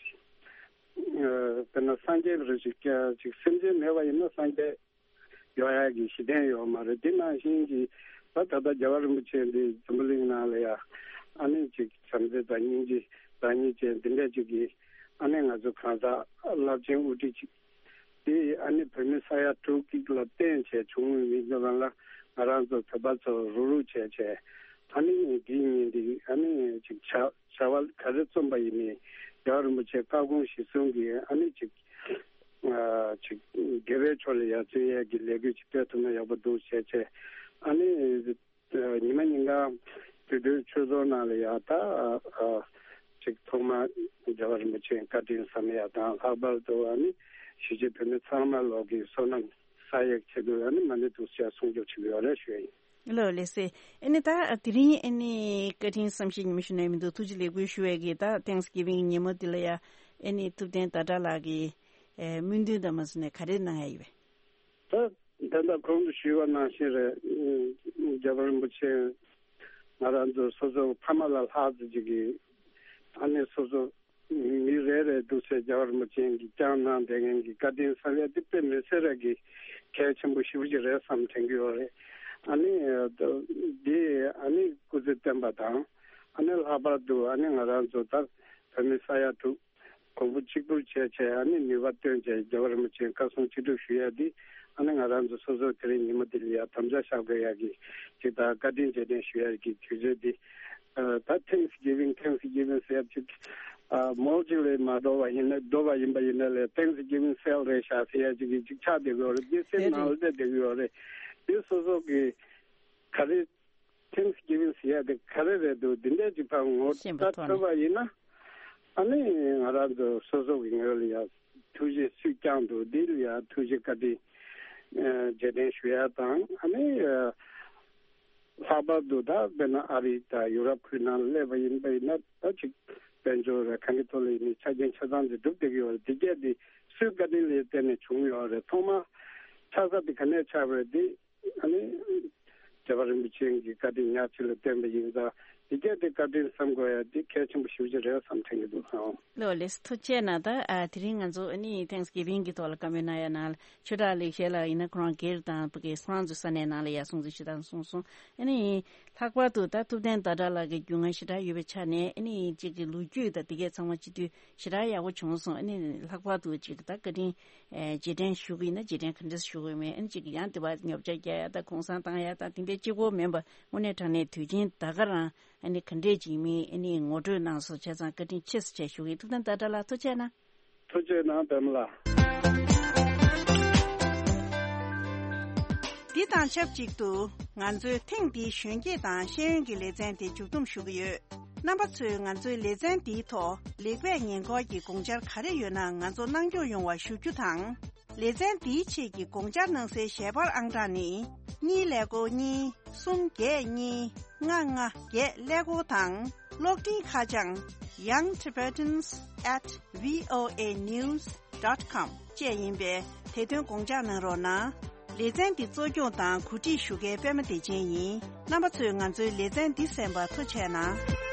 ཨ་དཔེར་ན་སངས་རྒྱས་རེ་ཞིག་ཅིག་སེམས་ཅན་མེད་པ་ཡིན་ན་སངས་རྒྱས་ཡོང་ཡག་གི་གཞི་རྟེན་ཡོད་མ་རེད། དེ་ནང་བཞིན་གྱི་ད་ད་ལྟ་རྒྱལ་བ་རིན་པོ་ཆེ་འདི་འཛམ་བུ་གླིང་ནང་ལ་ཡ་ཨ་ནི་ཅིག་བྱམས་བརྩེ་དང་སྙིང་རྗེ་བདག་ཉིད་ཅན་འདི་འདྲ་ཅིག་གི་ཨ་ནི་ང་ཚོ་གང་ཟག་རླབས་ཆེན་དབུ་ཁྲིད་ཅིག་དེ་ཨ་ནི་བོད་མི་ས་ཡ་དྲུག་གཅིག་ལ་བརྟེན་བྱས་བྱུང་མི་འདི་ལ་ལ་ང་རང་ཚོ་བོད་པ་ཚོ་རུག་རུག་བྱས་བྱས་ཨ་ནི་འདི་ཉིན་འདི་ཨ་ནི་ཅིག་བྱ་བྱ་བ་ག་རེ་རྩོམ་པ་ཡིན་ནའི་རྒྱལ་བ་རིན་པོ་ཆེ་བཀའ་དགོངས་གཞིར་བཟུང་གིས་ཨ་ནི་ཅིག་ཨ་ཅིག་དགེ་བའི་ཕྱོགས་ལ་ཡར་བརྩོན་ཡས་ཀྱི་ལས་འགུལ་ཅིག་སྤེལ་ཐུབ་ན་ཡག་པོ་འདུག་བྱས་བྱས། ཨ་ནི་ཉི་མ་ཉིན་གང་དུས་དུས་ཆོས་ཚོགས་ནང་ལ་ཡ་ད་ཨ་ཅིག་ཐོག་མར་རྒྱལ་བ་རིན་པོ་ཆེའི་བཀའ་དྲིན་བསམ་ཡ་དང་ལྷག་པར་དུ་ཨ་ནི་གཞིས་བྱེས་བོད་མི་ཚང་མ་ལོག་གི་བསོད་ནམས་བསགས་ཡས་ཆེད་དུ་ཨ་ནི་མ་ཎི་ཐུགས་རྗེ་ཆེ་གསུང་ཆོག་ཅིག་ཡོད་རེད་ཞུ་ཡ་ཡིན། ལོ་ལེགས་སེ། ཨ་ནི་ད་དེ་རིང་ཨ་ནི་བཀའ་དྲིན་བསམ་ཤེས་ཉི་མ་ཞུ་ན་མི་འདུག་ཐུགས་རྗེ་ལེགས་འབུལ་ཞུ་བའི་གི་ད་Thanksgiving་ཉིན་མོ་འདི་ལ་ཡ་ཨ་ནི་ཐུབ་བསྟན་ཟླ་གྲགས་ལགས་ཀྱི་ཨེ་སྨོན་འདུན་དང་མ་སོ་ནས་ག་རེ་གནང་ཡ་ཡོད་པས། ད་ད་ལྟ་གོང་དུ་ཞུས་པ་ནང་བཞིན་རེད། རྒྱལ་བ་རིན་པོ་ཆེ་ང་རང་ཚོ་སོ་སོ་ཕ་མ་ལ་ལྷག་ཙམ་ཅིག་གི་ཨ་ནི་སོ་སོ་མི་རེ་རེ་འདུག་སེ་རྒྱལ་བ་རིན་པོ་ཆེ་གིས་བསྐྱངས་གནང་བསྡད་མཁན་གྱི་བཀའ་དྲིན་བསམ་ཡ་དེ་དཔེ་མི་སྲིད་ར་གི་གལ་ཆེན་པོ་ཞེ་པོ་ཅིག་རེད་བསམ་དྲན་གྱི་ཡོད་རེད། ཨ་ནི་འདི་ཨ་ནི་སྐུ་ཚེ་བརྟན་པ་དང་ཨ་ནི་ལྷག་པར་དུ་ཨ་ནི་ང་རང་ཚོ་ད་བོད་མི་ས་ཡ་དྲུག་གོང་བུ་གཅིག་གྱུར་བྱས་བྱས་ཨ་ནི་ནུས་པ་བཏོན་བྱས་རྒྱལ་བ་རིན་པོ་ཆེའི་བཀའ་གསུང་ཅི་སྒྲུབ་ཞུ་ཡ་འདི་ཨ་ནི་ང་རང་ཚོ་སོ་སོ་དེ་རིང་ཉིན་མོ་འདི་ལ་ཡ་དམ་བཅའ་བཞག་དགོས་ཡ་གི་ཅིག་ད་བཀའ་དྲིན་རྗེས་དྲན་ཞུ་ཡ་གི་དུས་ཚོད་འདི་ཨ་ད་Thanksgiving Thanksgiving ཟེར་ཡ་ཅིག་ཨ་མོལ་ཅིག་ལས་མ་འགྲོ་བ་ཡིན་ན་འགྲོ་བ་ཡིན་པ་ཡིན་ན་ལས་Thanksgiving sale རེད་ཤག་ཟེར་ཡ་ཅིག་གི་ཅིག་ཆགས་བསྡད་ཀྱི་ཡོད་རེད། འདི་སེམས་ནང་ལ་བསྡད་བསྡད་ཀྱི་ཡོད་རེད། འདི་སོ་སོ་གི་ག་རེ་Thanksgiving ཟེར་ཡ་དེ་ག་རེ་རེད་འདུག་འདི་འདྲས་ཅིག་ཕར་ངོ་ཤེས་པ་ལྟ་ཐོག་ནས་ཐུབ་པ་ཡིན་ན། ཨ་ནི་ང་རང་ཚོ་སོ་སོ་གི་ངོས་ལ་ཡང་ཐུགས་རྗེ་སུས་བསྐྱངས་འདུག་འདི་ལ་ཡང་ཐུགས་རྗེ་བཀའ་དྲིན་རྗེས་དྲན་ཞུ་ཡ་དང་ཨ་ནི་ལྷག་པར་དུ་ད་དཔེར་ན་ཨ་རི་དང་ཡུ་རོབ་ཁུལ་ནང་སླེབས་པ་ཡིན་པ་ཡིན་ན་ད་ཅིག་དཔལ་འབྱོར་རེད་གང་གི་ཐོག་ལ་ཡིན་ནའི་ཆ་རྐྱེན་ཆ་ཚང་དེ་སྒྲུབ་བསྡད་ཀྱི་ཡོད་རེད། དེ་གས་དེ་སུའི་བཀའ་དྲིན་ལ་བརྟེན་ནས་བྱུང་ཡོད་རེད། ཐོག་མ་ཆགས་ས་དེ་ག་ནས་ཆགས་པ་རེད་དེ། ཨ་ནི། རྒྱལ་བ་རིན་པོ་ཆེ་གི་བཀའ་དྲིན་ཉག་གཅིག་ལ་བརྟེན་པ་ཡིན་ཙང་འདི་གས་དེ་བཀའ་དྲིན་བསམ་དགོས་ཡ་འདི་གལ་ཆེན་པོ་ཞེ་པོ་ཅིག་རེད་བསམ་དྲན་གྱི་འདུག་ཨང་། ལོ་ལེགས་ཐུགས་རྗེ་གནང་། ད་ཨ་དེ་རིང་ང་ཚོ་ཨ་ནི་Thanksgiving་གི་ཐོག་ལ་བཀའ་མོལ་གནང་ཡ་ནང་ལ་ཆོས་གྲགས་ལེགས་བཤད་ལགས་ཡིན་ན་ཁོ་རང་སྒེར་དང་ཕ་གི་ཁོ་རང་ཚོའི་ས་གནས་ནང་ལ་ཡ་སྲུང་བརྩི་ཞུ་སྟངས་གསུངས་སོང་། ཨ་ནི་ལྷག་པར་དུ་ད་ཐུབ་བསྟན་ཟླ་གྲགས་ལགས་ཀྱི་རྒྱུས་མངའ་ཞེ་དྲག་ཡོད་པའི་ཆ་ནས་ཨ་ནི་གཅིག་གི་ལོ་རྒྱུས་དང་དེ་གས་ཚང་མ་སྤྱི་འཐུས་ཞེ་དྲག་ཡག་པོ་བྱུང་སོང་། ཨ་ནི་ལྷག་པར་དུ་གཅིག་ད་བཀའ་དྲིན། ཨེ་རྗེས་དྲན་ཞུ་གི་ཡིན་ན་རྗེས་དྲན་ག་འདྲས་ཞུ་གི་ཡོད་མེད། ཨ་ནི་གཅིག་ཡང་དེ་བ་ཉོ་ཆ་རྒྱག་ཡ་དང་གུང་སེང་བཏང་ཡ་དང་དེ་འདྲའི་གཅིག་པོ་མིན་པ་དངོས་གནས་དྲང་གནས་དུས་ཆེན་ད་ག་རང་ཨ་ནི་ག་འདྲས་ཅིག་མིན་ཨ་ནི་ངོ་སྤྲོད་གནང་སོང་བྱས་ཙང་བཀའ་དྲིན་ཆེ་ཟེར་བྱས་ཞུ་གི་ཡིན། ཐུབ་བསྟན་ཟླ་གྲགས་ལགས་ཐུགས་རྗེ་གནང་། ཐུགས་རྗེ་གནང་པདྨ་ལགས། འདི་དང་ཆབས་ཅིག་ཏུ་ང་ཚོའི་ཐེངས་འདིའི་གཞོན་སྐྱེས་དང་ཤེས་ཡོན་གྱི་ལེ་ཚན་དེ་མཇུག་བསྡོམས་ཞུ་གི་ཡོད། རྣམ་པ་ཚོས་ང་ཚོའི་ལེ་ཚན་འདིའི་ཐོག་ལེགས་སྤེལ་ཉེར་མཁོ་གི་དགོངས་འཆར་ག་རེ་ཡོད་ན་ང་ཚོ་གནང་སྐྱོང་ཡོང་བ་ཞུ་རྒྱུ་དང་། ལེ་ཚན་འདིའི་ཆེད་ཀྱི་དགོངས་འཆར་གནང་སའི་ཞལ་པར་ཨང་གྲངས་ནི། གཉིས་ཀླད་ཀོར་གཉིས། གསུམ་བརྒྱད་གཉིས། ལྔ་ལྔ་བརྒྱད་ཀླད་ཀོར་དང་། གློག་འཕྲིན་ཁ་བྱང་young tibetans at voa news dot com བཅས་ཡིན་པས། དེ་དོན་དགོངས་འཇགས་གནང་རོགས་གནང་། ལེ་ཚན་འདི་གཙོ་སྐྱོང་དང་གོ་སྒྲིག་ཞུ་མཁན་པད་མ་བདེ་ཆེན་ཡིན། རྣམ་པ་ཚོས་ང་ཚོའི་ལེ་ཚན་འདི་གསན་པར་ཐུགས་རྗེ་གནང་།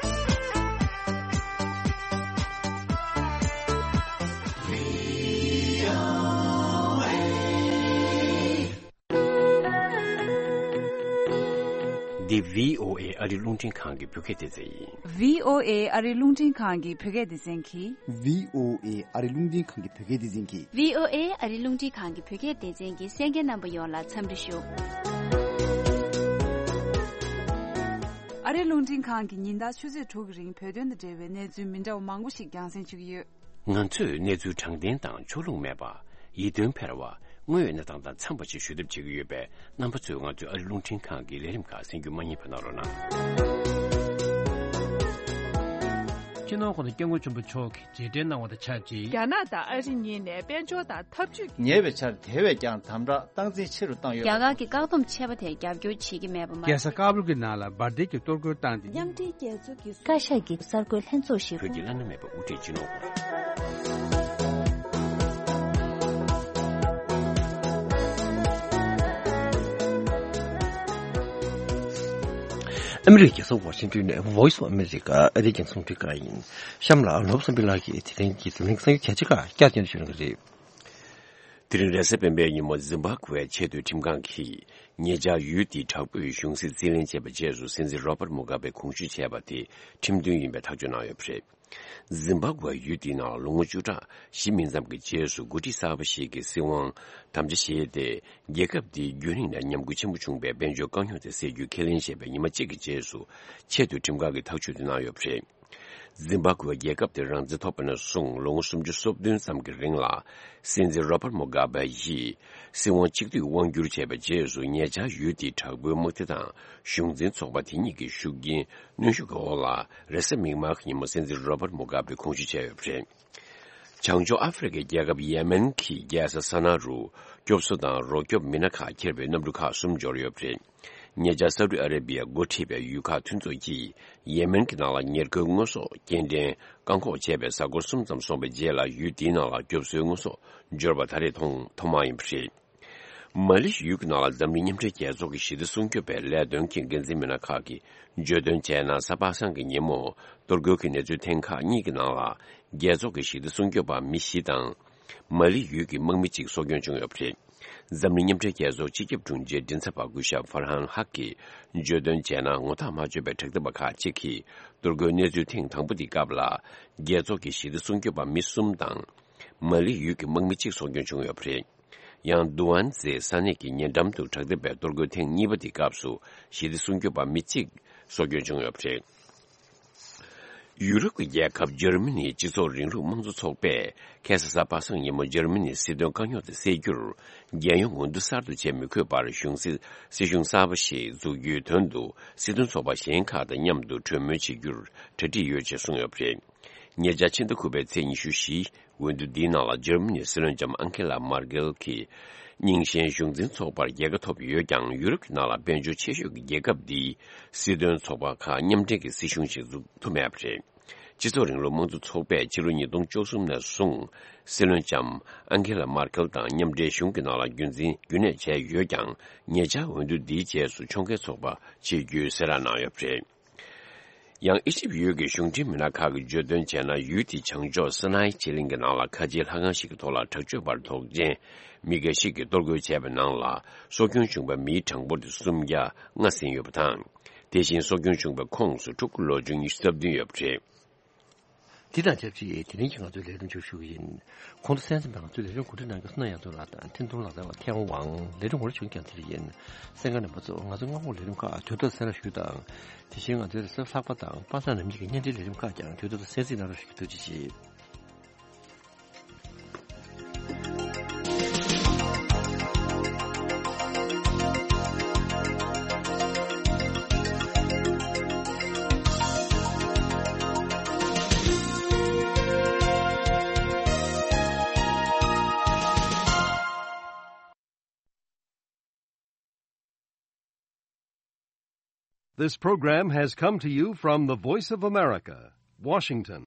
འདི་བྷི་ཨོ་ཨེ་ཨ་རི་རླུང་འཕྲིན་ཁང་གི་བོད་སྐད་སྡེ་ཚན་ཡིན། བྷི་ཨོ་ཨེ་ཨ་རི་རླུང་འཕྲིན་ཁང་གི་བོད་སྐད་སྡེ་ཚན་གྱིས། བྷི་ཨོ་ཨེ་ཨ་རི་རླུང་འཕྲིན་ཁང་གི་བོད་སྐད་སྡེ་ཚན་གྱིས། བྷི་ཨོ་ཨེ་ཨ་རི་རླུང་འཕྲིན་ཁང་གི་བོད་སྐད་སྡེ་ཚན་གྱི་གསན་མཁན་རྣམ་པ་ཡོངས་ལ་འཚམས་འདྲི་ཞུ། ཨ་རི་རླུང་འཕྲིན་ཁང་གིས་ཉིན་ལྟར་ཆུ་ཚོད་དྲུག་གི་རིང་བོད་དོན་དང་འབྲེལ་བའི་གནས་ཚུལ་མི་འདྲ་བ་མང་པོ་ཞིག་རྒྱང་སྲིང་ཞུ་གི་ཡོད། ང་ཚོས་གནས་ཚུལ་དྲང་བདེན་དང་ཕྱོགས་ལྷུང་མེད་པ། ཡིད་རྟོན་འཕེར་བ། དངོས་ཡོད་གནས་སྟངས་དང་འཚམས་པ་ཞིག་ཞུ་ཐབས་བྱེད་ཀྱི་ཡོད་པས། རྣམ་པ་ཚོས་ང་ཚོའི་ཨ་རི་རླུང་འཕྲིན་ཁང་གི་ལས་རིམ་ཁག་གསན་རྒྱུ་མ་བསྙེལ་བ་གནང་རོགས་གནང་། སྤྱི་ནོར་༸གོང་ས་༸སྐྱབས་མགོན་ཆེན་པོ་མཆོག་གིས་རྗེས་དྲན་གནང་བ་དང་ཆབས་ཅིག་རྒྱ་ནག་དང་ཨ་རི་གཉིས་ནས་དཔལ་འབྱོར་དང་འཐབ་ཇུས་ཀྱི། ཉེ་བའི་ཆར་དེ་བས་ཀྱང་དམ་དྲག་སྟངས་འཛིན་ཆེ་རུ་བཏང་ཡོད། རྒྱ་གར་གྱི་བཀག་སྡོམ་ཆད་པ་དེར་རྒྱབ་སྐྱོར་བྱེད་ཀྱི་མེད་པ་མ་ཟད། རྒྱལ་ས་ཀ་བུལ་གྱི་ནང་ལ་འབར་མདེལ་གྱི་གཏོར་རྒོལ་བཏང་སྟེ། མཉམ་འབྲེལ་རྒྱལ་ཚོགས་ཀྱི་བཀའ་ཤག་གི་གསར་འགོད་ལྷན་ཚོགས་ཤིག་བོད་ཀྱི་བླ་ན་མེད་པའི་དབུ་ཁྲིད་སྤྱི་ནོར་ཨ་མི་རི་ཀའི་རྒྱལ་ས་ཝ་ཤིང་ཏོན་ནས་Voice of America ཨ་རིའི་རྒྱང་སྲིང་རླུང་འཕྲིན་ཁང་ཡིན། གཤམ་ལ་ནོར་བུ་བསམ་འཕེལ་ལགས་ཀྱིས་དེ་རིང་གི་འཛམ་གླིང་གསར་འགྱུར་གལ་ཆེ་ཁག་བསྐྱར་སྟོན་ཞུ་གནང་གི་རེད། དེ་རིང་རེས་གཟའ་སྤེན་པའི་ཉིན་མོ། ཛིམ་བྷབ་ཝེའི་ཆེས་མཐོའི་ཁྲིམས་ཁང་གིས་ཉེ་ཆར་ཡུལ་དེའི་དྲག་པོས་གཞུང་སྲིད་རྩིས་ལེན་བྱས་པའི་རྗེས་སུ། སྲིད་འཛིན་རོ་པར་མུ་གྷ་བྷེ་གོང་ཞུས་བྱས་པ་དེ་ཁྲིམས་མཐུན་ཡིན་པའི་ཐག་གཅོད་གནང་ཡོད་པ་རེད། ཛིམ་བྷབ་ཝེ་ཡུལ་དེའི་ནང་ལོ་ངོ་བཅུ་ཕྲག་བཞི་མིན་ཙམ་གྱི་རྗེས་སུ། འགོ་ཁྲིད་གསར་པ་ཞིག་གིས་སྲིད་དབང་དམ་བཅའ་བཞེས་ཏེ། རྒྱལ་ཁབ་དེའི་རྒྱུན་རིང་ནས་ཉམས་རྒུད་ཆེན་པོ་བྱུང་བའི་དཔལ་འབྱོར་དཀའ་རྙོག་དེ་སེལ་རྒྱུའི་ཁས་ལེན་བྱས་པའི་ཉི་མ་གཅིག་གི་རྗེས་སུ། ཆེས་མཐོའི་ཁྲིམས་ཁང་གིས་ཐག་གཅོད་དེ་གནང་ཡོད་པ་རེད། ཛིམ་བྷབ་ཝེ་རྒྱལ་ཁབ་དེ་རང་བཙན་ཐོབ་པ་ནས་བཟུང་ལོ་ངོ་སུམ་ཅུ་སོ་བདུན་ཙམ་གྱི་རིང་ལ། སྲིད་འཛིན་རོ་པར་མུ་གྷ་བྷེ་ཡིས་སྲིད་དབང་གཅིག་སྡུད་དབང་བསྒྱུར་བྱས་པའི་རྗེས་སུ། ཉེ་ཆར་ཡུལ་དེའི་དྲག་པོའི་དམག་སྡེ་དང་གཞུང་འཛིན་ཚོགས་པ་དེ་གཉིས་ཀྱི་ཤུགས་རྐྱེན་གནོན་ཤུགས་ཀྱི་འོག་ལ། རེས་གཟའ་མིག་དམར་གྱི་ཉིན་མོ་སྲིད་འཛིན་རོ་པར་མུ་གྷ་བྷེ་གོང་ཞུས་བྱས་ཡོད་པ་རེད། བྱང་ཕྱོགས་ཨ་ཧྥེ་རི་ཁའི་རྒྱལ་ཁབ་ཡེ་མེན་གྱི་རྒྱལ་ས་སཱ་ན་རུ་སྐྱོབ་གསོ་དང་རོགས་སྐྱོབ་མི་སྣ་ཁག་འཁྱེར་བའི་གནམ་གྲུ་ཁག་གསུམ་འབྱོར་ཡོད་པ་རེད། ཉེ་ཆར་སའུ་ཏི་ཨ་རེ་བི་ཡ་འགོ་ཁྲིད་པའི་ཡུལ་ཁག་མཐུན་ཚོགས་ཀྱིས་ཡེ་མེན་གྱི་ནང་ལ་ཉེར་མཁོའི་དངོས་ཟོག་སྐྱེལ་འདྲེན་བཀག་འགོག་བྱས་པའི་གཟའ་འཁོར་གསུམ་ཙམ་སོང་བའི་རྗེས་ལ། ཡུལ་དེའི་ནང་ལ་སྐྱོབ་གསོའི་དངོས་ཟོག་འབྱོར་བ་ད་རེས་ཐོག་ཐོག་མ་ཡིན་པ་རེད། མ་ལི་ཡུལ་གྱི་ནང་ལ་འཛམ་གླིང་མཉམ་འབྲེལ་རྒྱལ་ཚོགས་ཀྱི་ཞི་བདེ་སྲུང་སྐྱོབ་པའི་ལས་དོན་གྱི་འགན་འཛིན་མི་སྣ་ཁག་གིས་བརྗོད་དོན་བྱས་ན། གཟའ་པ་སངས་ཀྱི་ཉིན་མོ་གཏོར་རྒོལ་གྱི་གནས་ཚུལ་ཐེངས་ཁག་གཉིས་ཀྱི་ནང་ལ། རྒྱལ་ཚོགས་ཀྱི་ཞི་བདེ་སྲུང་སྐྱོབ་པ་མི་བཞི་དང་། མ་ལི་ཡུལ་གྱི་དམག་མི་གཅིག་སྲོག་སྐྱོན་བྱུང་ཡོད་པ་རེད། འཛམ་གླིང་མཉམ་འབྲེལ་རྒྱལ་ཚོགས་སྤྱི་ཁྱབ་དྲུང་ཆེའི་མགྲིན་ཚབ་པ་སྐུ་ཞབས་ཧྥར་ཧན་ཧག་གིས་བརྗོད་དོན་བྱས་ན། ངོ་ཐག་མ་ཆོད་པའི་དྲག་འཐབ་པ་ཁག་ཅིག་གིས་གཏོར་རྒོལ་གནས་ཚུལ་ཐེངས་དང་པོ་དེའི་སྐབས་ལ། རྒྱལ་ཚོགས་ཀྱི་ཞི་བདེ་སྲུང་སྐྱོབ་པ་མི་གསུམ་དང་། མ་ལི་ཡུལ་གྱི་དམག་མི་གཅིག་སྲོག་སྐྱོན་བྱུང་ཡོད་པ་རེད། ཡང་། དུ་ཨན་ཛེ་ས་གནས་ཀྱི་ཉེ་འགྲམ་དུ་དྲག་འཐབ་པའི་གཏོར་རྒོལ་ཐེངས་གཉིས་པ་དེའི་སྐབས་སུ། ཞི་བདེ་སྲུང་སྐྱོབ་པ་མི་གཅིག་སྲོག་སྐྱོན་བྱུང་ཡོད་པ་རེད། ཡུ་རོབ་ཀྱི་རྒྱལ་ཁབ་འཇར་མ་ནིའི་སྤྱི་ཚོགས་རིང་ལུགས་དམངས་གཙོ་ཚོགས་པས་ཁ་སང་གཟའ་པ་སངས་ཉིན་མོ་འཇར་མ་ནིའི་སྲིད་དོན་དཀའ་རྙོག་དེ་སེལ་རྒྱུར། རྒྱལ་ཡོངས་འོས་བསྡུ་གསར་དུ་བྱེད་མི་དགོས་པར། གཞུང་སྲིད་སྲིད་གཞུང་གསར་པ་ཞིག་འཛུགས་རྒྱུའི་དོན་དུ། སྲིད་དོན་ཚོགས་པ་གཞན་ཁག་དང་མཉམ་དུ་གྲོས་མོལ་བྱེད་རྒྱུར་གྲ་སྒྲིག་ཡོད་ཅེས་གསུངས་ཡོད་པ་རེད། ཉེ་ཆར་ཕྱི་ཟླ་དགུ་པའི་ཚེས་ཉི་ཤུ་བཞི། འོས་བསྡུ་འདིའི་ནང་ལ་འཇར་མ་ནིའི་སྲིད་བློན་ལྕམ་ཨང་ཁེ་ལ་མར་ཀེལ་གྱིས་རྙིང་ཞེན་གཞུང་འཛིན་ཚོགས་པར་རྒྱལ་ཁ་ཐོབ་ཡོད་ཀྱང་། ཡུ་རོབ་ཀྱི་ནང་ལ་དཔལ་འབྱོར་ཆེ་ཤོས་ཀྱི་རྒྱལ་ཁབ་འདིས་སྲིད་དོན་ཚོགས་པ་ཁག་མཉམ་འབྲེལ་གྱི་སྲིད་གཞུང་ཞིག་འཛུགས་ཐུབ་མེད་པ་རེད། སྤྱི་ཚོགས་རིང་ལུགས་དམངས་གཙོ་ཚོགས་པས་ཕྱི་ལོ་ཉིས་སྟོང་བཅུ་གསུམ་ནས་བཟུང་སྲིད་བློན་ལྕམ་ཨང་ཁེ་ལ་མར་ཀེལ་དང་མཉམ་འབྲེལ་གཞུང་གི་ནང་ལ་རྒྱུན་འཛིན་རྒྱུན་གནས་བྱས་ཡོད་ཀྱང་། ཉེ་ཆར་འོས་བསྡུ་འདིའི་རྗེས་སུ་ཕྱོགས་འགལ་ཚོགས་པ་བྱེད་རྒྱུའི་གསལ་བསྒྲགས་གནང་ཡོད་པ་རེད། ཡང་། ཨི་ཇིབ་ཡུལ་གྱི་གཞུང་འབྲེལ་མི་སྣ་ཁག་གིས་བརྗོད་དོན་བྱས་ན། ཡུལ་དེའི་བྱང་ཕྱོགས་སི་ནའི་བྱེ་གླིང་གི་ནང་ལ་ཁ་ཆེའི་ལྷ་ཁང་ཞིག་གི་ཐོག་ལ་དྲག་སྤྱོད་པ་དོགས་ཅན་མི་འགའ་ཞིག་གིས་གཏོར་རྒོལ་བྱས་པའི་ནང་ལ། སྲོག་སྐྱོན་བྱུང་བའི་མིའི་གྲངས་འབོར་དེ་སུམ་བརྒྱ་ལྔ་ཟིན་ཡོད་པ་དང་། དེ་བཞིན་སྲོག་སྐྱོན་བྱུང་བའི་ཁོངས་སུ་ཕྲུ་གུ་ལོ་ཆུང་ཉི་ཤུ་རྩ་བདུན་ཡོད་པ་རེད། འདི་དང་ཆབས་ཅིག་དེ་རིང་གི་ང་ཚོའི་ལས་རིམ་མཇུག་ཞུ་གི་ཡིན། གོང་དུ་གསན་གཟིགས་གནང་བའི་ལས་རིམ་གོ་སྒྲིག་གནང་མཁན་བསོད་ནམས་ཡང་རྩེ་ལགས་དང་འཕྲིན་གཏོང་ལག་རྩལ་བ་ཐེའུ་ཝང་། ལས་རིམ་ངོ་སྤྲོད་བྱེད་མཁན་དེ་རིགས་ཡིན། གསན་མཁན་རྣམ་པ་ཚོ། ང་ཚོའི་སྔ་དགོང་ལས་རིམ་ཁག་དུས་ཐོག་གསན་རོགས་ཞུ་དང་། དེ་བཞིན་ང་ཚོའི་རེས་གཟའ་ལྷག་པ་དང་པ་སངས་ནམ་གཉིས་ཀྱི་བརྙན་འཕྲིན་ལས་རིམ་ཁག་ཀྱང་དུས་ཐོག་ཏུ་གསན་གཟིགས་གནང་རོགས་ཞུ་རྒྱུ། ཐུགས་རྗེ་ཆེ། This program has come to you from the Voice of America, Washington.